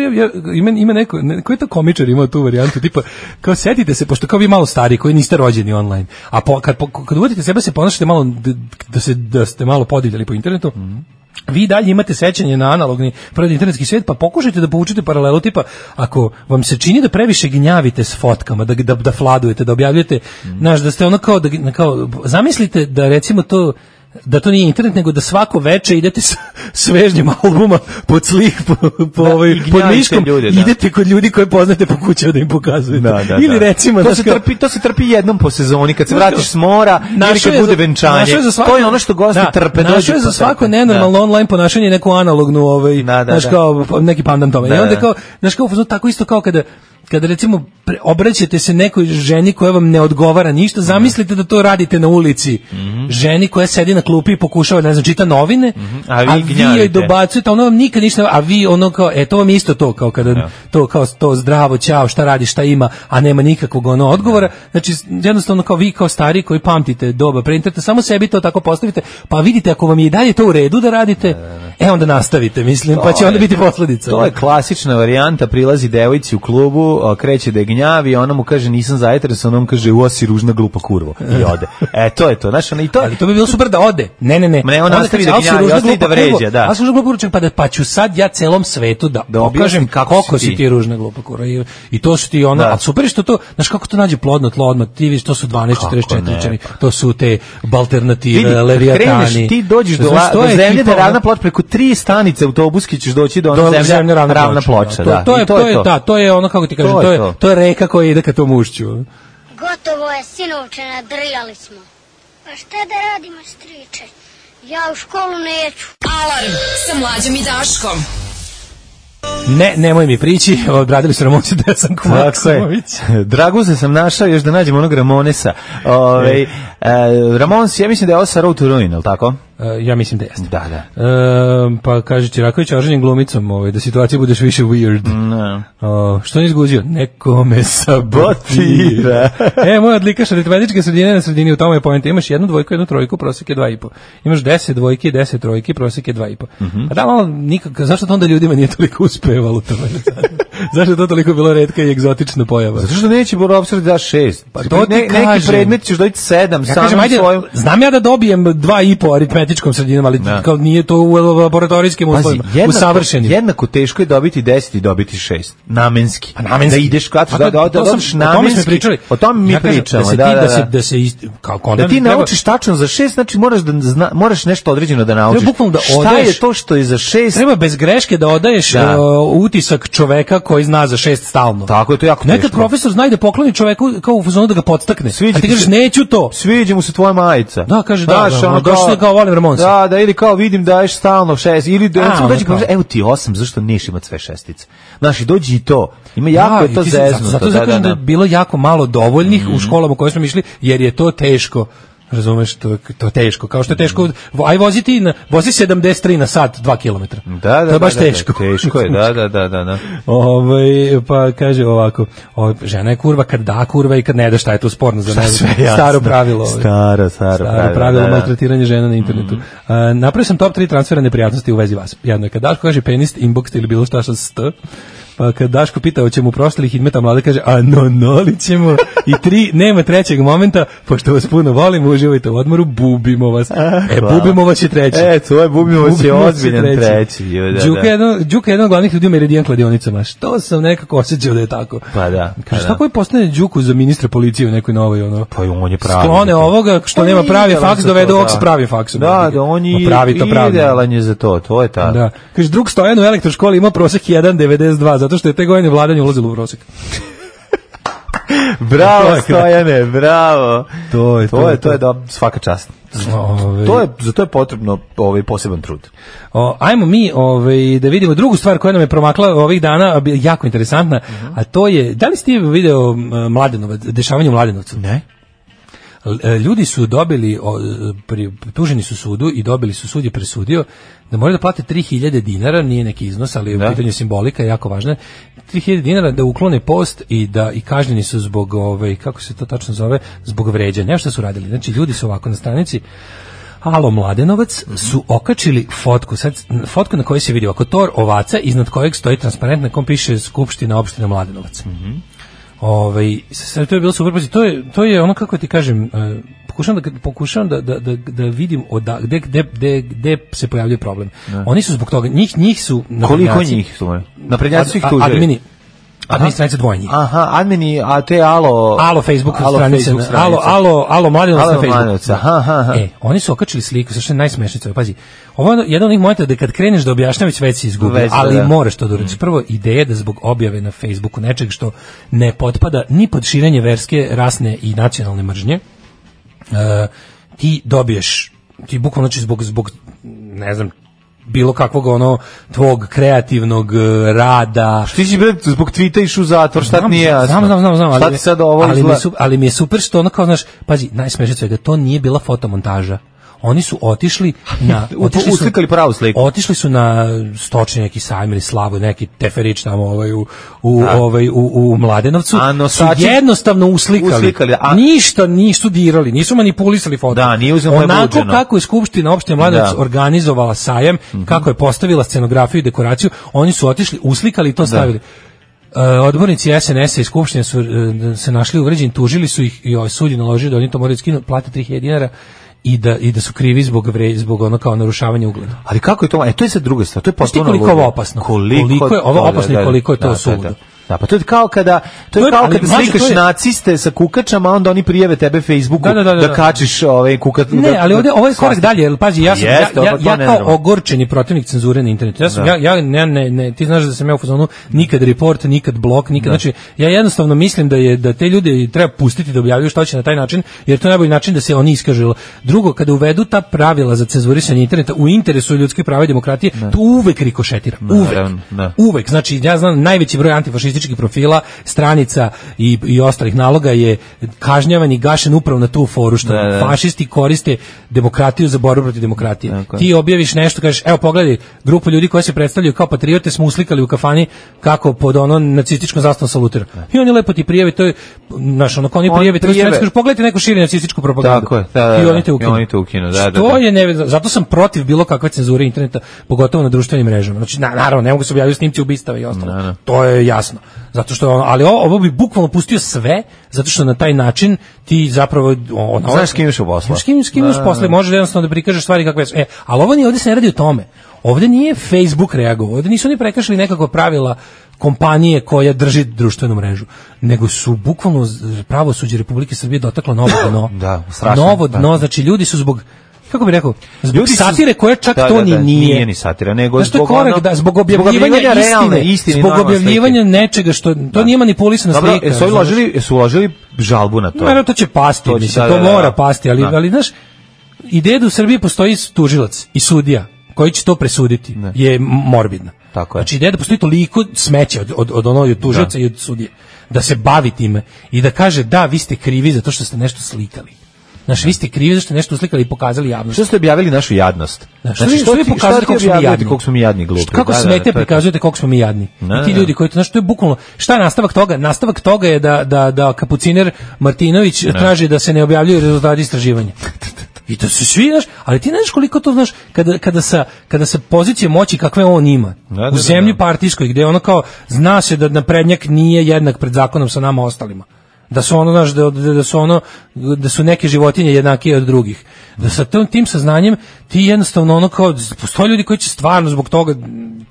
ima neko, koji je to komičar imao tu varijantu, tipa, kao setite se, pošto kao vi malo stari koji niste rođeni online, a po, kad, po, kad uvodite sebe se ponašate malo, da, da, se, da ste malo podivljali po internetu, mm-hmm. vi dalje imate sećanje na analogni prvi internetski svijet, pa pokušajte da povučete paralelu, tipa, ako vam se čini da previše gnjavite s fotkama, da, da, da fladujete, da objavljujete, mm-hmm. znaš, da ste ono kao, da, kao, zamislite da recimo to, da to nije internet, nego da svako veče idete s svežnjim albuma pod slik, po, po, da, ovaj, pod miškom, ljude, da. Idete kod ljudi koje poznate po kućama da im pokazujete. Da, da, ili recimo... To, da se kao, trpi, to se trpi jednom po sezoni, kad se vratiš s mora, ili kad bude venčanje. To je ono što gosti da, trpe. Našo je za svako nenormalno da. Online ponašanje neku analognu, ovaj, da, da, znaš, kao, neki pandan tome. Da, I onda kao, znaš, kao, tako isto kao kada kada recimo obraćate se nekoj ženi koja vam ne odgovara ništa, zamislite da to radite na ulici. Mm-hmm. Ženi koja sedi na klupi i pokušava, ne znam, čita novine, mm-hmm. a vi, a vi joj dobacujete, ona vam nikad ništa, a vi ono kao, e, to vam isto to, kao kada, yeah. to kao to zdravo, ćao, šta radi, šta ima, a nema nikakvog ono odgovora. Yeah. Znači, jednostavno kao vi kao stari koji pamtite doba pre interneta, samo sebi to tako postavite, pa vidite ako vam je i dalje to u redu da radite, yeah. e, onda nastavite, mislim, to pa će onda biti posledica. To je klasična varijanta, prilazi devojci u klubu, kreće da je gnjavi, ona mu kaže nisam zainteresovan, on kaže uo si ružna glupa kurvo i ode. E to je to, znaš, ona i to. Ali to bi bilo super da ode. Ne, ne, ne. Ne, on nastavi da gnjavi, ostavi da vređa, da. A ružna glupa kurvo, pa da pa ću sad ja celom svetu da pokažem kako si ti ružna glupa kurvo i, i to su ti ona, a super što to, znaš kako to nađe plodno tlo odmah, ti vidiš to su dvanaest četrdeset četiri, to su te alternative, leviatani. Ti dođeš do zemlje da ravna ploča preko tri stanice autobuski ćeš doći do one zemlje ravna ploča, da. To je to je da, to je ono kako ti kažem, to je to je reka koja ide ka tom ušću. Gotovo je, sinovče, nadrljali smo. Pa šta da radimo, striče? Ja u školu neću. Alarm sa Mlađom i Daškom. Ne, nemoj mi prići, odradili su Ramonsi Desanko Maksimović. Draguze sam našao još da nađem onog Ramonesa. Ove, e, Ramons, ja mislim da je ovo sa Road to Ruin, ili tako? E, ja mislim da jeste. Da, da. E, pa kaže Čiraković oženjen glumicom, ovaj, da situacija budeš više weird. No. O, što nije izguzio? Neko me sabotira. e, moj odlikaš aritmetičke sredine na sredini, u tome je pojenta. Imaš jednu dvojku, jednu trojku, prosek je dva i po. Imaš deset dvojki, deset trojki, prosek je dva i po. Mm-hmm. A da, malo, nikak, zašto to onda ljudima nije toliko uspevalo to? Zašto je to toliko bilo retka i egzotična pojava? Zato što neće Borovsar da daš šest. Pa to ti ne, kažem. Neki predmet ćeš dobiti sedam. Ja kažem, ajde, svojom... znam ja da dobijem dva i po aritmetičke matematičkom sredinom, ali Da. kao nije to u laboratorijskim uslovima, Pazi, jednako, usavršenim. jednako teško je dobiti deset i dobiti šest. Namenski. Pa namenski. Da ideš kad A da, to- da, da, to da, sam- odeš o tome smo namenski. pričali. O tome mi Ja kažem, pričamo. da se Da, ti- da, da se- da. da se ist- kao Da kondom ti treba- naučiš tačno za šest, znači moraš da zna, moraš nešto određeno da naučiš. Treba bukvalno da Šta odeš- je to što je za šest? Treba bez greške da odaješ Da. uh, utisak čoveka koji zna za šest stalno. Tako je, to je jako Nekad teško. profesor zna i da pokloni čoveku kao u fazonu da ga podstakne. Sviđa A ti ti kažeš se- neću to. Sviđa mu se tvoja majica. Da, kaže, da, Znaš, da, ono, došli kao Oliver Monsi. Da, da, ili kao vidim daješ stalno šest, ili da A, recimo ono dođe kao- kaže, evo ti osam, zašto neš imat sve šestice? Znaš, i dođi i to. Ima jako Da, je to i ti se- zeznuto. Zato, zato da, kažem da, da, je bilo jako malo dovoljnih u školama u koje smo išli, jer je to teško. Razumeš, to, to je teško. Kao što je teško, aj voziti, na, vozi sedamdeset tri na sat, dva kilometra. Da, da, to je baš da, da, teško. Teško je, da, da, da, da. da. Ovaj, pa kaže ovako, ovaj, žena je kurva kad da kurva i kad ne da, šta je to sporno za Šta ne sve jasno. staro pravilo. ovaj. Staro, staro, Staro pravilo, pravilo da, da. maltretiranje žena na internetu. Mm. Napravio sam top tri transfera neprijatnosti u vezi vas. Jedno je kad Daško kaže penis, inbox ili bilo šta što st. Pa kad Daško pita hoćemo u prostorih Hidmeta mlade kaže a no no li ćemo i tri nema trećeg momenta pošto vas puno volimo uživajte u odmoru bubimo vas. E hvala. bubimo vas je treći. E, to je bubimo vas je Bubimo vas ozbiljan treći. jo, da, Đuka da. je jedno, Đuka je jedan od glavnih ljudi u Meridian kladionicama. Što sam nekako osjećao da je tako. Pa da. pa Kaže, da. tako je postane Đuku za ministra policije u nekoj novoj ono. Pa i on je pravi. Sklone ovoga što Pa nema pravi idealan faks, za dovedu to, ovog da. s pravim faksom. Da, da, on je Ma pravi to pravi. idealan je za to, to je ta. Da. Kaže, drug Stojan u elektroškoli ima prosek jedan zarez devedeset dva, zato što je te godine vladanje ulazilo u prosek. To Bravo, je Stojane, bravo. To je, To je, to je da, svaka čast. Ove, To je, za to je potrebno ovaj poseban trud. O, ajmo mi ovaj, da vidimo drugu stvar koja nam je promakla ovih dana, a bi- jako interesantna, a to je, da li ste video m, Mladenovac, dešavanje u Mladenovcu? Ne? L- e, Ljudi su dobili, o, pri, tuženi su sudu i dobili su, sud je presudio da moraju da plate tri hiljade dinara, nije neki iznos, ali Da. u pitanju simbolika je jako važna, tri hiljade dinara da uklone post i da i kažnjeni su zbog, ovaj, kako se to tačno zove, zbog vređanja. Nešto su radili. Znači, ljudi su ovako na stranici Alo Mladenovac su okačili fotku, sad fotku na kojoj se vidi oko tor ovaca, iznad kojeg stoji transparent na kom piše Skupština opštine Mladenovac. Ovaj, sad to je bilo super, pazi, to je to je ono kako ti kažem, e, pokušavam da pokušavam da da da da vidim oda, gde gde gde gde se pojavljuje problem. Oni su zbog toga, njih njih su Koliko naprednjaci- njih su? Naprednjaci su ih Ad- tužili. Admini. Admini stranica dvoje njih. Aha, admini, a te alo... Alo Facebook Alo stranica, Facebook stranica. alo alo alo Mladenovac Alo na Facebooku. Mladenovac, aha, aha, aha. E, oni su okačili sliku, sa što je najsmešnije, pazi. Ovo je jedan od onih momenta da kad kreneš da objašnjavaš već si izgubio, Već da, ali da. moraš to da uradiš. Prvo, ideja je da zbog objave na Facebooku nečeg što ne potpada ni pod širenje verske, rasne i nacionalne mržnje, e, ti dobiješ, ti bukvalno znači zbog, zbog, ne znam, bilo kakvog ono tvog kreativnog e, rada. Ti si bre zbog tvita išao u zatvor, šta ti nije jasno? Znam, znam, znam, znam, Šta ali, ti sad ovo ali, mi je, izgleda? su- ali mi je super što ono kao, znaš, pazi, najsmešnije svega, to nije bila fotomontaža. Oni su otišli na... U- otišli su- uslikali pravu sliku. Otišli su na stočni neki sajam ili slavu, neki teferić tamo ovaj, u, u, A. ovaj, u, u Mladenovcu. A nosači- su jednostavno uslikali. Uslikali, a- Ništa nisu dirali, nisu manipulisali foto. Da, nije uzeo moje Onako buđeno. kako je Skupština opštine Mladenovac Da. Mhm. organizovala sajam, kako je postavila scenografiju i dekoraciju, oni su otišli, uslikali i to stavili. Uh, odbornici S N S-a i Skupštine su uh, se našli uvređeni, tužili su ih i ovaj sud je naložio da oni to moraju skinuti, plate tri hiljade dinara i da i da su krivi zbog vre, zbog ono kao narušavanja ugleda. Ali kako je to? E, to je sad druga stvar. To je Znaš ti potpuno koliko je ludo. ovo opasno? Koliko, Koliko je ovo da, da, opasno i da, koliko je to da, da, suludo. Da, da, pa to je kao kada to To je je- kao ali, kada mlađe, slikaš to je- naciste sa kukačama, a onda oni prijave tebe Facebooku Da, da, da, da, da. kačiš ovaj kukat. Ne, da- ali ovdje ovo je korak svastik. dalje, jer pazi, ja sam Jeste, ja, ja, pa to ja ne kao znamo. ogorčeni protivnik cenzure na internetu. Ja sam Da. ja ja ne, ne, ne, ti znaš da sam ja u fazonu nikad report, nikad blok, nikad, znači ja jednostavno mislim da je da te ljude treba pustiti da objavljuju što će na taj način, jer to je najbolji način da se oni iskažu. Drugo, kada uvedu ta pravila za cenzurisanje interneta u interesu ljudskih prava i demokratije, to uvek rikošetira. Uvek. Naravno, da. Uvek. Znači, ja znam najveći broj antifašističkih profila, stranica i, i ostalih naloga je kažnjavan i gašen upravo na tu foru što Da, da. fašisti koriste demokratiju za borbu protiv demokratije. Tako je. Ti objaviš nešto, kažeš, evo pogledaj, grupu ljudi koji se predstavljaju kao patriote smo uslikali u kafani kako pod ono nacističkom zastavom salutira. I oni lepo ti prijave, to je, znaš, ono kao oni Oni prijave, to prijave. kažeš, pogledajte neku širi nacističku propagandu. Tako je, da, da, I da. oni te I ukinu. oni te ukinu, da, da, Što da. je nevezano, zato sam protiv bilo kakve cenzure interneta, pogotovo na društvenim mrežama. Znači, na, naravno, ne mogu se objaviti snimci ubistava i ostalo. Da, da. To je jasno. Zato što, ali ovo, ovo bi bukvalno pustio sve, zato što na taj način ti zapravo... Ono, znaš s kim imaš u posla. S kim, s kim imaš posla, možeš jednostavno da prikažeš stvari kakve su. E, ali ovo nije, ovdje se ne radi o tome. Ovdje nije Facebook reagovao, ovdje nisu oni prekršili nekakva pravila kompanije koja drži društvenu mrežu, nego su bukvalno pravosuđe Republike Srbije dotaklo novo dno. Da, strašno. Novo dno, znači ljudi su zbog, kako bih rekao, zbog ljudi satire koja čak da, to da, ni da, nije. Nije ni satira, nego znači, zbog korak, ono, da, zbog objavljivanja, zbog objavljivanja istine, realne, istine, zbog objavljivanja slike. nečega što, to da. Nije manipulisana Dobro, slika. Jesu uložili, jesu uložili žalbu na to? Naravno, to će pasti, to, mislim, da, to da, mora da, pasti, ali, ali, znaš, ideja da u Srbiji postoji tužilac i sudija koji će to presuditi ne. Je morbidna. Tako je. Znači ideja da postoji toliko smeća od, od, od onog tužioca i od sudije, da se bavi time i da kaže da, vi ste krivi zato što ste nešto slikali. Znači, vi ste krivi zato što ste nešto uslikali i pokazali javnosti. Što ste objavili našu jadnost? Znači, što, znači, što vi pokazujete koliko smo mi jadni? Koliko smo mi jadni glupi. Kako da, smete da, prikazujete koliko smo mi jadni? Da, I ti ljudi koji to, znači, to je bukvalno, šta je nastavak toga? Nastavak toga je da, da, da kapuciner Martinović ne. traži da se ne objavljuju rezultati istraživanja. I to se svi, znaš, ali ti znaš koliko to, znaš, kada, kada, sa, kada sa pozicije moći kakve on ima, da, da, u zemlji partijskoj, gde ono kao, zna se da naprednjak nije jednak pred zakonom sa nama ostalima. Da su ono, znaš, da, da su ono, da su neke životinje jednakije od drugih. Da sa tom, tim saznanjem ti jednostavno ono kao, postoje ljudi koji će stvarno zbog toga,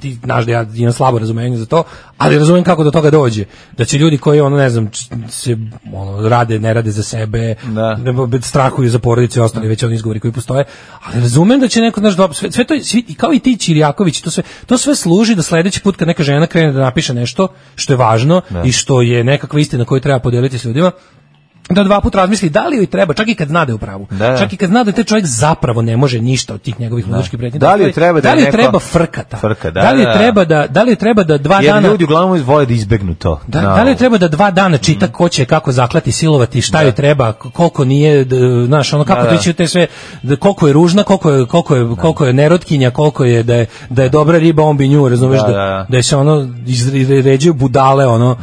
ti znaš da ja imam slabo razumenje za to, ali razumijem kako do toga dođe. Da će ljudi koji, ono, ne znam, se ono, rade, ne rade za sebe, da. strahuju za porodice i ostali već oni izgovori koji postoje, ali razumem da će neko, znaš, dobro, sve, sve to, svi, kao i ti Ćirjaković, to sve, to sve služi da sledeći put kad neka žena krene da napiše nešto što je važno da. I što je nekakva istina koju treba podeliti s ljudima, da dva puta razmisli da li joj treba, čak i kad zna da je u pravu. Da, da. Čak i kad zna da taj čovjek zapravo ne može ništa od tih njegovih ludačkih pretnji. Da li joj treba da, da li neko... treba frkata? Frka, da, da li da, treba da da li treba da dva jer dana ljudi uglavnom vole da izbegnu to. Da, no. da li treba da dva dana čita ko će kako zaklati, silovati, šta da. Joj treba, koliko nije, znaš, ono kako da, da. To će te sve, da, koliko je ružna, koliko je koliko je da. Koliko je nerotkinja, koliko je da je da je dobra riba, on bi nju, razumeš, da, da, da. Da se ono izređuju budale, ono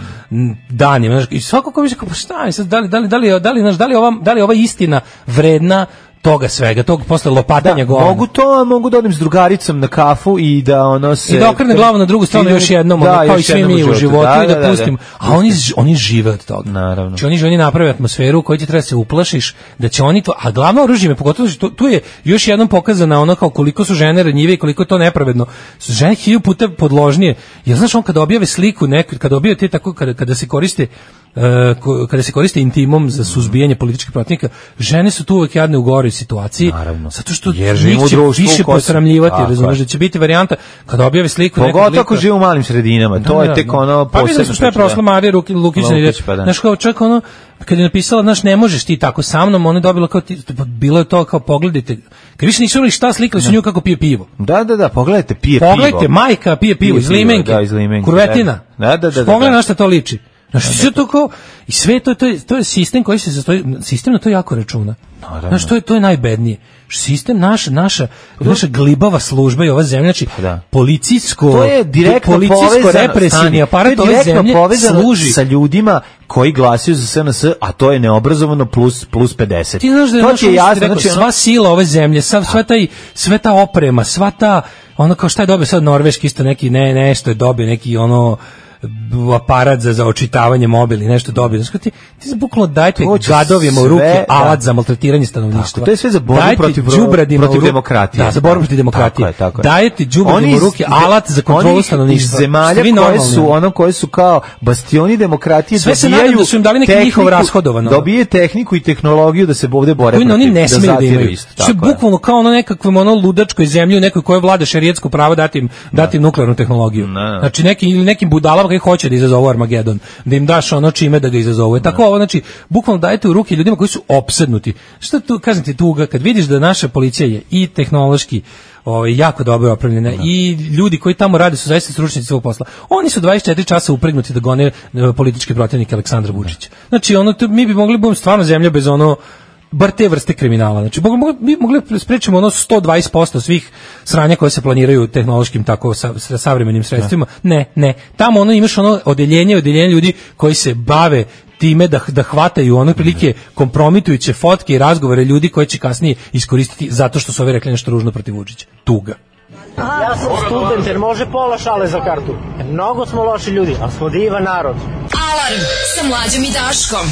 danima, znaš, i svako ko bi rekao, pa šta je sad, da li da li da li da li, znaš, da li ova da li ova istina vredna toga svega, tog posle lopatanja da, mogu to, mogu da odim s drugaricom na kafu i da ono se... I da okrene glavu na drugu stranu još jednom, da, ono, kao i svi mi u životu, da, i da, da pustim. Da, da. A oni, oni žive od toga. Naravno. Znači oni, oni naprave atmosferu u kojoj ti treba se uplašiš, da će oni to... A glavno oružje me, pogotovo, tu, tu je još jednom pokazana ono kao koliko su žene ranjive i koliko je to nepravedno. Su žene hilju puta podložnije. Jer znaš, on kada objave sliku, neku, kada objave te tako, kada, kada se koriste Uh, kada se koriste intimom za suzbijanje političkih protivnika, žene su tu uvek jadne u goroj situaciji. Naravno. Zato što njih će više posramljivati, razumiješ, da će biti varijanta kada objave sliku nekog lika. Pogotovo ako žive u malim sredinama, to da, je tek ono posebno. Pa vidim što je prošla Marija Lukić, pa da. Znaš, kao čak ono, kad je napisala, znaš, ne možeš ti tako sa mnom, ona je dobila kao, ti, bilo je to kao, pogledajte, kad više nisu imali šta, slikali su nju kako pije pivo. Da, da, da, pogledajte, pije pogledajte, pivo. Pogledajte, majka pije pivo, iz limenke, da, iz limenke, kurvetina. Da, da, da, da, pogledaj na šta to liči. Znači, sve to kao, i sve to, to, je, to je sistem koji se sastoji, sistem na to jako računa. Znači, to je, to je najbednije. Sistem, naša, naša, naša glibava služba i ova zemlja, znači, da. policijsko, to je direktno policijsko represivni aparat ove zemlje služi sa ljudima koji glasaju za S N S, a to je neobrazovano plus, plus pedeset. Ti znaš da je, to naš, je jasno, rekao, znači, sva sila ove zemlje, sva, sva, taj, sva ta oprema, sva ta, ono kao šta je dobio sad Norveški, isto neki, ne, nešto je dobio, neki ono, aparat za, za očitavanje mobili, nešto dobio. Znači, ti, ti se bukvalno dajte gadovima u ruke da. Alat za maltretiranje stanovništva. Tako, to je sve za borbu protiv, protiv demokratije. Da, za borbu protiv demokratije. Tako je, tako je. Dajete đubredima u ruke alat za kontrolu stanovništva. Iz zemalja koje su, ono, koje su kao bastioni demokratije, sve se nadam da su im dali neki njihov rashodovan. Dobije tehniku i tehnologiju da se ovde bore protiv. Oni ne smeju da imaju. Što je bukvalno kao ono nekakvom ono ludačkoj zemlji u nekoj kojoj vlada šerijetsko pravo dati im, dati im nuklearnu tehnologiju. Znači neki ili nekim budalama koji hoće da izazovu Armagedon, da im daš ono čime da ga izazovu. Tako ovo, znači, bukvalno dajete u ruke ljudima koji su opsednuti. Šta tu, kažem ti, tuga, kad vidiš da naša policija je i tehnološki ovaj, jako dobro opremljena no. i ljudi koji tamo rade su zaista stručnjaci svog posla. Oni su dvadeset četiri časa upregnuti da gone političke protivnike Aleksandra Vučića. Znači, ono, to, mi bi mogli biti stvarno zemlja bez ono bar te vrste kriminala. Znači, mi mogli sprečimo ono sto dvadeset posto svih sranja koje se planiraju tehnološkim tako sa, sa savremenim sredstvima. Ne, ne. Tamo ono imaš ono odeljenje, odeljenje ljudi koji se bave time da, da hvataju ono prilike kompromitujuće fotke i razgovore ljudi koji će kasnije iskoristiti zato što su ovi rekli nešto ružno protiv Vučića. Tuga. Ja sam student, jer može pola šale za kartu. Mnogo smo loši ljudi, ali smo divan narod. Alarm sa Mlađom i Daškom.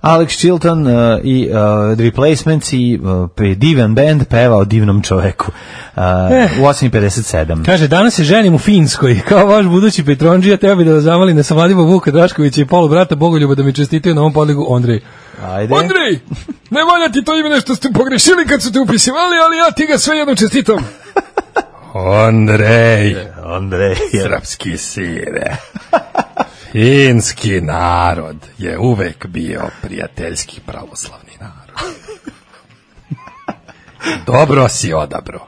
Alex Chilton uh, i uh, The Replacements i uh, divan band peva o divnom čoveku. Uh, eh. U osam i pedeset sedam. Kaže, danas se ženim u Finskoj. Kao vaš budući Petrondžija, teo bi da vas zamolim na Savladiva Vuka Draškovića i polu brata Bogoljuba da mi čestitaju na ovom podligu Ondrej. Ajde. Ondrej, ne valja ti to ime nešto ste pogrešili kad su te upisivali, ali ja ti ga sve jednom čestitam. Ondrej. Ondrej. Srpski sire. Finski narod je uvek bio prijateljski pravoslavni narod. Dobro si odabro.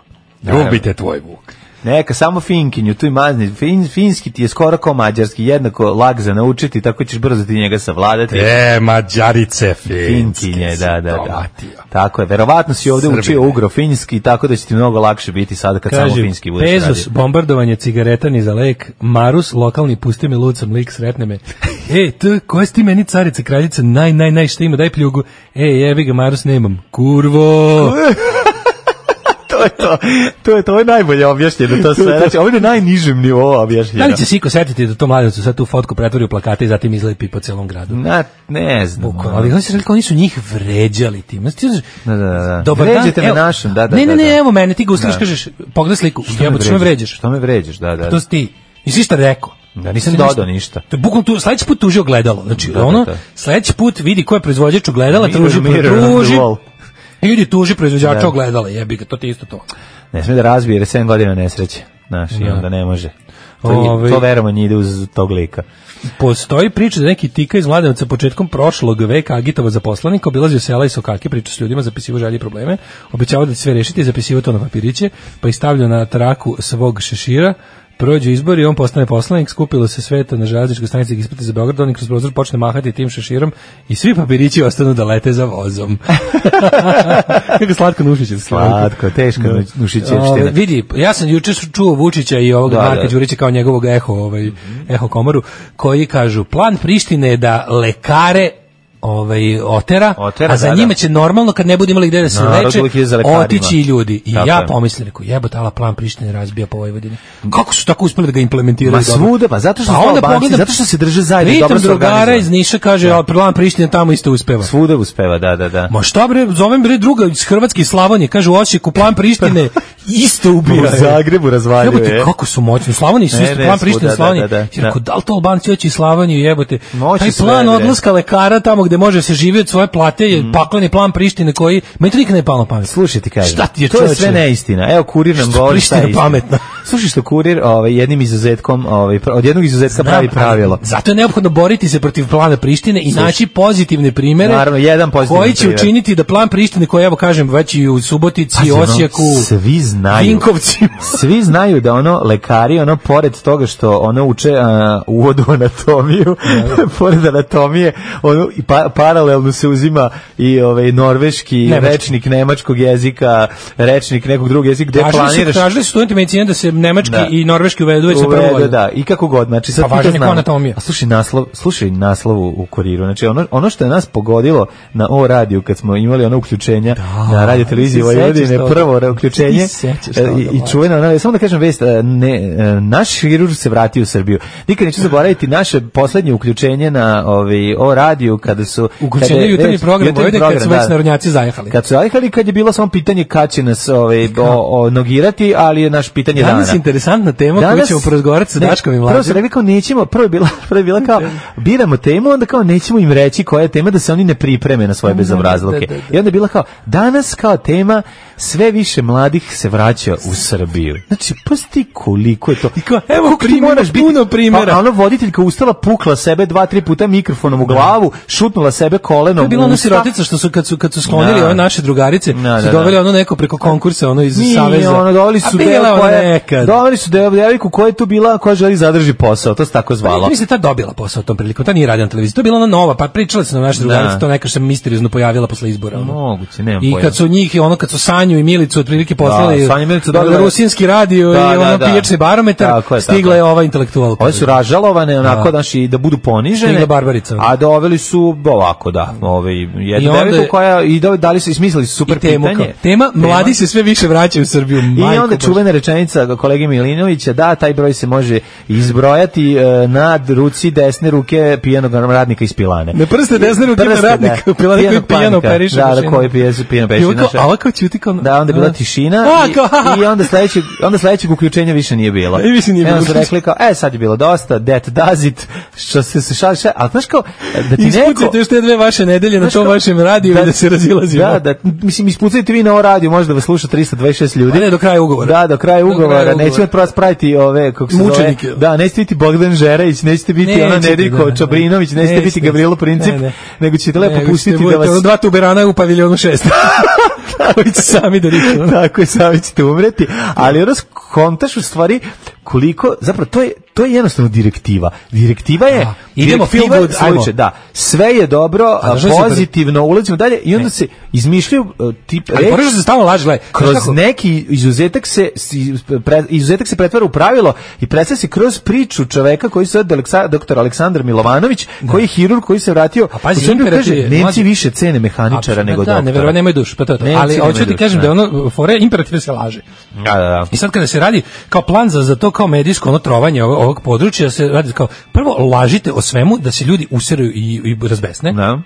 Ljubite tvoj Vuk. Neka, samo finkinju, tu i mazni. Fin, finski ti je skoro kao mađarski, jednako lag za naučiti, tako ćeš brzo ti njega savladati. E, mađarice finski. Finkinje, da, da, da. Tako je, verovatno si ovde Srbine. Učio ugro-finski, tako da će ti mnogo lakše biti sada kad kaže, samo finski budeš Pezus, radio. bombardovanje cigareta ni za lek, Marus, lokalni, pusti me lucam, lik, sretne me. E, t, koja si ti meni carica, kraljica, naj, naj, naj, šta ima, daj pljugu. E, jebi ga, Marus, nemam. Kurvo! To je to, to je to je najbolje objašnjeno to sve. Znači, ovo je na najnižem nivou objašnjeno. Da li će Siko setiti da to mladencu sad tu fotku pretvori u plakate i zatim izlepi po celom gradu? Na, ne znam. Bukvalno, ali oni su rekli, oni su njih vređali tim. Da, da, da. Dobar Vređate dan, me našem, da, da. Ne, ne, da, ne, da. evo mene, ti ga ustiš, kažeš, pogledaj sliku, jebote, što me vređaš? Što me vređaš, da, da. To si ti. Nisi šta rekao. Da, nisam dodao ništa. To je bukvalno tu, sledeći put tuži ogledalo. Znači, da, ono, da, da. sledeći put vidi ko je proizvođač ogledala, tuži, tuži, idi tuži proizvođača ogledala, jebi ga, to ti isto to. Ne smije da razbije, jer je sedam godina nesreće. Znaš, i onda ne može. To, Ove, to veramo nje ide uz tog lika. Postoji priča da neki tika iz Mladenovca početkom prošlog veka agitovao za poslanika, obilazio sela i sokake, priča s ljudima, zapisivao želje i probleme, obećavao da će sve rešiti i zapisivao to na papiriće, pa ih stavljao na traku svog šešira. Prođu izbori, on postane poslanik, skupilo se sveta na železničkoj stanici da ispite za Beograd, on kroz prozor počne mahati tim šeširom i svi papirići ostanu da lete za vozom. Kako slatko Nušićev. Slatko, teško Nušićevština. Vidi, ja sam juče čuo Vučića i ovog da, Marka da. Đurića kao njegovog eho, ovaj, eho komoru, koji kažu, plan Prištine je da lekare ovaj otera, otera, a za da, njima će normalno kad ne bude imali gde da se leče otići ljudi. I tako ja pomislim, reko, jebote, ala plan Prištine razbija po Vojvodini. Kako su tako uspeli da ga implementiraju? Ma svuda, pa zato što pa onda pogledam, zato što se drže zajedno, dobro se drugara iz Niša kaže, da. plan Prištine tamo isto uspeva. Svuda uspeva, da, da, da. Ma šta bre, zovem bre druga iz Hrvatske i Slavonije, kaže u Osijeku plan Prištine isto ubija. U Zagrebu razvaljuje. Jebote, kako su moćni. Slavoniji su isto plan Prištine, Slavonije. Reko, da li to Albanci hoće i Slavoniju, jebote? Taj plan odlaska lekara tamo gde može se živjeti svoje plate je mm. pakleni plan Prištine koji meni to nikad ne palo na pamet. Slušaj ti kažem. Šta ti je to je sve neistina. Evo Kurir nam govori šta je pametno. Slušaj što Kurir ovaj jednim izuzetkom, ovaj od jednog izuzetka Znam, pravi pravilo. Zato je neophodno boriti se protiv plana Prištine i Slušaj. naći pozitivne primere. Naravno, jedan pozitivan koji će primjer. učiniti da plan Prištine koji evo kažem već i u Subotici, Pazi, Osijeku, ono, svi znaju. Vinkovcima. Svi znaju da ono lekari ono pored toga što ono uče a, uvodu anatomiju, pored anatomije, ono i pa, paralelno se uzima i ovaj norveški Nemački. rečnik nemačkog jezika, rečnik nekog drugog jezika, gde tražili planiraš. Su, tražili su studenti medicine da se nemački da. i norveški uvedu već sa prvo godinu. Da, i kako god, znači sad pa važno anatomija. A slušaj naslov, slušaj naslov u, u Kuriru. Znači ono ono što je nas pogodilo na O radiju kad smo imali ono uključenja da, na radio televiziji Vojvodine, prvo uključenje i, i čuveno, ono, samo da kažem vest, ne, naš hirurg se vratio u Srbiju. Nikad neću zaboraviti naše poslednje uključenje na ovaj O radiju kada su uključenje jutarnji program Vojvodine kad su već narodnjaci zajehali. Kad su zajehali, kad je bilo samo pitanje kad će nas ovaj, o, o, nogirati, ali je naš pitanje dana. Danas je interesantna tema Danas, koju ćemo porazgovarati sa Daškom i Mlađom. Prvo se rekli kao nećemo, prvo je bila, prvo je bila kao biramo temu, onda kao nećemo im reći koja je tema da se oni ne pripreme na svoje bezobrazluke. I onda je bila kao danas kao tema sve više mladih se vraća u Srbiju. Znači, pusti koliko je to. I kao, evo primjera, puno primjera. Pa ono voditeljka ustala, pukla sebe dva, tri puta mikrofonom u glavu, šutnula sebe kolenom. To je bila ona sirotica što su kad su kad su sklonili ove naše drugarice, da, su doveli ono neko preko konkursa, ono iz Nije, saveza. Ono doveli su devojku, doveli su devojku koja je tu bila, koja želi zadrži posao, to se tako zvalo. Pa, mislim ta dobila posao tom prilikom, ta nije radila na televiziji. To je bila ona nova, pa pričala se na naše drugarice, to neka se misteriozno pojavila posle izbora. Moguće, nemam I kad su njih ono kad su Sanju Sanju i Milicu otprilike poslali Da, Sanju i Milicu dobili- rusinski radio Da, i da, ono da. pijačni barometar, Tako je, stigla tako je. je ova intelektualka. Ove su ražalovane onako Da. daš i da budu ponižene. Stigla Barbarica. A doveli su ovako da, ovaj I jednu onda devojku je- koja i do- dali su i smislili su super I temu, pitanje. kao, tema, mladi se sve više vraćaju u Srbiju. I majko onda bož. čuvena rečenica kolege Milinovića, da, taj broj se može izbrojati e, na ruci desne ruke pijanog radnika iz pilane. Na prste desne ruke Prste, radnika da. u pilani koji Pijanog pijano planika. operiše Da, da, mašinu. koji pije, pijano I ovo operiše. kao, a ovo kao ćuti kao... Da, onda je bila tišina A, i, kao, ha, ha. i onda sledećeg onda sledećeg uključenja više nije bilo. I više nije I onda bilo. su rekli kao, e, sad je bilo dosta, that does it, što se se šalše, ali znaš kao, da ti neko... Ispucajte još te dve vaše nedelje na Znaš tom kao, vašem radiju i da se razilazimo. Da, da, mislim, ispucajte vi na ovo radio, možda vas sluša trista dvadeset šest ljudi. A ne, do kraja ugovora. Da, do kraja Do ugovora. kraja Nećemo ugovora. prvo spraviti ove, kako se zove. Mučenike. Da, nećete biti Bogdan Žerević, nećete biti ona Nećete, Nedeljko da, da. Čabrinović, nećete Nećete. biti Gavrilo Princip, Ne, ne. nego ćete lepo Nego pustiti ćete da budete vas... ono dva tuberana u paviljonu šest. Koji će sami da riču. Tako je, sami ćete umreti, ali ono kontaš u stvari koliko, zapravo to je to je jednostavno direktiva. Direktiva je A, idemo, direktiva feel good, je ajmo. slučaj, da. Sve je dobro, A, znaš šta je super? pozitivno, ulazimo dalje i onda se izmišljaju uh, tip Ali reči- moraš da se stalno laži, gledaj. kroz Znaš kako? neki izuzetak se si- pre, izuzetak se pretvara u pravilo i predstavlja se kroz priču čoveka koji se zove Aleksa- doktor Aleksandar Milovanović, koji je hirurg koji se vratio A pazi, u Srbiju, imperativ kaže, je, Nemci mlađe- više cene mehaničara Apsolutno, nego da, doktora. neverovatno, nemaju dušu, pa to je to. Nemci Ali nemaju hoću ti dušu, kažem da da. je ono fore imperativ se laže. Da, da, da. I sad kada se radi kao plan za, za to kao medijsko ono trovanje ovog, ovog područja, se radi kao prvo lažite o svemu da se ljudi useraju i, i razbesne. Da.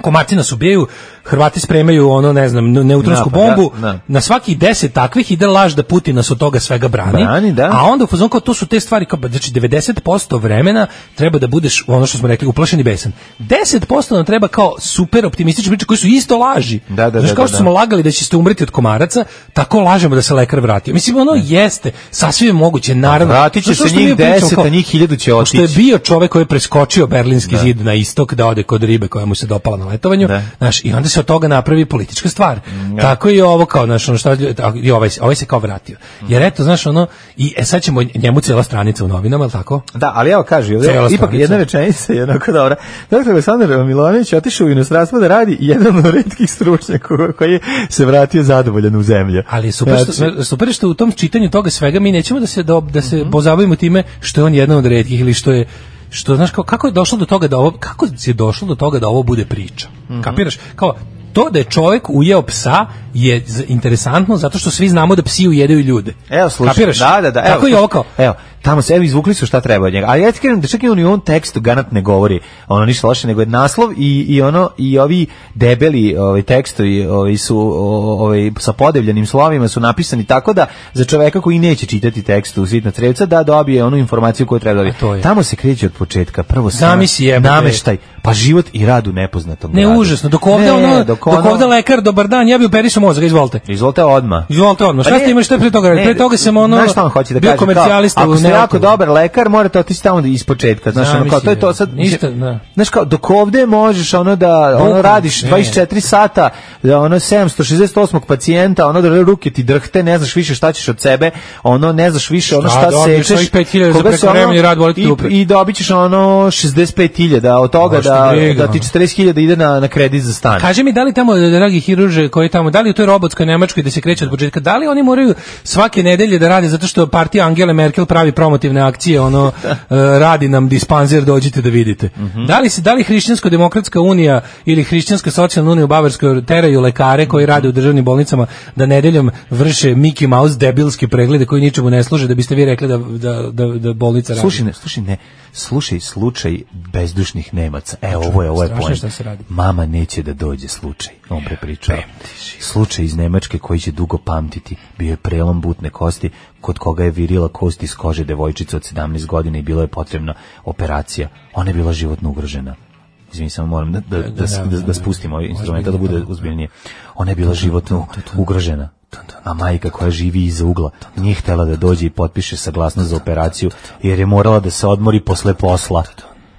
Komarci nas ubijaju, Hrvati spremaju ono, ne znam, neutronsku Napad, da, bombu, da. na svaki deset takvih ide laž da Putin nas od toga svega brani, Brani, da. a onda u fazonu kao to su te stvari, kao, znači devedeset posto vremena treba da budeš, ono što smo rekli, uplašen i besan. deset posto nam treba kao super optimistične priče koji su isto laži. Da, da, Znaš, da, kao da, što da. smo lagali da ćete umreti od komaraca, tako lažemo da se lekar vratio. Mislim, ono jeste, sasvim je moguće, naravno. Vratit će Znaš, se što mi njih pričamo, deset, kao, a njih hiljadu će pošto je otići. bio čovek koji je preskočio Berlinski zid na istok da ode kod ribe koja mu se dopala na letovanju, Da. znaš, i onda se od toga napravi politička stvar. Tako i ovo kao, znaš, ono šta, i ovaj, se- ovaj se kao vratio. Jer eto, znaš, ono, i e, sad ćemo njemu cijela stranica u novinama, je li tako? Da, ali evo kaže, ovdje, Cela ipak stranica. jedna rečenica je jednako dobra. doktor Aleksandar Milovanović otišao u inostranstvo da radi jedan od retkih stručnjaka koji je se vratio zadovoljan u zemlju. Ali je super, što, Znači, super je što u tom čitanju toga svega mi nećemo da se, da, da se pozabavimo time što je on jedan od retkih ili što je što znaš kao, kako je došlo do toga da ovo kako je došlo do toga da ovo bude priča. Kapiraš? Kao to da je čovjek ujeo psa je z- interesantno zato što svi znamo da psi ujedaju ljude. Evo slušaj, Kapiraš? da, da, da. Evo, Tako i slušaj, ovo kao. Evo, tamo se evo izvukli su šta treba od njega. Ali ja ti kažem da čak i on i u ovom tekstu Ganat ne govori ono ništa loše, nego je naslov i, i ono i ovi debeli ovaj tekstovi ovaj su o- ovaj sa podevljenim slovima su napisani tako da za čoveka koji neće čitati tekst u Sitna crevca da dobije onu informaciju koju treba dobiti. A to je. Tamo se kreće od početka. Prvo se Zamisli, jebote. nameštaj, pa život i rad u nepoznatom Ne, gradu. užasno. Dok ovde Ne, ono, dok dok, ono- ovde lekar, dobar dan, ja bi operisao mozak, izvolite. Izvolite odmah. Izvolite odmah. Šta Pa ste ne, imali, šta je pre toga? ne, Pre toga sam ono, znaš šta on hoće da bio kaže? komercijalista Kao, u ako ste jako Neapolju. dobar lekar, morate otići tamo iz početka. Znaš, ono, kao, to je to sad. Ništa, da. Znaš, kao, dok ovde možeš ono da ono Bukvalno, radiš ne. dvadeset četiri sata, da ono sedamsto šezdeset osmog pacijenta, ono da ruke ti drhte, ne znaš više šta ćeš od sebe, ono ne znaš više ono Šta šta dobiješ, sečeš. ovih pet hiljada za koga se prekovremeni rad boli te i, dupe. i dobit ćeš ono šezdeset pet hiljada od toga Baš ti da, briga, da ti ono. četrdeset hiljada ide na, na kredit za stan. Kaži mi, da li tamo, dragi hiruže koji tamo, da li u toj robotskoj Nemačkoj da se kreće od početka, da li oni moraju svake nedelje da rade zato što partija Angele Merkel pravi promotivne akcije, ono, e, radi nam dispanzer, dođite da vidite. Da li se, da li Hrišćansko-demokratska unija ili Hrišćanska socijalna unija u Bavarskoj teraju lekare koji rade u državnim bolnicama da nedeljom vrše Mickey Mouse debilski preglede koji ničemu ne služe da biste vi rekli da, da, da, da bolnica radi? Slušaj, ne, slušaj, ne, slušaj slučaj bezdušnih Nemaca. E, ovo je, ovo je strašno pojem. šta se radi. Mama neće da dođe slučaj. On prepričao. Slučaj iz Nemačke koji će dugo pamtiti. Bio je prelom butne kosti kod koga je virila kost iz kože devojčice od sedamnaest godina i bilo je potrebna operacija. Ona je bila životno ugrožena. Izvini, samo moram da, da, da, da, da spustim ovaj instrument da bude uzbiljnije. Ona je bila životno ugrožena. A majka koja živi iza ugla nije htjela da dođe i potpiše saglasnost za operaciju jer je morala da se odmori posle posla.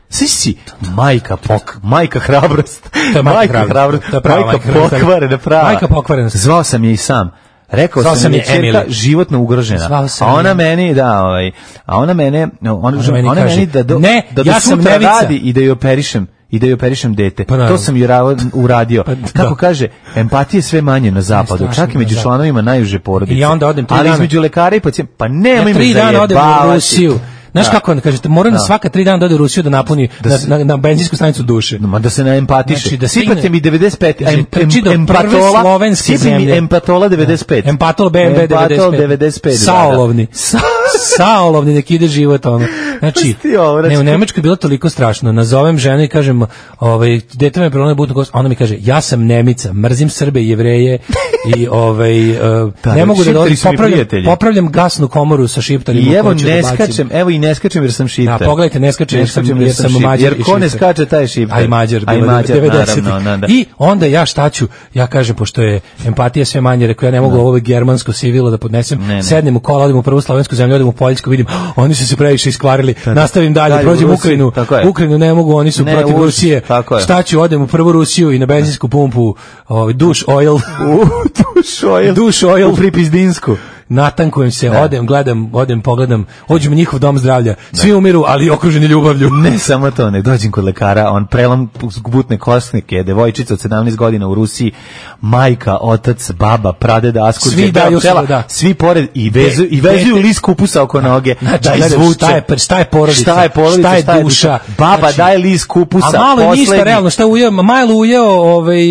Svi si majka pok, majka hrabrost. To je majka hrabrost. To je prava Majka majka hrabrost. pokvarena prava. Majka pokvarena. Zvao sam je i sam. Rekao Zvao sam, sam je je ćerka Emily. životno ugrožena. Zvao sam a ona je. meni, da, ovaj, a ona mene, ona, ona meni meni, kaže, da do, ne, da do ja sam sutra Nevica. radi i da je operišem. i da joj operišem dete. Pa to sam uradio. Pa, kako kaže, empatije sve manje na zapadu, čak i među članovima najuže porodice. I ja onda odem tri ali dana. između lekara i pacijenta, pa nemoj ja me tri dana odem u Rusiju. Znaš da. kako onda kažete, mora na svaka tri dana da ode u Rusiju da napuni da na, se, na, na benzinsku stanicu duše. No, ma da se ne empatiše. Znači, da sipate mi devedeset pet znači, em, em, empatola, slovenske zemlje. Mi empatola devedeset pet. Empatol B M W devedeset pet. Saolovni. Sa, saolovni, nek ide život ono. Znači, ne, u Nemačkoj je bilo toliko strašno. Nazovem ženu i kažem, ovaj, dete me prelomio butnu kost, ona mi kaže, ja sam Nemica, mrzim Srbe i Jevreje i ovaj, uh, da, ne mogu da dođem, popravljam, popravljam gasnu komoru sa šiptarima. I evo ne skačem, evo i ne skačem jer sam šiptar. Da, pogledajte, ne skačem jer sam, jer sam Mađar. Jer ko ne skače, taj je šiptar. A i Mađar, a i Mađar, naravno. Na, da. I onda ja šta ću, ja kažem, pošto je empatija sve manje, rekao ja ne mogu no. ovo germansko sivilo da podnesem, ne, ne. sednem u kola, odem u prvu slovensku zemlju, odem u Poljsku, vidim, oni su se previše iskvarili, da, nastavim dalje, dalje prođem Ukrajinu, Ukrajinu ne mogu, oni su ne, protiv uz, Rusije, šta ću, odem u prvu Rusiju i na benzinsku pumpu, ovaj, duš oil, duš oil, duš oil, u Pripizdinsku. Natankujem se, ne. odem, gledam, odem, pogledam, ođem u njihov dom zdravlja, svi ne. umiru, ali okruženi ljubavlju. Ne samo to, nek dođem kod lekara, on prelom butne kosnike, devojčica od sedamnaest godina u Rusiji, majka, otac, baba, pradeda, askurđe, svi daju pčela, da. Svi pored i vezu i vezuju list kupusa oko noge. Znači, da izvuče. Šta je, šta je porodica? Šta je porodica? Šta je, šta je duša? Baba znači, daje list kupusa. A malo je ništa realno, šta ujeo, malo ujeo, ovaj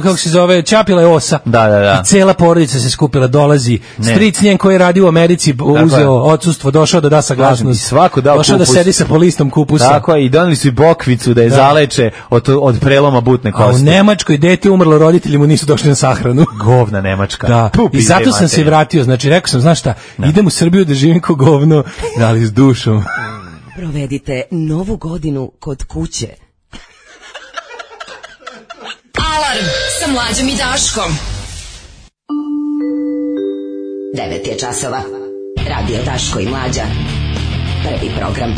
kako se zove, čapila je osa. Da, da, da. I cela porodica se skupila, dolazi. Stric njen koji radi u Americi, uzeo odsustvo, došao da da saglasnost. I svako dao došao kupus. Da sedi sa polistom kupusa. Tako je, i doneli su i bokvicu da je da. zaleče od, od preloma butne kosti. A u Nemačkoj dete umrlo, roditelji mu nisu došli na sahranu. Govna Nemačka. Da. I zato sam se vratio, znači rekao sam, znaš šta, da. idem u Srbiju da živim ko govno, ali s dušom. Provedite novu godinu kod kuće. Alarm sa Mlađom i Daškom. devet je časova. Radio Daško i Mlađa. Prvi program.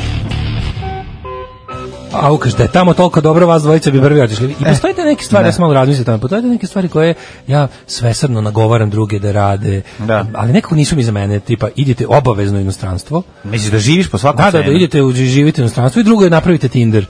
A ukaž, da je tamo toliko dobro, vas dvojica bi prvi otišli. I postoje te neke stvari, ne. ja sam malo razmislio tamo, postoje te neke stvari koje ja svesrdno nagovaram druge da rade, da. ali nekako nisu mi za mene, tipa idite obavezno u inostranstvo. Misliš da živiš po svakom da, da, da, idete u, živite u inostranstvu i drugo je napravite Tinder.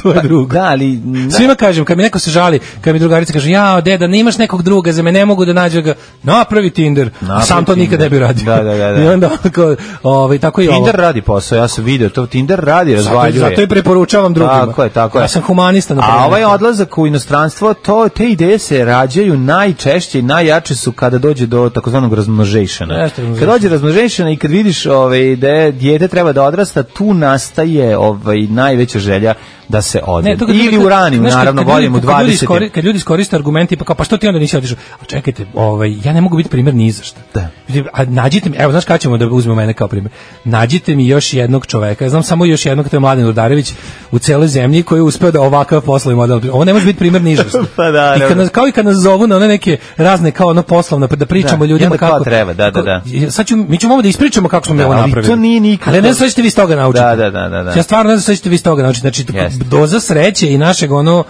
To je drugo. Da, ali... Da. Svima kažem, kad mi neko se žali, kad mi drugarica kaže, ja, deda, nemaš nekog druga, za me ne mogu da nađe ga, napravi Tinder, napravi a sam to Tinder. Nikad ne bi radio. Da, da, da, da. I onda, ako, ovaj, tako i Tinder ovo. radi posao, ja sam vidio, to Tinder radi, razvaljuje. Zato, zato i preporučavam drugima. Tako je, tako je. Ja sam humanista. Na a ovaj odlazak u inostranstvo, to, te ideje se rađaju najčešće i najjače su kada dođe do takozvanog razmnožejšana. Kad dođe razmnožejšana i kad vidiš ovaj, da je dijete treba da odrasta, tu nastaje ovaj, najveća želja da se ode. Ne, ili u raniju, naravno, volimo dvadeset. Kad ljudi iskoriste argumenti, pa kao, pa što ti onda nisi otišao? A čekajte, ovaj, ja ne mogu biti primjer ni za šta. Da. A nađite mi, evo, znaš kada ćemo da uzmemo mene kao primjer? Nađite mi još jednog čoveka, ja znam samo još jednog, to je Mladen Urdarević, u celoj zemlji koji je uspeo da ovakav poslovi model. Ovo ne može biti primjer ni za šta. Pa da, I kad nas, kao i kad nas zovu na one neke razne, kao ono poslovne, da pričamo da, ljudima kako. treba, da, da, da. Sad ću, mi ćemo ovo da ispričamo kako smo mi ovo napravili. Ali to nije nikako. Ali ne znam šta ćete vi iz toga naučiti. Da, da, da, da. Ja stvarno ne znam šta ćete vi iz toga naučiti. Znači, doza sreće i našeg ono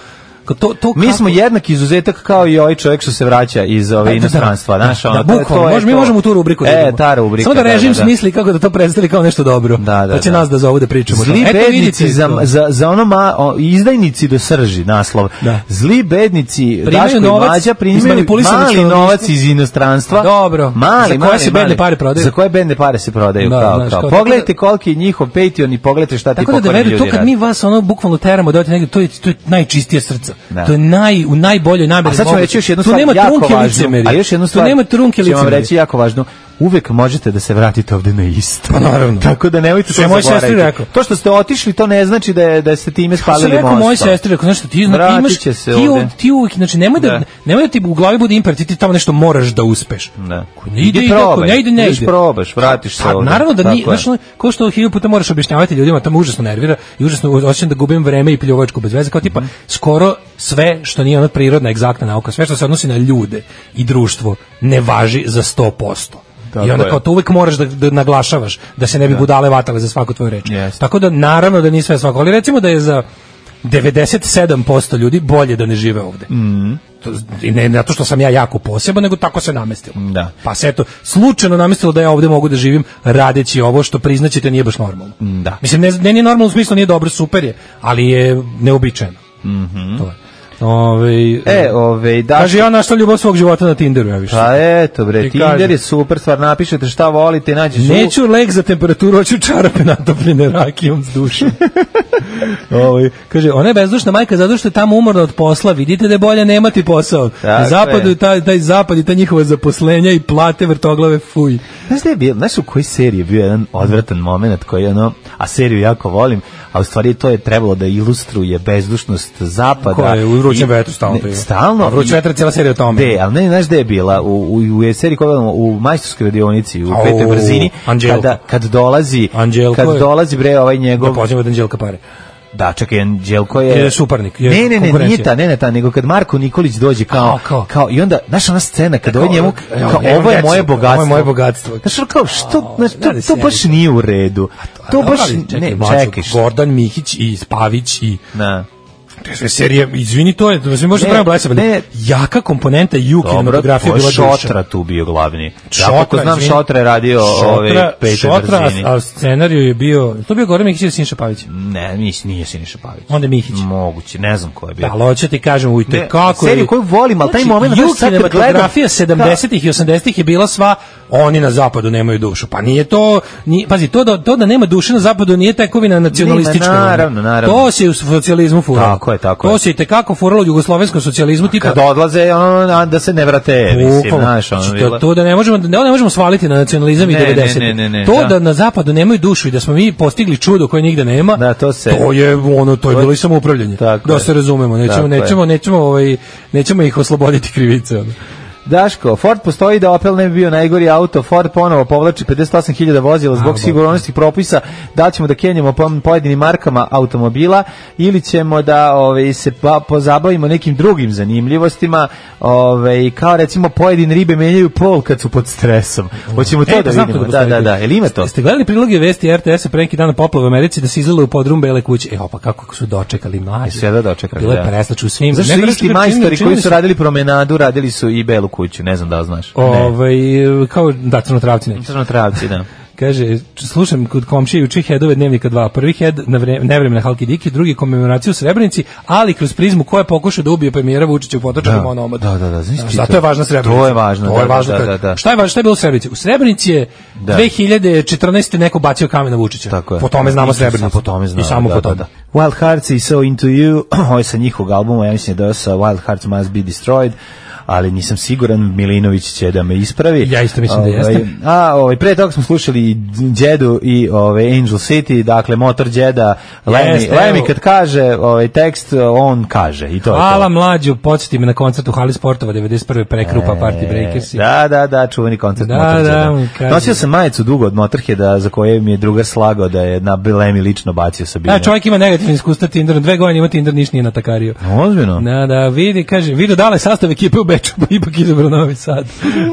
To, to mi smo jednak izuzetak kao i ovaj čovjek što se vraća iz ove inostranstva, znaš, ono, da, to je, mi možemo u tu rubriku da idemo. E, ta rubrika. Samo da režim da, da. smisli kako da to predstavi kao nešto dobro. Da, da, pa će da. nas da zovu da pričamo. Zli Eto, bednici za, za, za ono ma, o, izdajnici do srži, naslov. Da. Zli bednici, Daško i Mlađa primaju mali novac iz inostranstva. Dobro. Mali, za koje se bedne pare prodaju? Za koje bedne pare se prodaju? Da, kao, znaš, kao. Pogledajte koliki je njihov Patreon i pogledajte šta ti pokvarni ljudi rade. To kad mi vas ono bukvalno teramo da negdje, to je to je najčistije srce. To je naj u najboljoj nameri. A sad ćemo reći još jednu stvar jako važnu. A još jednu stvar, nema trunke licemerja. Ćemo vam reći jako važno. Uvek možete da se vratite ovde na isto. Pa naravno. Tako da nemojte to zaboraviti. To što ste otišli, to ne znači da je da ste time spalili most. Ja sam rekao mojoj sestri, rekao, znaš što ti, znači, imaš, ti, ti uvijek, znači nemoj da, da. nemoj da ti u glavi bude imperativ, ti tamo nešto moraš da uspeš. Da. Ne ide, ide, probaj, ne ide, ne ide. probaš, vratiš se pa, ovde. Naravno da nije, znaš, ko što hiljadu puta moraš objašnjavati ljudima, to me užasno nervira i užasno osjećam da gubim vreme i pljuvačku bez veze, kao tipa, mm. skoro sve što nije ona prirodna, egzaktna nauka, sve što se odnosi na ljude i društvo, ne važi za sto posto. Tako I onda kao to uvijek moraš da, da naglašavaš da se ne bi da. budale vatale za svaku tvoju reč. Yes. Tako da naravno da nije sve svako, ali recimo da je za devedeset sedam posto ljudi bolje da ne žive ovde. Mm. to, ne zato što sam ja jako poseban, nego tako se namestilo. Da. Pa se eto, slučajno namestilo da ja ovde mogu da živim radeći ovo što priznaćete nije baš normalno. Da. Mislim, ne, ne nije normalno u smislu, nije dobro, super je, ali je neobičajeno. Mhm. To je. Ove, E, ove, da. kaže, ja našla ljubav svog života na Tinderu, ja više. Pa eto bre, I Tinder kaže, je super stvar, napišete šta volite, nađeš u... neću lek za temperaturu, hoću čarape natopljene rakijom s dušom. Ove, kaže, ona je bezdušna majka zato što je tamo umorna od posla, vidite da je bolje nemati posao. Na zapadu je taj, taj zapad i ta njihova zaposlenja i plate vrtoglave, fuj. Znaš da je bio, znaš u kojoj seriji je bio jedan odvratan moment koji ono, a seriju jako volim, a u stvari to je trebalo da ilustruje bezdušnost zapada. Ko je u Vrućem vetru stalno? Ne, stalno. Vruć vetar, cijela serija o tome. De, ali ne, znaš gde je bila? U, u, u seriji koja gledamo, u majstorskoj radionici, u Au, petoj brzini, kada, kad dolazi, Anđelko kad je, dolazi bre ovaj njegov... Da pođemo od Anđelka pare. Da, čekaj, Anđelko je... Je suparnik, je ne, ne, ne, konkurencija. nije ta, ne, ne, ta, nego kad Marko Nikolić dođe kao, A, kao. kao, i onda, znaš ona scena, kad Kao, ovaj njemu, evo, kao, evo ovo je decu, moje ovo je bogatstvo. moje bogatstvo. Znaš, ono kao, što, znaš, to, radi to se, baš radi. nije u redu. To baš, čekaj, ne, mlađo, čekaj, što- Gordan Mihić i Spavić i... Da. To je sve serije, izvini, to je, da se može Ne, pravimo blesava, ne. jaka komponenta i u Dobro, kinematografiji to je bila duša. Šotra tu bio glavni. Ja Šotra, kako znam, izvini. Šotra je radio ove Šotra, petoj Šotra, brzini. a, a scenariju je bio, to je bio Goran Mihić ili Sinša Pavić? Ne, nis, nije Siniša Pavić. Onda je Mihić. Moguće, ne znam ko je bio. Da, ali hoću ti kažem, ujte, Ne, kako je... seriju koju volim, ali taj moment, Ju znaš, sad kad kinematografija gledam- sedamdesetih i osamdesetih je bila sva, oni na zapadu nemaju dušu. Pa nije to, nije, pazi, to da, to da nema duše na zapadu nije tekovina nacionalistička. Nema, naravno, naravno. To se u socijalizmu furalo. Tako je, tako To je. se i tekako furalo u jugoslovenskom socijalizmu, tipa... Kad odlaze, ono, a da se ne vrate, mislim, Bukvalno. znaš, ono, Znači, bilo- to, to da ne možemo, da ne možemo svaliti na nacionalizam i Ne, ne, devedesetih. ne, ne, ne, To da. da na zapadu nemaju dušu i da smo mi postigli čudo koje nigde nema, Da, to se- to je ono, to je To- bilo i samoupravljanje. Tako Da je. se razumemo, nećemo, Tako je. nećemo, nećemo, ovaj, nećemo ih osloboditi krivice. ono. Daško, Ford postoji da Opel ne bi bio najgori auto, Ford ponovo povlači pedeset osam hiljada vozila zbog A, sigurnosnih propisa, da li ćemo da kenjamo po pojedinim markama automobila ili ćemo da ove, se pa, pozabavimo nekim drugim zanimljivostima, ove, kao recimo pojedine ribe menjaju pol kad su pod stresom. Hoćemo to E, da znam vidimo. to Da, postoji. da, da. Jel ima to? Ste gledali priloge vesti R T S-a pre neki dan na poplavu u Americi da se izlile u podrum Bele kuće? Evo pa kako su dočekali mlađi. Sve da dočekali. Bilo je da. preslač u svim. Zašto Ne, su čini- isti čini- majstori čini koji mi su se- radili promenadu, radili su i Belu kuću, ne znam da li znaš. Ne. Ovaj, kao da crnotravci neki. Crnotravci, da. Kaže, slušam kod komšije juče headove dnevnika dva. Prvi head na vreme, nevremena Halki Diki, drugi komemoraciju u Srebrenici, ali kroz prizmu ko je pokušao da ubije premijera Vučića u Potočaru Da, onomad. da, da, da, znaš ti Zato to? je važna Srebrenica. To je važno, To je da, važno. da, da, da. Šta je važno, šta je bilo u Srebrenici? U Srebrenici je Da. dve hiljade četrnaeste neko bacio kamen na Vučića. Tako je. Po tome znamo I Srebrenicu. Po tome znamo. I samo da, po da, tome. da. Wild Hearts i So Into You, ovo je sa njihovog albuma, ja mislim da je sa Wild Hearts Must Be Destroyed, ali nisam siguran, Milinović će da me ispravi. Ja isto mislim da Ovaj, jeste. A, ovaj, pre toga smo slušali Đedu i ovaj, Angel City, dakle, motor Đeda, Lemi, Jeste, Lemi evo. kad kaže ovaj, tekst, on kaže i to je Hvala to. mlađu, podsjeti me na koncert u Hali Sportova devedeset prve prekrupa Party Breakersi. Da, da, da, čuveni koncert Da, Motorheada. da, on kaže- Nosio sam majicu dugo od Motorheada za koje mi je drugar slagao da je na Lemi lično bacio sa bine. Da, čovjek ima negativni iskustva Tinderom, dve godine ima Tinder, niš nije natakario. Ozbiljno? Da, da, vidi, kaže, vidio dale sastav ekipe u Beču, pa ipak izabrao Novi Sad.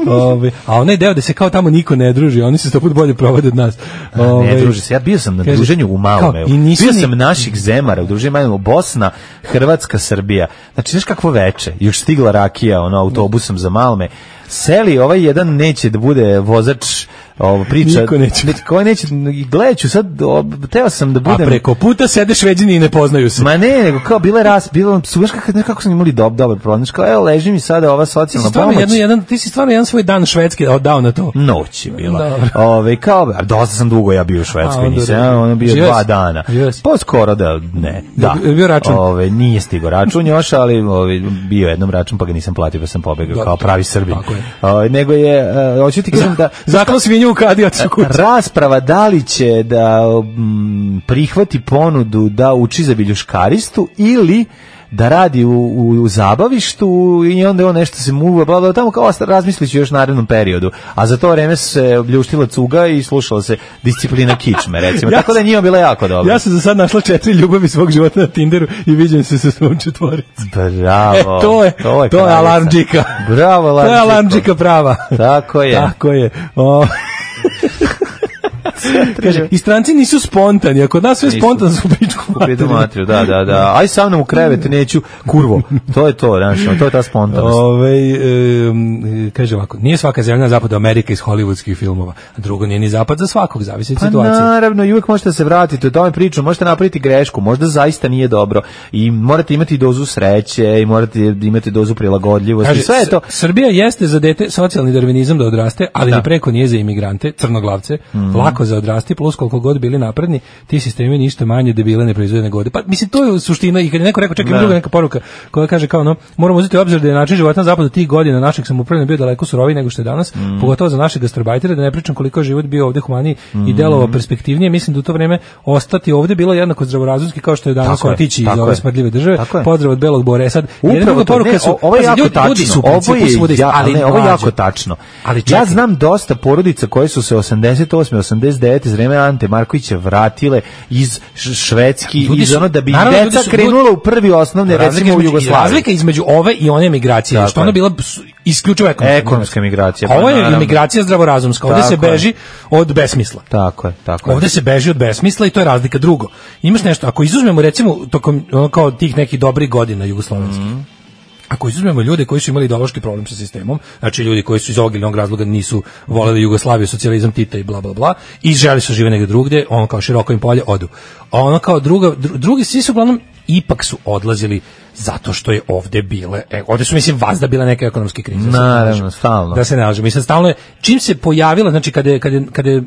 Ove, a onaj deo da se kao tamo niko ne druži, oni se sto put bolje provode od nas. Ne, Ove, druži se. Ja bio sam na kaže, druženju u Malomeu. kao, i nisu Bio ni- sam naših zemara u druženju Malomeu. Bosna, Hrvatska, Srbija. Znači, znaš kakvo veče? Još stigla rakija ono, autobusom za Malme. Seli, ovaj jedan neće da bude vozač ovo priča. Niko neće. Koji neće, gledat ću sad, o, teo sam da a budem... preko puta sede Šveđani i ne poznaju se. Ma ne, nego kao bile ras, bilo su baš kako, kako su imali dob, dobar problem. Kao, evo, leži mi sada ova Ti si, socijalna stvarno pomoć. jedno, jedan, ti si stvarno jedan svoj dan Švedske dao na to. Noć je bila. Dobro. Ove, kao, a dosta sam dugo ja bio u Švedskoj, A, onda nisam, dobro. ja, ono bio Živio dva si? dana. Živio si? Pa skoro da, ne, da. Je bio račun? Ove, nije stigo račun još, ali ove, bio jednom račun, pa ga nisam platio, pa sam pobegao Dobro. kao pravi Srbin. Tako je. Ove, nego je, uh, hoću ti kažem da... Zakon svinju u kadi, otišu kući. Rasprava da li će da mm, prihvati ponudu da uči za biljuškaristu ili da radi u, u, u zabavištu i onda on nešto se muva, bla, bla, tamo kao razmislit ću još narednom periodu. A za to vreme se obljuštila cuga i slušala se disciplina kičme, recimo. Ja Tako da je njima bila jako dobro. Ja sam za sad našla četiri ljubavi svog života na Tinderu i viđem se sa svom četvoricom. Bravo. E, to je, to je, to je kraljica. alarmđika. Bravo, To je alarmđika. alarmđika prava. Tako je. Tako je. O, Kaže, i stranci nisu spontani, ako nas sve spontano su pičku materiju. Da, da, da. Aj sa mnom u krevet, neću, kurvo. To je to, znači, to je ta spontanost. Ove, e, kaže ovako, nije svaka zemlja na zapadu Amerika iz hollywoodskih filmova, a drugo nije ni zapad za svakog, zavisi od pa situacije. Naravno, i uvijek možete se vratiti o tome priču, možete napraviti grešku, možda zaista nije dobro i morate imati dozu sreće i morate imati dozu prilagodljivosti. Kaže, sve je to. Srbija jeste za dete socijalni darvinizam da odraste, ali da. ni preko nije za imigrante, crnoglavce, mm. lako za odrasti, plus koliko god bili napredni, ti sistemi ništa manje debile ne proizvode nego ovde. Pa mislim, to je suština i kad je neko rekao, čekaj, druga neka poruka koja kaže kao, no, moramo uzeti u obzir da je način života na zapadu tih godina našeg samoupravljanja bio daleko suroviji nego što je danas, mm. pogotovo za naše gastarbajtere, da ne pričam koliko je život bio ovde humaniji mm. i delovao perspektivnije. Mislim da u to vreme ostati ovde bilo jednako zdravorazumski kao što je danas otići iz ove smrdljive države. Pozdrav od Belog Bore. Sad, jedna poruka su, ovo je jako ljudi, tačno. ljudi su ovo je, svude, ja, ali ne, ovo je jako tačno. Ali ja znam dosta porodica koje su se osamdeset osme osamdeset devete iz vreme Ante Markovića vratile iz Švedski, iz ono da bi naravno, deca su, krenula u prvi osnovne, recimo u Jugoslaviji. Razlika između ove i one emigracije, što ona bila isključivo ekonomska, ekonomska emigracija. Ovo je emigracija zdravorazumska, ovde se beži od besmisla. Tako je, tako je. Ovde se beži od besmisla i to je razlika. Drugo, imaš nešto, ako izuzmemo recimo tokom ono kao tih nekih dobrih godina jugoslovenskih, mm. ako izuzmemo ljude koji su imali ideološki problem sa sistemom, znači ljudi koji su iz ovog ili onog razloga nisu voleli Jugoslaviju, socijalizam, Tita i bla bla bla, i želi su žive negdje drugdje, ono kao široko im polje, odu. A ono kao druga, dru, drugi svi su uglavnom ipak su odlazili zato što je ovde bile, e, ovde su mislim vazda bile neke ekonomske krize. Naravno, stalno. Da se ne lažemo. Mislim, stalno je, čim se pojavila, znači kada je, kada je, kada je,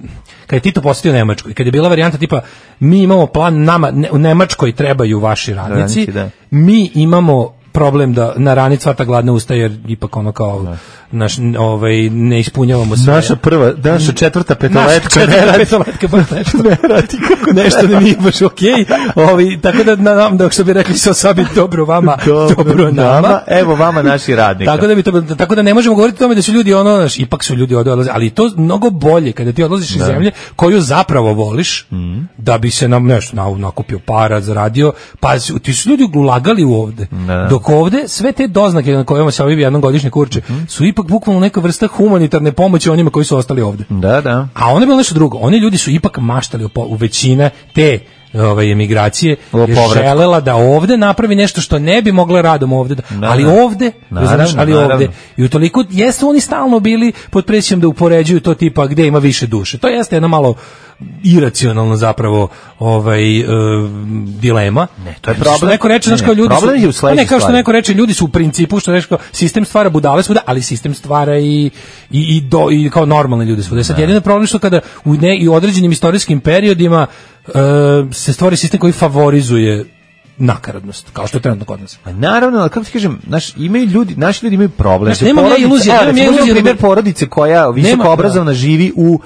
kada je Tito posjetio Nemačku i kada je bila varijanta tipa mi imamo plan, nama, ne, u Nemačkoj trebaju vaši radnici, da. mi imamo problem da na rani cvata gladne usta jer ipak ono kao da. naš ovaj ne ispunjavamo sve. Naša prva, naša četvrta petoljetka ne radi, petoljetka baš nešto ne radi kako nešto ne mi baš okej. Ovi tako da nam da što bi rekli sa sabi dobro vama, dobro, dobro nama. nama. Evo vama naši radnici. Tako da bi to tako da ne možemo govoriti o tome da su ljudi ono naš ipak su ljudi odlaze, ali to mnogo bolje kada ti odlaziš iz zemlje koju zapravo voliš mm. da bi se nam nešto na, nakupio para, zaradio, pa ti su ljudi ulagali u ovde. Da. Dok ovde sve te doznake na kojima se ovi jednom godišnje kurče mm. su ipak bukvalno neka vrsta humanitarne pomoći onima koji su ostali ovde. Da, da. A oni bilo nešto drugo. Oni ljudi su ipak maštali u, u većine te ove emigracije je želela da ovde napravi nešto što ne bi mogla radom ovde, da, da, ali ovde, naravno, znaš, ali naravno. ovde. I utoliko jesu oni stalno bili pod presijom da upoređuju to tipa gde ima više duše. To jeste jedna malo iracionalno zapravo ovaj uh, dilema. Ne, to je problem. Što neko reče, znači kao ljudi problem su, ne kao što neko reče, ljudi su u principu što reče kao sistem stvara budale svuda, ali sistem stvara i i i do i kao normalni ljudi svuda. Sad jedino problem što kada u ne i određenim istorijskim periodima uh, se stvori sistem koji favorizuje nakaradnost, kao što je trenutno kod nas. Pa naravno, ali kako ti kažem, naš, imaju ljudi, naši ljudi imaju problem. Znaš, nemam ja iluzije, nemam ja iluzije. Primjer porodice koja visoko obrazovna živi u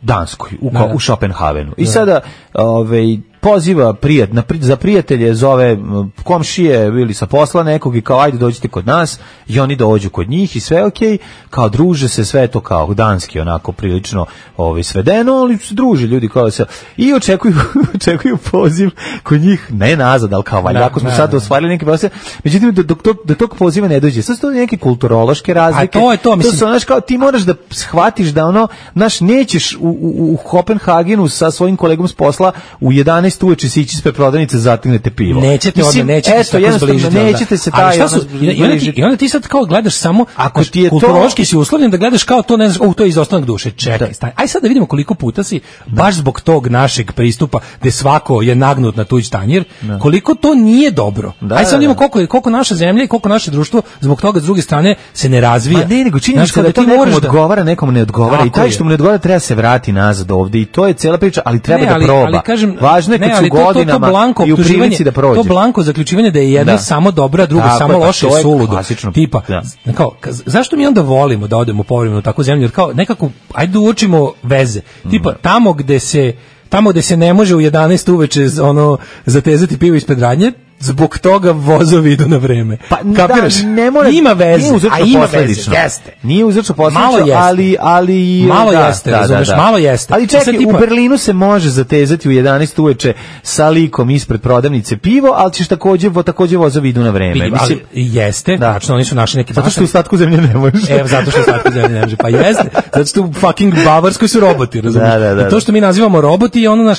Danskoj, u, da, da. u Šopenhavenu. I da. sada ovaj, poziva prijat, na, za prijatelje, zove komšije ili sa posla nekog i kao ajde dođite kod nas i oni dođu kod njih i sve okej, kao druže se, sve to kao danski onako prilično ovaj, svedeno, ali se druže ljudi kao se i očekuju, očekuju poziv kod njih, ne nazad, ali kao valjda, ako smo da, sad da. ostvarili neke posle, međutim do, do, do, do tog poziva ne dođe. Sad su to neke kulturološke razlike. A to je to, mislim. To su, znaš, kao ti moraš da shvatiš da ono, znaš, nećeš u, u, u Kopenhagenu sa svojim kolegom s posla u jedanaest uveče se ići ispred prodavnice, zategnete pivo. Nećete onda, nećete se tako zbližiti. Nećete se taj... Šta su, i, onda ti, I onda ti sad kao gledaš samo, ako ti je kulturološki to... si uslovljen da gledaš kao to, ne znaš, oh, to je izostanak duše, čekaj, staj. Aj sad da vidimo koliko puta si, baš zbog tog našeg pristupa, gde svako je nagnut na tuđ tanjir, da. koliko to nije dobro. Da, aj sad vidimo koliko, koliko naša zemlja i koliko naše društvo zbog toga s druge strane se ne razvija. Ma ne, nego činjenica da to nekom odgovara, nekom ne odgovara i taj što mu ne odgovara treba se vrati nazad ovde i to je cela priča, ali treba da proba. Važno je kad su godinama blanko i u prilici da prođe. To blanko zaključivanje da je jedno da. samo dobro, a drugo tako samo loše i suludo. Tipa, da. kao, zašto mi onda volimo da odemo povremeno u takvu zemlju? Jer kao nekako, ajde učimo veze. Tipa, tamo gde se tamo gde se ne može u jedanaest uveče ono zatezati pivo ispred radnje, zbog toga vozovi idu na vreme. Pa kapiraš? Da, ne mora, ima veze, nije uzročno a ima posledično. veze, jeste. Nije uzročno posledično, Malo jeste. ali ali malo da, jeste, da, razumeš, da, da. malo jeste. Ali čekaj, Sad tipa- u Berlinu se može zatezati u jedanaest uveče sa likom ispred prodavnice pivo, ali ćeš takođe vo takođe vozovi idu na vreme. Vidim, Mislim, ali jeste, da. tačno, oni su našli neki zato što u ostatku zemlje ne može. Evo, zato što u ostatku zemlje ne može. Pa jeste, zato što u fucking Bavarskoj su roboti, razumiješ? Da, da, da, I to što mi nazivamo roboti je ono naš,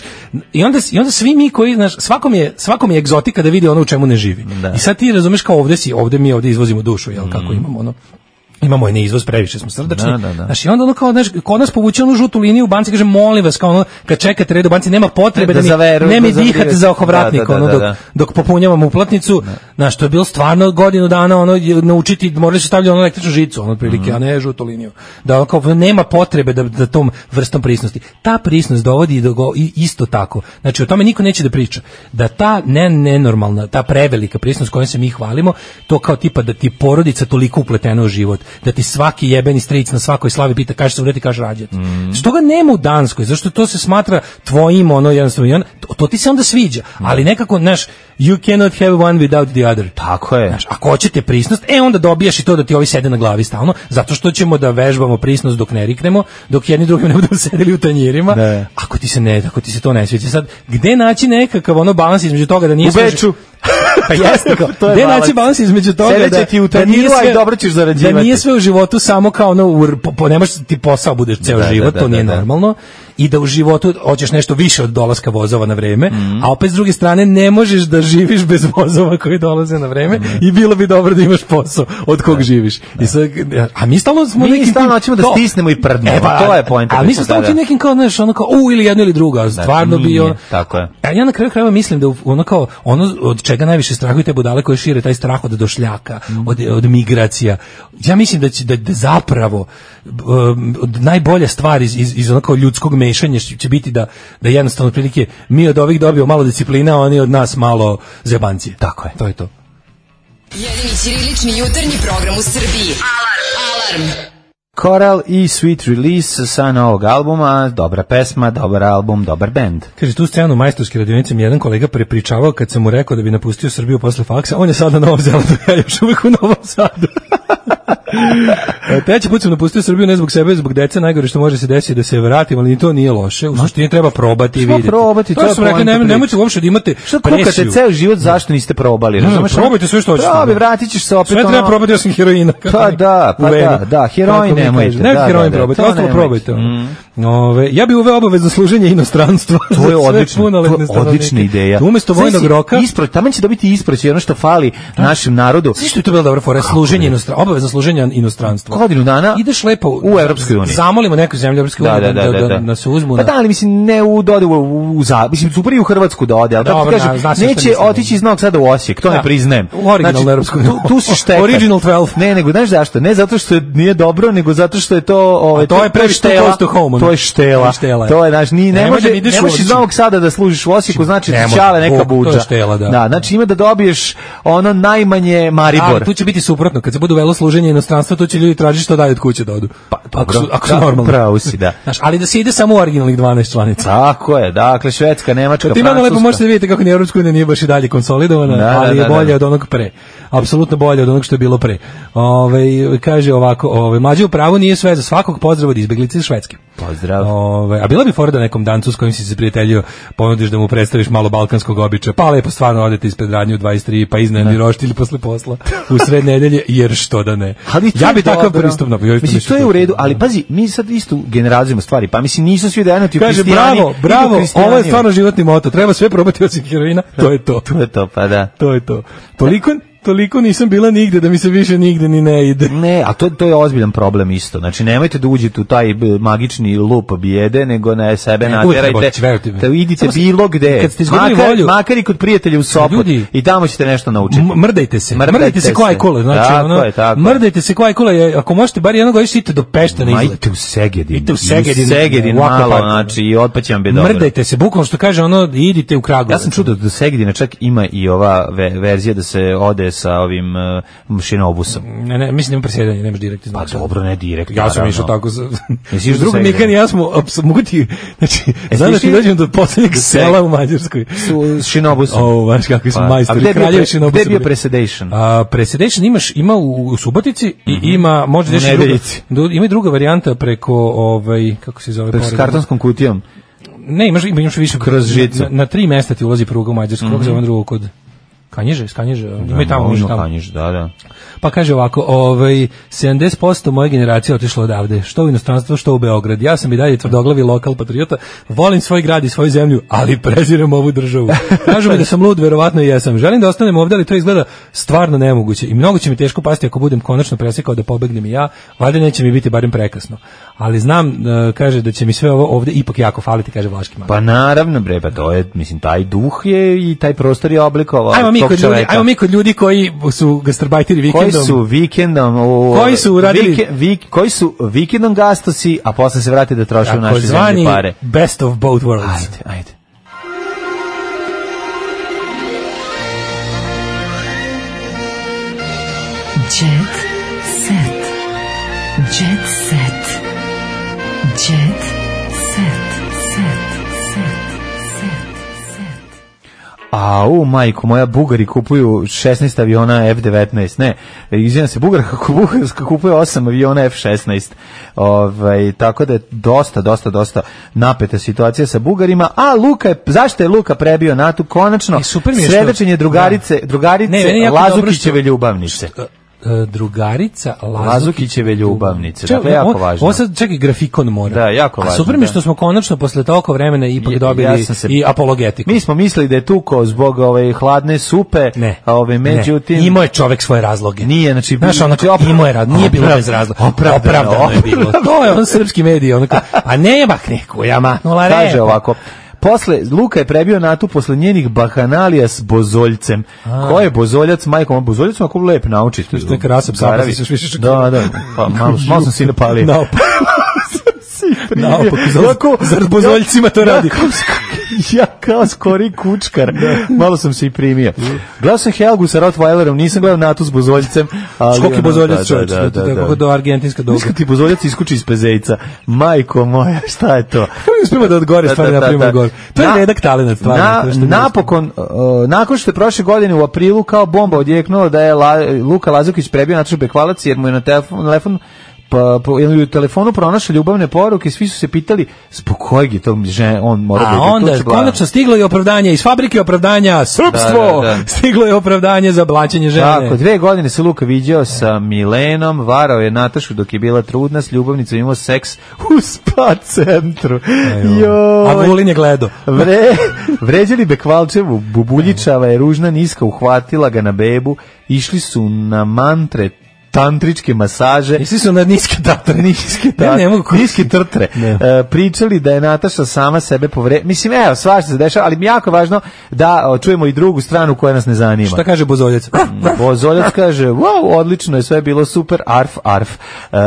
i onda, i onda svi mi koji, znaš, svakom je, svakom je egzotika da vidi ono u čemu ne živi. Da. I sad ti razumeš kao ovde si, ovde mi ovde izvozimo dušu, jel, kako imamo ono, imamo i ne izvoz, previše smo srdačni. Da, da, da. Znaš, i onda ono kao, znaš, kod nas povuče onu žutu liniju u banci, kaže, molim vas, kao ono, kad čekate red u banci, nema potrebe Da da, mi, zaveru- ne mi da dihate zavirate. za ohovratnik, Da, da, ono, da, dok, da. dok popunjavam uplatnicu, znaš, to je bilo stvarno godinu dana, ono, je naučiti, morali su stavljati ono električnu žicu, ono, otprilike, a ne žutu liniju. Da, ono, kao, nema potrebe da, da tom vrstom prisnosti. Ta prisnost dovodi do go, i isto tako. Znači, o tome niko neće da priča. Da ta ne, nenormalna, ta prevelika prisnost kojom se mi hvalimo, to kao tipa da ti porodica toliko upletena u život, da ti svaki jebeni stric na svakoj slavi pita kaže se umreti, kaže rađati. Mm. Što ga nema u Danskoj, zašto to se smatra tvojim, ono, jednostavno, to, to ti se onda sviđa, mm. ali nekako, znaš, you cannot have one without the other. Tako je. Znaš, ako hoćete prisnost, e onda dobijaš i to da ti ovi sede na glavi stalno, zato što ćemo da vežbamo prisnost dok ne riknemo, dok jedni drugim ne budemo sedeli u tanjirima. Ne. Ako ti se ne, ako ti se to ne sviđa, sad gde naći nekakav ono balans između toga da nije u Beču. Pa jeste, gde naći balans između toga Sedeće da, ti u da nije tanjiru, sve, a dobro ćeš zarađivati. da nije sve u životu samo kao ono, u, po, po, nemaš ti posao budeš ceo da, život, da, to da, nije da, normalno, i da u životu hoćeš nešto više od dolaska vozova na vreme, mm. a opet s druge strane ne možeš da živiš bez vozova koji dolaze na vreme mm. i bilo bi dobro da imaš posao od kog da, živiš. Da. I sad, a mi stalno smo mi nekim... Mi stalno hoćemo da stisnemo i prdnemo, e, pa, to je poenta. A mi smo stalno nekim kao, znaš, ono kao, u, ili jedno ili drugo, a stvarno da, bi ono... Tako je. A ja na kraju krajeva mislim da ono kao, ono od čega najviše strahuju te budale koje šire taj strah od došljaka, mm. od, od migracija. Ja mislim da će da, da zapravo um, najbolja stvar iz, iz, iz onako ljudskog mešanja će biti da, da jednostavno prilike mi od ovih dobio malo disciplina, a oni od nas malo zebancije. Tako je. To je to. Jedini ćirilični jutarnji program u Srbiji. Alarm! Alarm! Coral i Sweet Release sa novog albuma, dobra pesma, dobar album, dobar bend. Kaže, tu scenu majstorske radionice mi jedan kolega prepričavao kad sam mu rekao da bi napustio Srbiju posle faksa, on je sad na Novom Zelandu, ja još uvijek u Novom Sadu. Treći put sam napustio Srbiju ne zbog sebe, zbog dece, najgore što može se desiti da se vratim, ali ni to nije loše. U suštini treba probati i vidjeti. Probati, to sam rekao, nemojte nemojte uopšte da imate što kukate ceo život, zašto niste probali? Ne, probajte sve što hoćete. Probi, vratit ćeš se opet. Sve treba probati, ja sam heroina. Pa da, pa da, da, heroin nemojte. Ne, heroin probajte, ostalo probajte. Ove, ja bih uveo obavezno služenje inostranstva. To je odlično, to je odlična ideja. Umesto vojnog roka, isproć, tamo će dobiti isproć, ono što fali našem narodu. Zašto je to bilo dobro fora, služenje inostranstva, obavezno služenje inostranstva. Godinu dana ideš lepo u Evropskoj uniji. Zamolimo neku zemlju Evropske unije da, da, da, da, da se uzmu. Pa da, ali mislim ne u dode u, u, u mislim super i u Hrvatsku da ode, al da ti kažem, neće otići iz Novog Sada u Osijek, to ne priznajem. Original Evropsku uniju. Tu si štekar. Original dvanaest. Ne, nego znaš zašto? Ne zato što nije dobro, nego zato što je to, ovaj to je previše close to home. To je štela. To je naš ni ne može, ne možeš iz Novog Sada da služiš u Osijeku, znači ti čale neka budža. Da, znači ima da dobiješ ono najmanje Maribor. Tu će biti suprotno, kad se bude velo služenje inostranstva, to će ljudi tražiti što dalje od kuće da odu. Pa, ako su, ako su normalni. Pravo si, da. Znaš, ali da se ide samo u originalnih dvanaest članica. Tako je, dakle, Švedska, Nemačka, Francuska. Ti malo lepo možete vidjeti kako ni Evropska unija nije baš i dalje konsolidovana, da, ali da, da, je bolje da. od onog pre. Apsolutno bolje od onog što je bilo pre. Ove, kaže ovako, ove, mlađe u pravu nije sve za svakog, pozdrav od izbeglice iz Švedske. Pozdrav. Ove, a bila bi fora da nekom dancu s kojim si se prijateljio ponudiš da mu predstaviš malo balkanskog običaja, pa lepo stvarno odete ispred radnje u dvadeset tri, pa iznajmi roštilj posle posla u sred nedelje, jer što da ne. Ali ja bi takav pristup napravio. Mislim, to je u redu, ali pazi, mi sad isto generalizujemo stvari, pa mislim nisu svi da jednati u Kaže, bravo, bravo, ovo je stvarno životni moto, treba sve probati osim heroina, to je to. To je to, pa da. To je to. Toliko Toliko nisam bila nigde da mi se više nigde ni ne ide. Ne, a to, to je ozbiljan problem isto. Znači, nemojte da uđete u taj magični lup bijede, nego ne sebe ne, naterajte. Da idite bilo gde. Makar, volju, makar i kod prijatelja u Sopot. Ljudi, i tamo ćete nešto naučiti. Mrdajte se. Mrdajte, mrdajte se koja je kula. Znači, tako ono, je, tako mrdajte se koja je kula. Ako možete bar jednog godišnje idite do Pešta na izlet. Idite u Segedin. Idite u Segedin. Segedin malo, znači, i otpaće vam bi dobro. Mrdajte se, bukvalno što kaže ono, idite u Kragujevac. Ja sam čuo da do Segedina čak ima i ova verzija da se ode ide sa ovim uh, šinobusom. Ne, ne, mislim nema presjedanje, nemaš direkt iz Pa Novosadskog. dobro, ne direkt. Ja sam naravno. išao tako sa... Jesi išao Druga sa Mikan i Segedom? ja smo, apsolutno, mogu ti, znači, Jesi znam da ti išli? dođem do poslednjeg sela u Mađarskoj. Su šinobusom. O, baš kakvi su Pa, majstori. a gde je bio kraljevi pre- šinobusa gde je bio bili. Presedation? A, Presedation imaš, ima u, u Subotici i ima, može U reći druga, Nedeljici. do- ima i druga varijanta preko, ovaj, kako se zove? S pored- kartonskom kutijom. Ne, imaš, ima- imaš više. Kroz žicu. Na, na tri mesta ti ulazi pruga u Mađarsku, kako se zove drugo kod... Kanjiže, iz Kanjiže, ima i tamo, može tamo. Kanjiž, da, da. Pa kaže ovako, ovaj, sedamdeset posto moje generacije otišlo odavde, što u inostranstvo, što u Beograd. Ja sam i dalje tvrdoglavi lokal patriota, volim svoj grad i svoju zemlju, ali prezirem ovu državu. Kažu mi da sam lud, verovatno i jesam. Želim da ostanem ovde, ali to izgleda stvarno nemoguće. I mnogo će mi teško pasti ako budem konačno presekao da pobegnem i ja, valjda neće mi biti barem prekasno. Ali znam, e, kaže, da će mi sve ovo ovde ipak jako faliti, kaže Vlaški Magar. Pa naravno, bre, pa to je, mislim, taj duh je i taj prostor je oblikovao Ajmo mi, tog kod ljudi, čoveka. ajmo mi kod ljudi koji su gastarbajteri vikendom. Koji su vikendom u, Koji su uradili- vike- vik- koji su vikendom gastosi, a posle se vrati da troše u naše zemlje takozvani pare. best of both worlds. Ajde, ajde. Jet set. Jet set. Jet set. Set. Set. Set. A u majku, moja Bugari kupuju šesnaest aviona F devetnaest, ne, izvijem se, Bugarska Bugarska kupuje osam aviona F šesnaest, ovaj, tako da je dosta, dosta, dosta napeta situacija sa Bugarima, a Luka je, zašto je Luka prebio NATO, konačno, I super mi je što- svedočenje drugarice, drugarice Ne, meni je jako dobro Lazukićeve što- ljubavnice. E, drugarica Lazukić- Lazukićeve ljubavnice, Čekaj, dakle, jako ovo- važno. Ovo sad čekaj, grafikon mora. Da, jako A važno, super mi je da. što smo konačno posle toliko vremena ipak Je- dobili ja sam se- i apologetiku. Mi smo mislili da je tuko zbog ove hladne supe, Ne. a ove međutim Ne, imao je čovek svoje razloge. nije, znači Znaš, ono, znači, imao je razloge, nije bilo opravdano, bez razloga. opravdano, Opravdano je bilo. To je on srpski medij, onako, a nema neku, ja mahnula repa. kaže ovako. Posle, Luka je prebio NATO posle njenih bahanalija s Bozoljcem. Ko je Bozoljac, majkom? Bozoljac mu ako lep naučiti. Što je krasa psa, pa si se još više šokirao. Da, da, pa malo, malo sam si napalio. Naopako. Primio. Naopako, zar- Jako- zar Bozoljcima to ja, radi? kao sk- ja kao skori kučkar. Malo sam se i primio. Gledao sam Helgu sa Rottweilerom, nisam gledao NATO s Bozoljcem. ali Skoki ono, Bozoljac, da, čovječ, da, da, tako da. do argentinska doga. Znaš kad ti Bozoljac iskuči iz pezejca? Majko moja, šta je to? Mi uspijemo da odgore Da, stvari da, na da, primjer da. gore. To je Na- redak talenat stvarno. Na, to što mi napokon, uh, nakon što je prošle godine u aprilu kao bomba odjeknulo da je La, Luka Lazukić prebio Natašu Bekvalac jer mu je na telefon, telefon pa po ili u telefonu pronašao ljubavne poruke, svi su se pitali zbog kojeg je to žen, on mora da A ide onda tuče glavom. konačno stiglo je opravdanje iz fabrike opravdanja srpstvo. Da, da, da. Stiglo je opravdanje za blaćenje žene. Tako, dve godine se Luka viđao sa Milenom, varao je Natašu dok je bila trudna, s ljubavnicom imao seks u spa centru. A Vulin je gledao. Vre, vređali Bekvalčevu, Bubuljičava je ružna niska, uhvatila ga na bebu, išli su na mantre, tantričke masaže. Išli su na niske tatre. Niske, Ja tatre, ne mogu- niske trtre. E, pričali da je Nataša sama sebe povre... Mislim, evo, svašta se dešava, ali mi je jako važno da o, čujemo i drugu stranu koja nas ne zanima. Šta kaže Bozoljac? Bozoljac kaže, wow, odlično je, sve bilo super, arf, arf. E,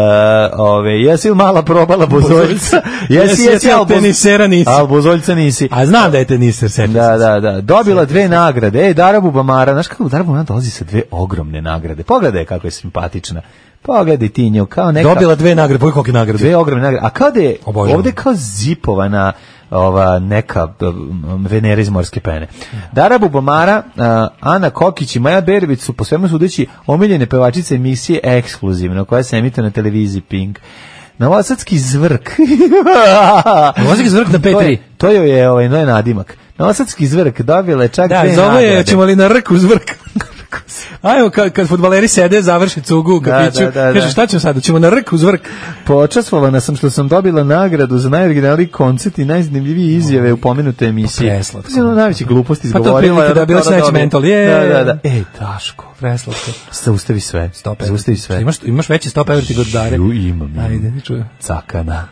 ove, jesi li mala probala Bozoljca? Jesi, jesi, ali tenisera nisi. Ali Bozoljca nisi. A znam da je teniser, setim se. Da, da, da. Dobila dve nagrade. Ej, Dara Bubamara, znaš kako Dara Bubamara dolazi sa dve ogromne nagrade. Pogledaj kako je simpatična. Pogledaj ti nju, kao neka... Dobila dve nagrade, pojeg kolike nagrade. Dve ogromne nagrade. A kao da je Obožavam. ovde kao zipovana ova neka um, Venera iz morske pene. Dara Bubamara, uh, Ana Kokić i Maja Berović su po svemu sudeći omiljene pevačice emisije Ekskluzivno, koja se emituje na televiziji Pink. Novosadski zvrk. Novosadski zvrk na P tri. To je, to joj je ovaj, no je nadimak. Novosadski zvrk dobila je čak Da, dve zove nagrade. je, ćemo li na rku zvrk? Ajmo, kad, kad fudbaleri sede, završi cugu u Da, kafiću, da, da, da. kaže šta ćemo sada, ćemo na rku zvrk. Počastvovana sam što sam dobila nagradu za najoriginalniji koncert i najzanimljivije izjave u pomenutoj emisiji. Preslatko. To je ono najveći gluposti Pa to izgovorila. otprilike da je bila to sledeći dobije. mental, je. Da, da, da. Ej, Daško. Preslatko. Zaustavi sve. Stop Zaustavi sve. Imaš, imaš veći stop everti god Dare. Ju, imam, imam. Ajde, čujem. Cakana.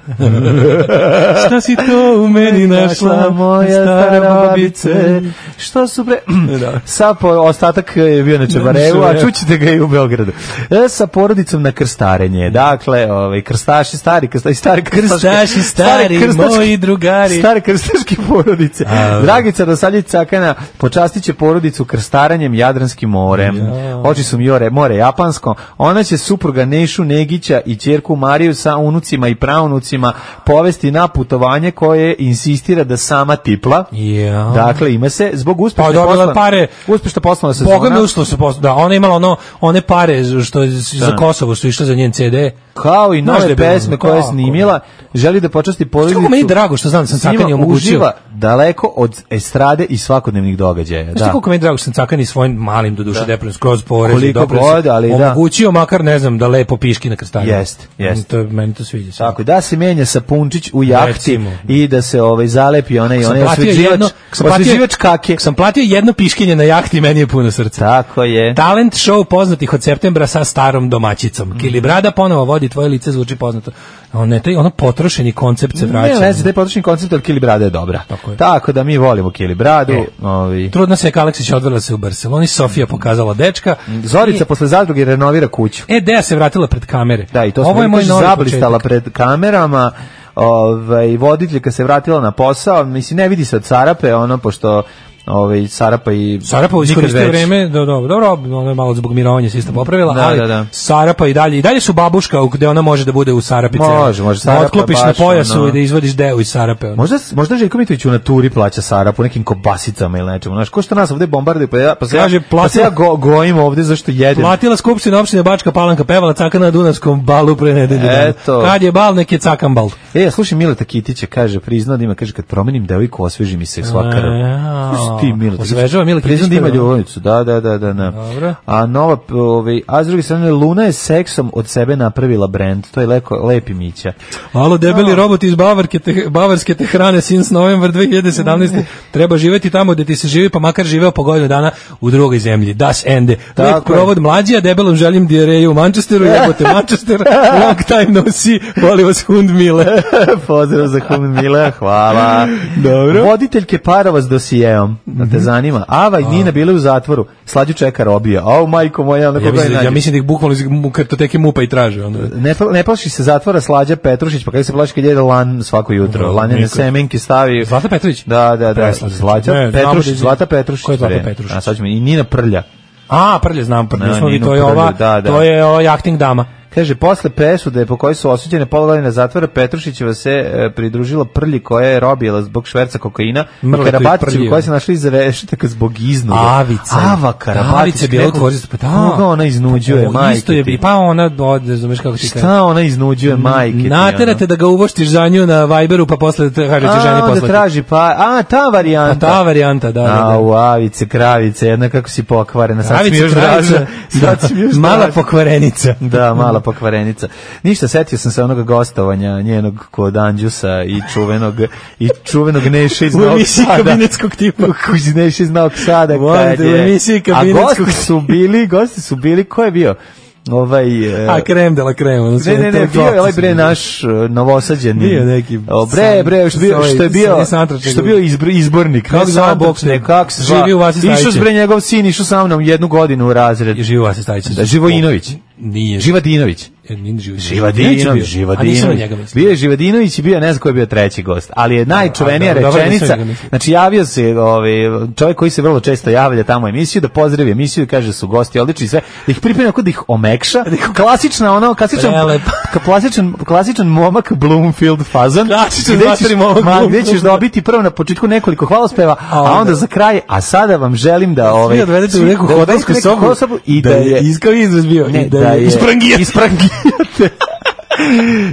Šta si to u meni našla, moja stara babice? Što su bre... Da. Sad po ostatak je bio na Čebarevu, a čućete ga i u Beogradu. E, sa porodicom na krstarenje. Dakle, ovaj, krstaši, stari, krstaši, stari krstaši, stari, moji drugari. Stari krstaški porodice. A, Dragica Dosaljić Cakana počastit će porodicu krstarenjem Jadranskim morem. Ja. Oči su more, more japansko. Ona će supruga Nešu Negića i ćerku Mariju sa unucima i praunucima povesti na putovanje koje insistira da sama tipla. Ja. Dakle, ima se zbog uspešne pa, posla. Pare, uspešna poslovna sezona. Boga mi ušlo se posla. Da, ona je imala ono, one pare što je za Kosovo što je išlo za njen ce de. Kao i nove pesme koje je snimila, želi da počasti porodicu. Kako meni drago što znam da sam Cakani omogućio. Daleko od estrade i svakodnevnih događaja. Znaš da. Kako meni drago što sam Cakani svojim malim do duše depresijom skroz porezi god, ali omogućio da. Makar ne znam da lepo piški na krstanju. Jest, jest. To meni to sviđa. Tako da se menja Sapunčić u jahti Recimo. I da se ovaj zalepi onaj onaj osveživač, osveživač kake. Sam platio jedno piškinje na jahti, meni je puno srca. Tako je. Talent show poznatih od septembra sa starom domaćicom. Mm. Kilibrada ponovo vodi, tvoje lice zvuči poznato. Ono taj ono potrošeni koncept se vraća. Ne, ne, taj potrošeni koncept, ali Kilibrada je dobra. Tako, je. Tako da mi volimo Kilibradu. E. Ovi. Trudna se Aleksić odvela se u Barseloni, Sofija pokazala dečka. Zorica I... posle zadruge renovira kuću. E, Deja se vratila pred kamere. Da, i to ovo je moj zablistala pred kamerama. Ovaj voditeljka se vratila na posao, mislim ne vidi se od Sarape, ono pošto ovaj Sarapa i Sarapa u iskoristio vreme, da dobro, dobro, ono je malo zbog mirovanja se isto popravila, da, ali da, da. Sarapa i dalje i dalje su babuška gde ona može da bude u Sarapice. Može, može Sarapa. Otklopiš na pojasu ono. I da izvodiš deo iz Sarape. Ono. Možda možda Željko Mitrović u naturi plaća Sarapu nekim kobasicama ili nečemu. Znaš, ko što nas ovde bombarduju, pa ja pa se Kaže, ja, platila, pa se ja go, gojim ovde zašto jedem. Platila skupština opštine Bačka Palanka, pevala Cakana na Dunavskom balu pre nedelje. Eto. Kad je bal, nek je Cakan bal. E, slušaj Mileta Kitića, kaže, priznao da ima, kaže kad promenim devojku osveži mi se svaka krv. Ti Mileta Osvežava Mileta Kitić da ima ljubavnicu. Da, da, da, da, da. Dobro. A nova ovaj a s druge strane Luna je seksom od sebe napravila brend. To je leko lepi Mića. Alo debeli robot iz Bavarke te, bavarske te hrane since novembar dve hiljade sedamnaeste. Treba živeti tamo gde ti se živi, pa makar živeo po godinu dana u drugoj zemlji. Das Ende. Lep provod mlađija, debelom želim dijareju u Manchesteru, jebote Manchester. Long time no see. Volim vas Hund Mile. Pozdrav za Hund Mile, hvala. Dobro. Voditeljke parova s dosijeom. Da te zanima. Ava i Nina bile u zatvoru. Slađu čeka robija. Au majko moja, ona ja, mislim, ja mislim da ih bukvalno iz kartoteke MUP-a i traže. Onda. Ne, ne plaši se zatvora Slađa Petrušić, pa kada se plaši kad jede lan svako jutro. No, Lanjane semenke stavi. Zlata Petrović? Da, da, da. Slađa Petrušić, Zlata Petrušić. Ko je Zlata Petrušić? A sad ćemo i Nina Prlja. A, Prlja znam, Prlja. No, smo, to je ova, da, da. To je ova jachting dama. Kaže, posle presude po kojoj su osuđene pola godine zatvora, Petrušićeva se e, pridružila Prlji koja je robila zbog šverca kokaina i Karabatićevu koja se našla iza rešetaka zbog iznude. Avica. Ava Karabatić. Bila utvorista. Pa koga ona iznuđuje, majke isto je, pa ona, razumeš kako ti kaže. Šta ona iznuđuje, majke ti? Naterate da ga uvoštiš za nju na Viberu, pa posle kaže ti ženi poslati. A, onda traži, pa, a, ta varijanta. A, ta varijanta, da. da, da. A, Avice, kravice, jedna kako si pokvarena. Sad mi još draža. Mala pokvarenica. Da, mala pokvarenica. Ništa, setio sam se onoga gostovanja njenog kod Anđusa i čuvenog i čuvenog Neše iz Novog Sada. Kabinetskog tipa. Kuć Neše iz Novog Sada. A gosti su bili, gosti su bili, ko je bio? Ovaj uh, a krem de la krem, ne ne ne bio je ovaj bre naš uh, novosađeni bio neki o, bre bre što bio što je bio što je bio izbor, izbornik kako za boks ne kako se živi u Vasi Stajić išao bre njegov sin išao sa mnom jednu godinu u razred živi u Vasi Stajić da Živojinović nije Živadinović Živadinović Živadinović bio je Živadinović i bio ne znam ko je bio treći gost ali je najčuvenija rečenica znači javio se ovaj čovjek koji se vrlo često javlja tamo u emisiju da pozdravi emisiju i kaže su gosti odlični sve da ih pripremi kako da ih omekša klasična ono klasičan klasičan klasičan momak Bloomfield fazon gde ćeš dobiti prvo na početku nekoliko hvalospeva a onda za kraj a sada vam želim da ovaj odvedete u neku hotelsku sobu i da je iskav izraz bio i da je isprangijate.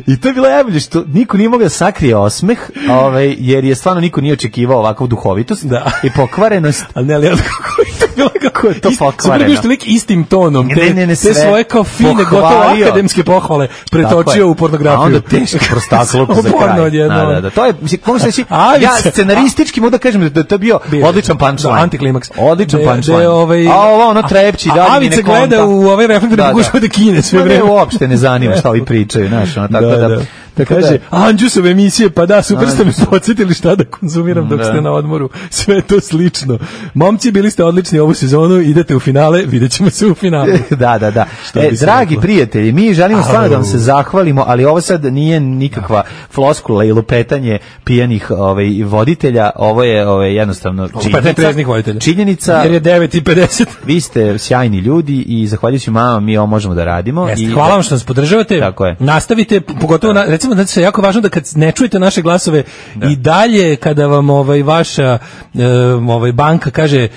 I to je bilo najbolje što niko nije mogao da sakrije osmeh, ovaj, jer je stvarno niko nije očekivao ovakvu duhovitost da. I pokvarenost. Ali ne, ali kako je to bilo, kako je to pokvareno? Super lik istim tonom, te, ne, ne, ne, te svoje kao fine, gotovo akademske pohvale pretočio u pornografiju. A onda teško prostakluk za kraj. Da, da, da. To je, mogu se reći, ja scenaristički mogu da kažem da to je bio odličan punchline. Antiklimaks. Odličan punchline. A ovo ono trepći. Avice gleda u ovaj reflektor i pokušava da kine sve vreme. Uopšte ne zanima šta ovi pričaju. Znaš, ono, tako da, da, Da kaže, Anđusove emisije, pa da, super ste me podsjetili šta da konzumiram dok Da. ste na odmoru. Sve to slično. Momci, bili ste odlični ovu sezonu, idete u finale, vidjet ćemo se u finalu. Da, da, da. Što E, bi se dragi reklo? prijatelji, mi želimo stvarno Au. da vam se zahvalimo, ali ovo sad nije nikakva floskula i lupetanje pijanih ovaj, voditelja, ovo je ovaj, jednostavno Lupetanje treznih voditelja. činjenica. Jer je devet i pedeset. Vi ste sjajni ljudi i zahvaljujući mama mi ovo možemo da radimo. Jeste, I hvala vam što nas podržavate. Tako je. Nastavite, pogotovo na, recimo da je jako važno da kad ne čujete naše glasove i dalje kada vam ovaj vaša e, ovaj banka kaže e,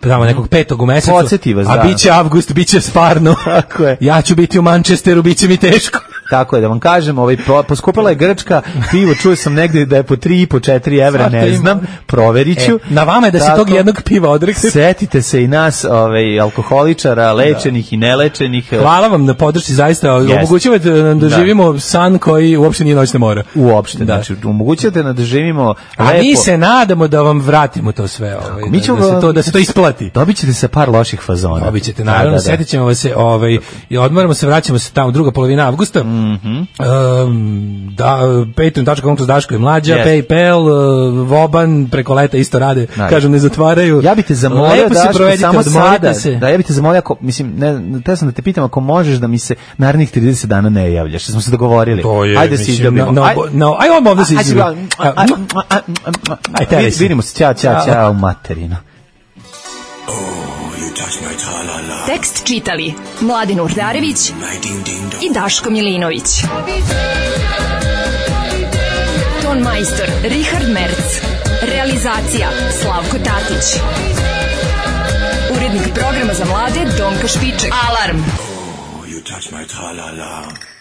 tamo nekog petog u mesecu, Podsjeti vas, a da. biće avgust, biće stvarno. Tako je. Ja ću biti u Manchesteru, biće mi teško. Tako je, da vam kažem, ovaj, po- poskupila je Grčka, pivo čuo sam negde da je po tri i po četiri evra, Svašta ne ima. znam, proverit ću. E, na vama je da se Tako, tog jednog piva odreknete. Setite se i nas, ovaj, alkoholičara, lečenih i nelečenih. Hvala vam na podršci, zaista omogućavate nam da Da. živimo san koji uopšte nije noćna mora. Uopšte, Da. znači, omogućujete nam da živimo A lepo. mi se nadamo da vam vratimo to sve, ovaj, Mi da, ćemo da, se to, da se to isplati. Dobit ćete se par loših fazona. Dobit ćete, Da, naravno, da, da. setit ćemo vas se, ovaj, i odmaramo se, vraćamo se tamo druga polovina avgusta. Mhm. Um, da, patreon dot com kroz Daško i Mlađa, Yes. PayPal, uh, Voban, preko leta isto rade, Da. kažem, ne zatvaraju. Ja bih te zamolio Lepo se Daško, provedite, samo odmorite sada, se. da ja bih te zamolio, ako, mislim, ne, te sam da te pitam ako možeš da mi se narednih trideset dana ne javljaš, što smo se dogovorili. To je, Ajde se mislim, izljubimo. no, no, Aj- no, aj odmah ovdje se Ajde, izljubimo. ajde, ajde, ajde, Ajde, ajde, vidimo se, ćao, ćao, Ćao. ćao, materino. Tekst čitali Mladin Urdarević i Daško Milinović. Ton majstor Richard Merc. Realizacija Slavko Tatić. Urednik programa za mlade Donka Špiček. Alarm! You touch my tra-la-la.